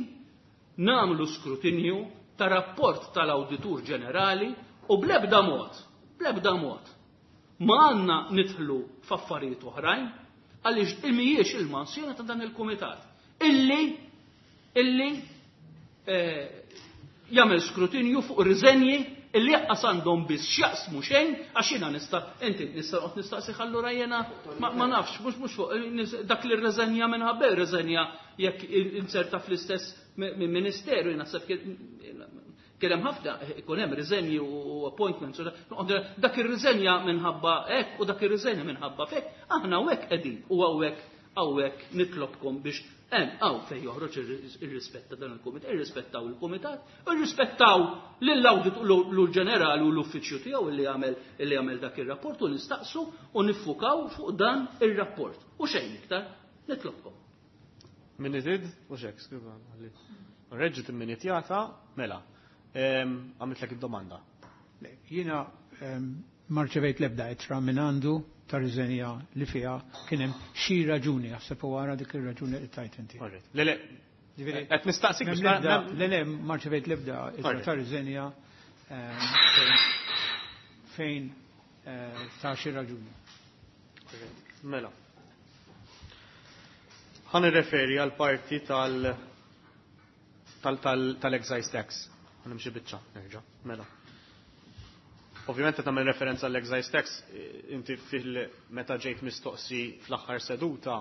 nagħmlu skrutinju ta' rapport tal-Awditur Ġenerali u bl-ebda mod, bl-ebda mod ma għandna nidħlu f'affarijiet oħrajn għaliex mhijiex il-mansjoni ta' dan il-kumitat illi illi eh, jagħmel skrutinju fuq riżenji illi jaqqas għandhom biss x'jaqsmu xejn, għax jiena nista' inti nista' noqgħod nistaqsi allura jiena ma, ma nafx, mhux mhux fuq dak li rreżenja minħabba rreżenja jekk inserta fl-istess ministeru, jiena naħseb kien hemm ħafna, ikun hemm riżenji u appointments u dak ir-riżenja minħabba hekk u dak ir-riżenja minħabba fek, aħna hawnhekk qegħdin u hawnhekk hawnhekk nitlobkom biex hemm hawn fejn joħroġ ir-rispett ta' dan il-kumitat, irrispettaw il-kumitat, irrispettaw lill-Awditur Ġenerali u l-uffiċċju tiegħu illi jagħmel illi jagħmel dak ir-rapport u nistaqsu u niffukaw fuq dan ir-rapport. U xejn iktar, nitlobkom. Minuted? U xek, skuża. Reġgħet imminitjata, mela. Għamiltlek id-domanda. Jiena ma rċevejt l-ebda ittra minn għandu ta' riżenja li fiha kien hemm xi raġuni, jaħseb u wara dik ir-raġuni li tajt inti. Le, le, qed nistaqsik biex Le, le, ma rċevejt l-ebda ittra ta' riżenja fejn eh, ta' xi raġuni. Mela. Ħa nirreferi għal parti tal tal-excise tax. Ħa nimxi biċċa, nerġa'. Mela. Ovvjament qed nagħmel referenza għall excise tax, inti fil meta ġejt mistoqsi fl-aħħar seduta,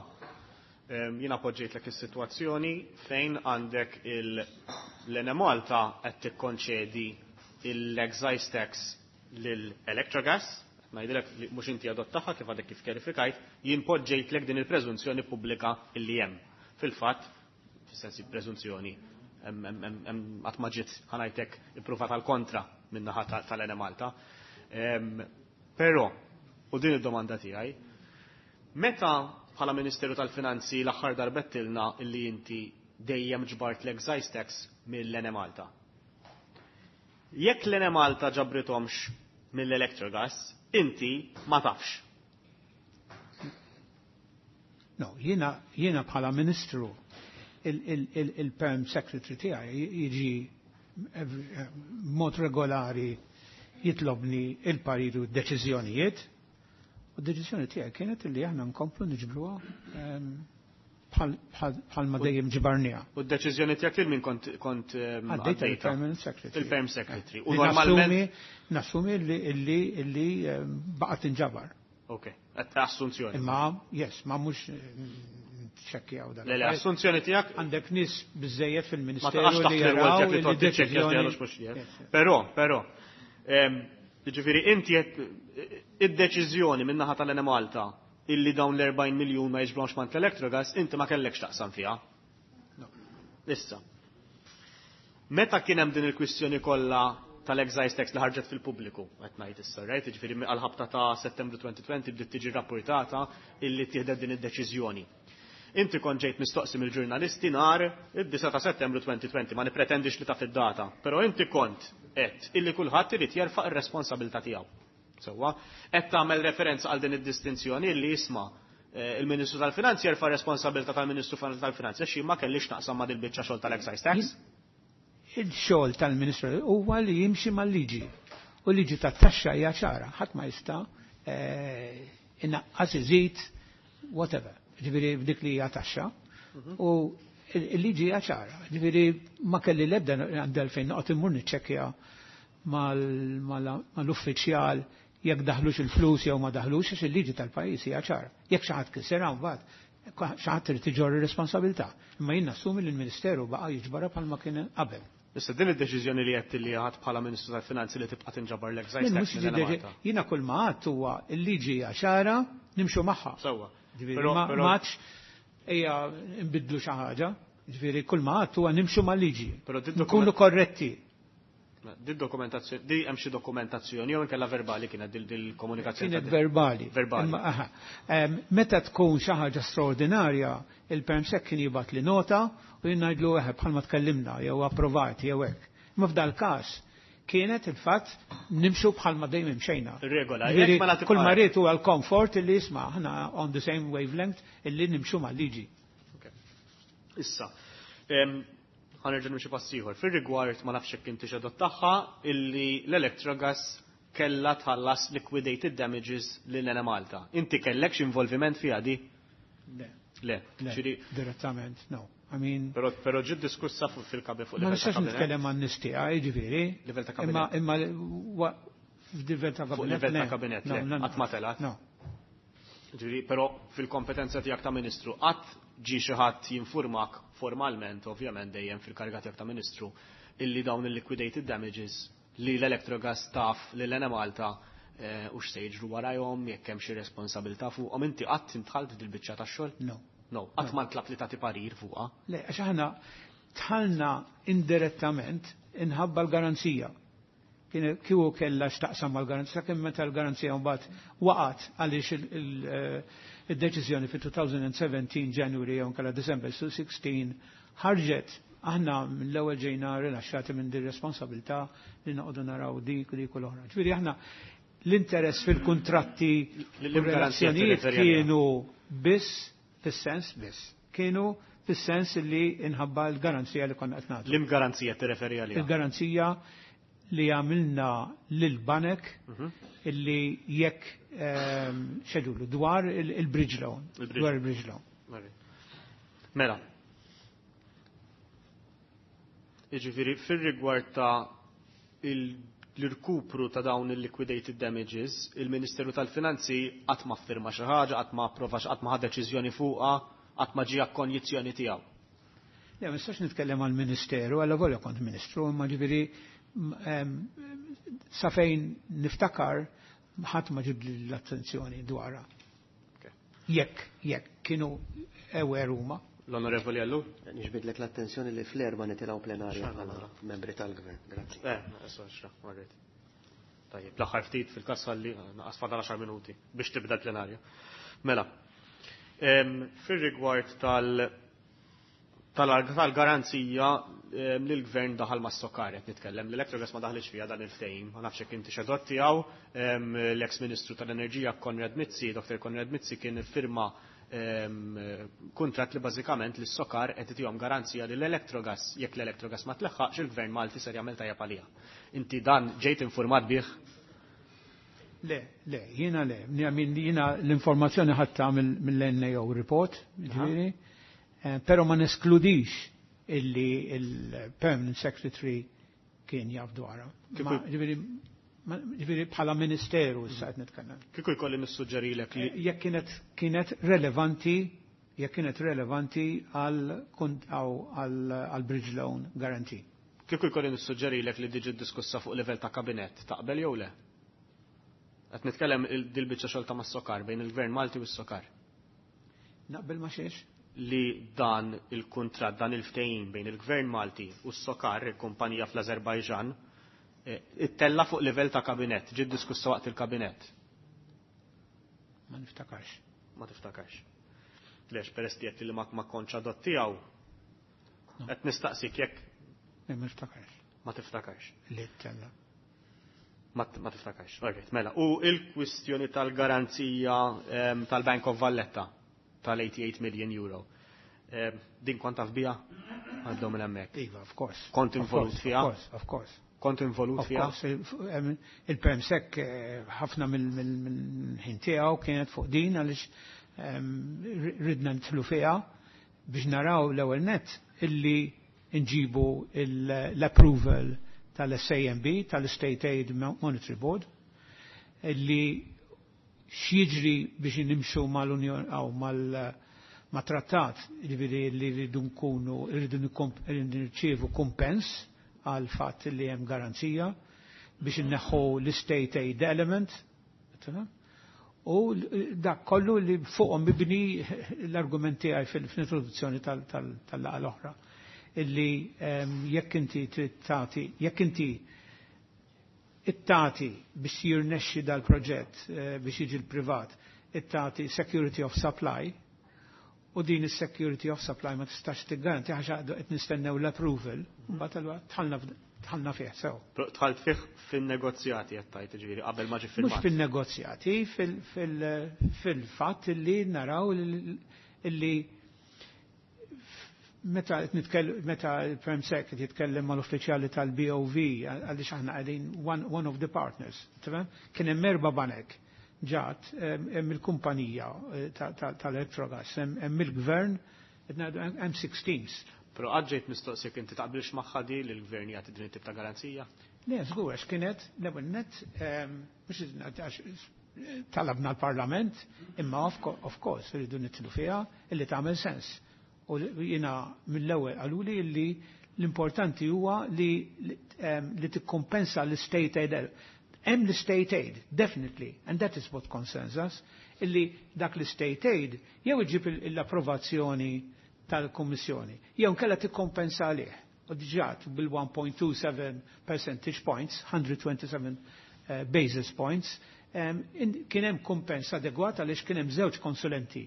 jiena poġġejtlek is-sitwazzjoni fejn għandek l-Enemalta qed tikkonċedi l-excise tax lill-Electrogas, ngħidilek li mhux inti adottaha kif għadek kif kjarifikajt, jien poġġejtlek din il-preżunzjoni pubblika illi hemm. Fil-fatt, fis-sensi preżunzjoni, qatt ma ġiet, ħa ngħidlek, ippruvat għal kontra min-naħa tal-Enemalta. Però, u din id-domanda tiegħi, meta bħala Ministeru tal-Finanzi l-aħħar darba għedtilna illi inti dejjem ġbart l-excise tax mill-Enemalta? Jekk l-Enemalta ġabrithomx mill-Electrogas, inti ma tafx. No, jiena jiena bħala ministru il-perm secretary tiegħi jiġi mod regolari jitlobni il-pariru deċiżjonijiet. U d-deċiżjoni tiegħi kienet li aħna nkomplu niġbruha bħal ma dejjem ġbarniha. U d-deċiżjoni tiegħek lil min kont kont Għaddejta il-permanent secretary. Il-perm secretary. U normalment nassumi li li li baqgħet tinġabar. Ok, assunzjoni. Imma yes, ma mhux niċċekkjaw dak. Le, le, assunzjoni tiegħek Għandek nies biżejjed ma fil-Ministeru taqax taħt li l-rwol jaraw tiegħek li li toqgħod tiċċekkja deċiżjoni. x'dieħel u x'mhux dieħel. Però, però, ehm, jiġifieri inti qed id-deċiżjoni min-naħa tal-Enemalta illi dawn l-erbgħin miljun ma jiġbromx mant l-Electrogas, inti ma kellekx taqsam fiha. No. Issa. Meta kien hemm din il-kwistjoni kollha tal-excise tax li ħarġet fil-pubbliku, qed ngħid issa, right? Jiġifieri għal-ħabta ta' Settembru elfejn u għoxrin bdiet tiġi rapportata illi tieħdet din id-deċiżjoni. Inti kont ġejt mistoqsi mill-ġurnalisti nhar id-disgħa ta' Settembru elfejn u għoxrin, ma nipretendix li taf id-data, però inti kont qed illi kulħadd irid jerfa' ir-responsabilità tiegħu. Sewwa, qed tagħmel referenza għal din id-distinzjoni illi jisma' eh, il-Ministru tal-Finanzi jerfa' responsabilità tal-Ministru tal-Finanzi għax jien ma kellix naqsam ma' dil-biċċa xogħol tal-excise tax. Il-xogħol tal-Ministru huwa li jimxi mal-liġi. U l-liġi tat-taxxa hija ċara, ħadd ma jista' eh, inaqqas, iżid, whatever. Ġifieri f'dik li hija taxxa. U il-liġi hija ċara. Ġifieri ma kelli l-ebda għandi fejn noqgħod immur niċċekkja mal-uffiċjal jekk daħlux il-flus jew ma daħlux, għax il-liġi tal-pajjiż hija ċara. Jekk xi ħadd kisser mbagħad xi ħadd irid iġorr ir-responsabilità. Imma jien nassumi li l-Ministeru baqa' jiġbarha bħalma kien qabel. Issa din id-deċiżjoni li qed li ħadd bħala Ministru tal-Finanzi li tibqa' tinġabar l-excise Jien tax mhux minn deċi- Malta. Jiena kull ma għadt huwa l-liġi hija ċara, nimxu magħha. Sewwa. Ġifieri Però- ma però- ma għadx ejja nbidlu xi ħaġa, ġifieri kull ma għadt huwa nimxu mal-liġi. Però di Nkunu korretti. Di dokumentazzjoni, di hemm xi dokumentazzjoni jew inkella verbali kienet dil- dil-komunikazzjoni? Kienet ta' verbali. Verbali. Imma, aha. Em, Meta tkun xi ħaġa straordinarja, il-Perm Sec kien jibgħat li nota u jien ngħidlu eħe bħalma tkellimna jew approvat jew hekk. Imma f'dal każ kienet il-fatt nimxu bħalma dejjem imxejna. Ir-regola, Ġifieri, jekk ma nagħti kull ma bħal- rrid huwa l-komfort illi jisma' aħna on the same wavelength illi nimxu mal-liġi. Issa, em, ħa nerġa' nimxi pass ieħor. Fir-rigward ma nafx jekk inti xedot tagħha illi l-Electrogas kellha tħallas liquidated damages lil Enemalta. Inti kellek x'involviment fiha di? Le. Le. Le, Ġifieri, direttament, no. I mean, Però però ġiet diskussa fuq fil-kabi fuq ma livell ta' nistax kabinet. nitkellem għan nies tiegħi, ġifieri. Livell ta' Imma kabinet. imma wa- f'livell ta' Fuq kabinet. livell ta' le. kabinet, No, le, no, no. qatt ma telgħet. No. Ġifieri, però fil-kompetenza tiegħek ta' ministru qatt ġi xi ħadd jinfurmak formalment, ovvjament dejjem fil-kariga tiegħek ta' ministru, illi dawn il-liquidated damages li l-Electrogas taf li l-Enemalta eh, u x'se jiġru warajhom, jekk hemm xi responsabilità fuqhom, inti qatt intħalt dil-biċċa tax-xogħol? No. No, qatt ma ntlab li tagħti parir fuqha. Le, għax aħna dħalna indirettament inħabba l-garanzija. Kien kieku kellha x'taqsam mal-garanzija, kien meta l-garanzija mbagħad waqgħet għaliex il- il- eh, id-deċiżjoni fi elfejn u sbatax January jew inkella December sittax ħarġet, aħna mill-ewwel ġejna rilaxxati minn din responsabilità li noqogħdu naraw dik u dik u l-oħra. Ġifieri aħna l-interess fil-kuntratti u L-garanzija relazzjonijiet tirreferi għaliha. kienu biss fis-sens biss. Kienu fis-sens li inħabba l-garanzija li konna qed nagħtu. L-garanzija tirreferi għaliha. Il-garanzija li għamilna lil-banek Mhm. illi jekk ehm, xedulu dwar il- il-bridge loan. Il-bridge. Dwar il-bridge loan. Mela. Jiġifieri fir-rigward ta' il- l-irkupru ta' dawn il-liquidated damages, il-Ministeru tal-Finanzi qatt ma firma xi ħaġa, qatt ma approva, qatt ma ħa deċiżjoni fuqha, qatt ma ġie konjizzjoni tiegħu. Le, ma nistax nitkellem għal-Ministeru, għalla volja kont Ministru, imma ġifieri m- em, sa fejn niftakar ħadd ma ġib l-attenzjoni dwarha. Jekk, jekk kienu aware huma. L-Onorevoli Ellul? Nixbidlek l-attenzjoni li fl-erba nitilgħu plenarja bħala membri tal-gvern. Grazzi. Eh, issa xra, marret. Tajjeb, l-aħħar ftit fil-kassa li naqas fadal għaxar minuti biex tibda l-plenarja. Mela, em, fir-rigward tal- tal-garanzija li l-gvern daħal ma' Socar, qed nitkellem, l-Electrogas ma daħlix fiha dan il-ftehim, ma nafx jekk inti xedot tiegħu, l-ex-Ministru tal-Enerġija Konrad Mizzi, Doktor Konrad Mizzi kien firma kuntratt li bażikament li s-Socar qed itihom garanzija li l-Electrogas, jekk l-Electrogas ma tleħħaqx, il-gvern Malti ser jagħmel tajjeb għaliha. Inti dan ġejt informat bih? Le, le, jiena le. Jiena l-informazzjoni ħadtha mill-N A O report, ġifieri, eh, però ma neskludix illi il-Permanent Secretary kien jaf dwarha. Ġifieri, ġifieri bħala ministeru issa qed nitkellem. Kieku jkolli nissuġġerilek li Jekk kienet kienet relevanti jekk kienet relevanti għal bridge loan guarantee. Kieku jkolli nissuġġerilek li diġi diskussa fuq livell ta' kabinett, taqbel jew le? Qed nitkellem dil-biċċa xogħol ta' mas-Sokar bejn il-Gvern Malti u s-Sokar. Naqbel ma xiex? Li dan il-kuntratt, dan il-ftehim bejn il-Gvern Malti u s-Sokar, il-kumpanija fl-Azerbajġan, ittella fuq livell ta' kabinett, ġiet diskussa waqt il-kabinett. Ma niftakarx. Ma tiftakarx. Lex, peress li li ma ma kontx adott tiegħu. Qed nistaqsik jekk. Ma niftakarx. Ma tiftakarx. Li ttella. Ma tiftakarx. Alright, mela. U il-kwistjoni tal-garanzija tal-Bank of Valletta tal-eighty-eight million euro. Din kont taf biha? Għaddew minn hemmhekk. Iva, of course. Kont involut fiha? Of course, of course. Kont involut fiha? Il-Permsec ħafna mill-ħin tiegħu kienet fuq din għaliex ridna nidħlu fiha biex naraw l-ewwel nett illi nġibu l-approval tal-S A M B, tal-State Aid Monetary Board, illi x'jiġri biex nimxu mal-Unjon aw mal-trattat, jiġifieri li rridu nkunu, rridu nirċievu kumpens għal fatt li hemm garanzija biex inneħħu l-State Aid element, u dak kollu li fuqhom mibni l-argument tiegħi fil-introduzzjoni tal-laqgħa l-oħra, illi jekk inti trid tagħti, jekk inti ittati biex jirnexxi dal-proġett biex jiġi l-privat, ittati security of supply, u din is-security of supply ma tistax tiggaranti għax qed nistennew l-approval, mbagħad allura tħallna tħallna fih sew. Però tħalt fih fin-negozjati qed tgħid, jiġifieri qabel ma ġie firmat. Mhux fin-negozjati, fil-fatt illi naraw illi meta qed nitkellem, meta l-Permsec qed jitkellem mal-uffiċjali tal-B O V, għaliex aħna qegħdin one, one of the partners, tifhem? Kien hemm erba' banek ġat, hemm il-kumpanija tal-Electrogas, hemm il-gvern, qed ngħidu hemm six teams. Però qatt ġejt mistoqsik inti taqbilx magħha di li l-gvern jagħti din it-tip ta' garanzija? Le, żgur, għax kienet l-ewwel nett, mhux għax talabna l-Parlament, imma of course irridu nitlu fiha illi tagħmel sens. U jiena mill-ewwel qaluli li l-importanti huwa li, li tikkompensa l-state aid. Hemm l-state aid, definitely, and that is what concerns us, illi dak l-state aid jew iġib l-approvazzjoni tal-Kummissjoni, jew nkella tikkompensa għalih. U diġà bil-one point two seven percentage points, hundred twenty-seven basis points, kien hemm kumpens adegwat għaliex kien hemm żewġ konsulenti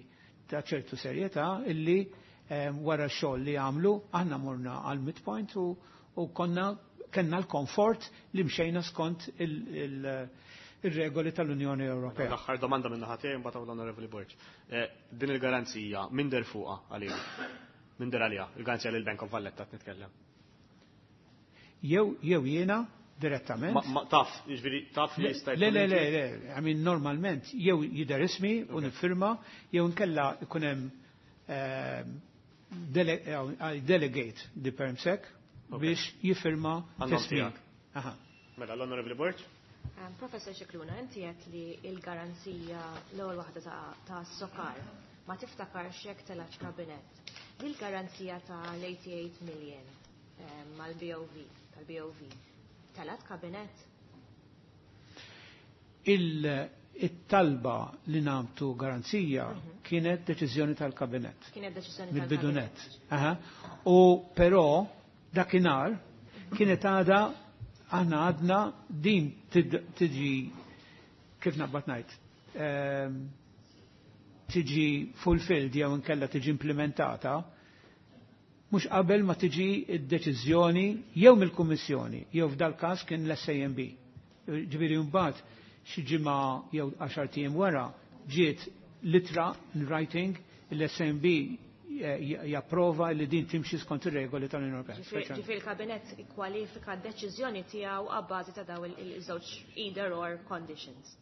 ta' ċertu serjetà illi wara x-xogħol li għamlu aħna morna għal midpoint u, u konna kellna l-komfort li mxejna skont il-regoli tal-Unjoni Ewropea. L-aħħar domanda minn naħa tiegħi mbagħad l-Onorevoli Borg. Din il-garanzija min der fuqha għalija? Min der għalija? Il-garanzija lil Bank of Valletta qed nitkellem. Jew, jew jiena direttament. Ma, ma taf, jiġifieri taf li jista' Le, le, le, le, I mean, normalment jew jidher ismi u niffirma, jew nkella ikun hemm dele-, I delegate the Permsec biex jiffirma Għandhom tismi. tiegħek. Aha. Mela, l-Onorevoli Borg? Um, Professor Scicluna, inti qed li l-garanzija l-ewwel waħda ta', ta' Sokar ma tiftakarx jekk telax kabinett. Din il-garanzija ta' l-eighty-eight million, um, mal-B O V, tal-B O V, telat kabinett? Il-talba li namtu garanzija Mhm. kienet deċiżjoni tal-kabinett. Kienet deċiżjoni Mill-bidunet. tal-kabinett. Aha. U però dakinhar kienet għada aħna għadna din tid-, tiġi kif naqbad ngħid, ehm, tiġi fulfilled jew inkella tiġi implementata mhux qabel ma tiġi d-deċiżjoni jew mill-Kummissjoni jew f'dal każ kien l-S A M B. Ġifieri mbagħad xi ġimgħa jew għaxar ijiem wara ġiet litra in writing l-S A M B japprova li din timxi skont ir-regoli tal-Unjoni Ewropea. Ġifieri, ġifieri il-Kabinett ikkwalifika d-deċiżjoni tiegħu abbażi ta' daw il-żewġ either or conditions.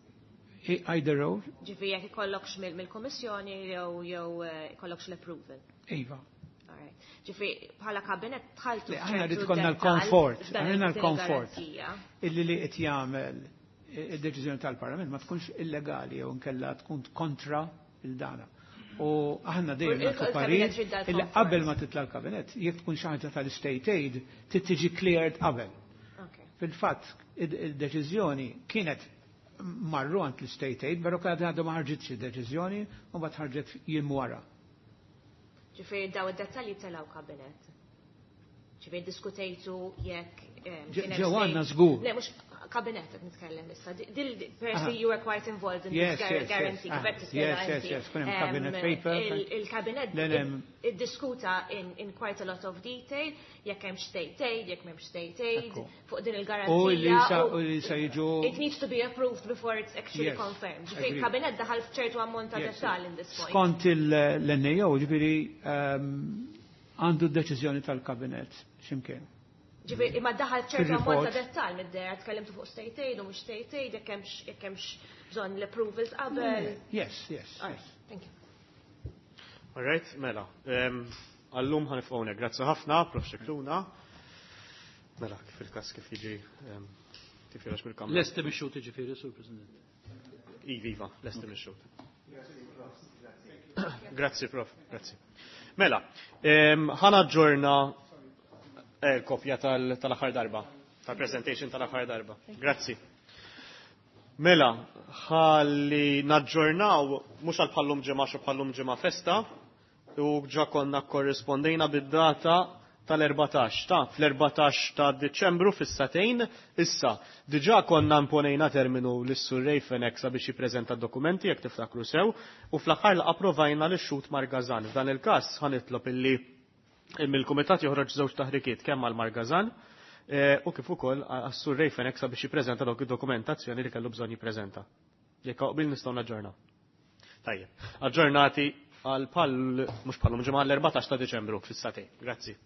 I-, either or. Ġifieri jekk ikollokx mill-, mill-Kummissjoni jew, jew, eh, ikollokx l-approval. Iva. Alright. Ġifieri bħala Kabinett dħaltu Le, aħna f'ċertu rrid ikollna dettall l-komfort, f'dan aħna il-din l-komfort. il-garanzija. Illi li qed jagħmel id-deċiżjoni tal-Parlament ma tkunx illegali jew inkella tkun kontra il-dana. U aħna dejjem nagħtu parir illi qabel ma titla' l-kabinet, jekk tkun xi ħaġa tal-state aid, trid tiġi cleared qabel. Fil-fatt, id-deċiżjoni kienet marru għand l-state aid, però kienet għadha ma ħarġitx id-deċiżjoni u mbagħad ħarġet jiem wara. Ġifieri daw id-dettalji telgħu kabinet. Ġifieri diskutejtu jekk Ġew għandna żgur. Le mhux kabinet qed nitkellem issa. Dil persi you were quite involved in this guarantee. Yes, yes, yes, kien hemm cabinet paper. Il-kabinet iddiskuta in quite a lot of detail jekk hemm state aid, jekk m'hemmx state aid, fuq din il-garanzija. U li sa jiġu. It needs to be approved before it's actually confirmed. Ġifieri il-kabinet daħal f'ċertu ammont ta' dettall in this point. Skont l-N A O, ġifieri għandu d-deċiżjoni tal-kabinet x'imkien. Ġifieri imma daħal ċertu ammont ta' dettall mid-dehra, tkellimtu fuq state aid u mhux state aid, jekk hemmx jekk hemmx bżonn l-approvals qabel. Yes, yes. Thank you. All right, mela. Għal-lum ħa nieqfu hawnhekk. Grazzi ħafna, Professor Scicluna. Mela, kif il-kas kif jiġi kif joħroġ mill-kamra. Lesti mix-xhud ġifieri, Sur President. Iva, lesti mix-xhud. Grazzi, Prof. Grazzi. Mela, ħa naġġorna kopja tal-aħħar darba, tal-presentation tal-aħħar darba. Grazzi. Mela, ħalli naġġornaw, mhux għal bħal-lum ġimgħa xi bħal-lum ġimgħa festa, u ġa konna korrispondejna bid-data tal-erbatax, ta' fl-erbatax ta' Deċembru fis-sagħtejn, issa, diġa konna imponejna terminu lis-Sur Ray Fenech sabiex jippreżenta dokumenti jekk tiftakru sew, u fl-aħħar approvajna lix-xhud Mark Gasan. F'dan il-każ ħa nitlob illi mill-kumitat joħroġ żewġ taħrikiet kemm għal Mark Gasan u kif ukoll għas-Sur Ray Fenech sabiex jippreżenta dawk id-dokumentazzjoni li kellu bżonn jippreżenta. Jekk qbil nistgħu naġġornaw. Tajjeb, aġġornati għal pal mhux bħal-lum ġimgħa l-erbatax ta' Deċembru fis-sagħtejn. Grazzi.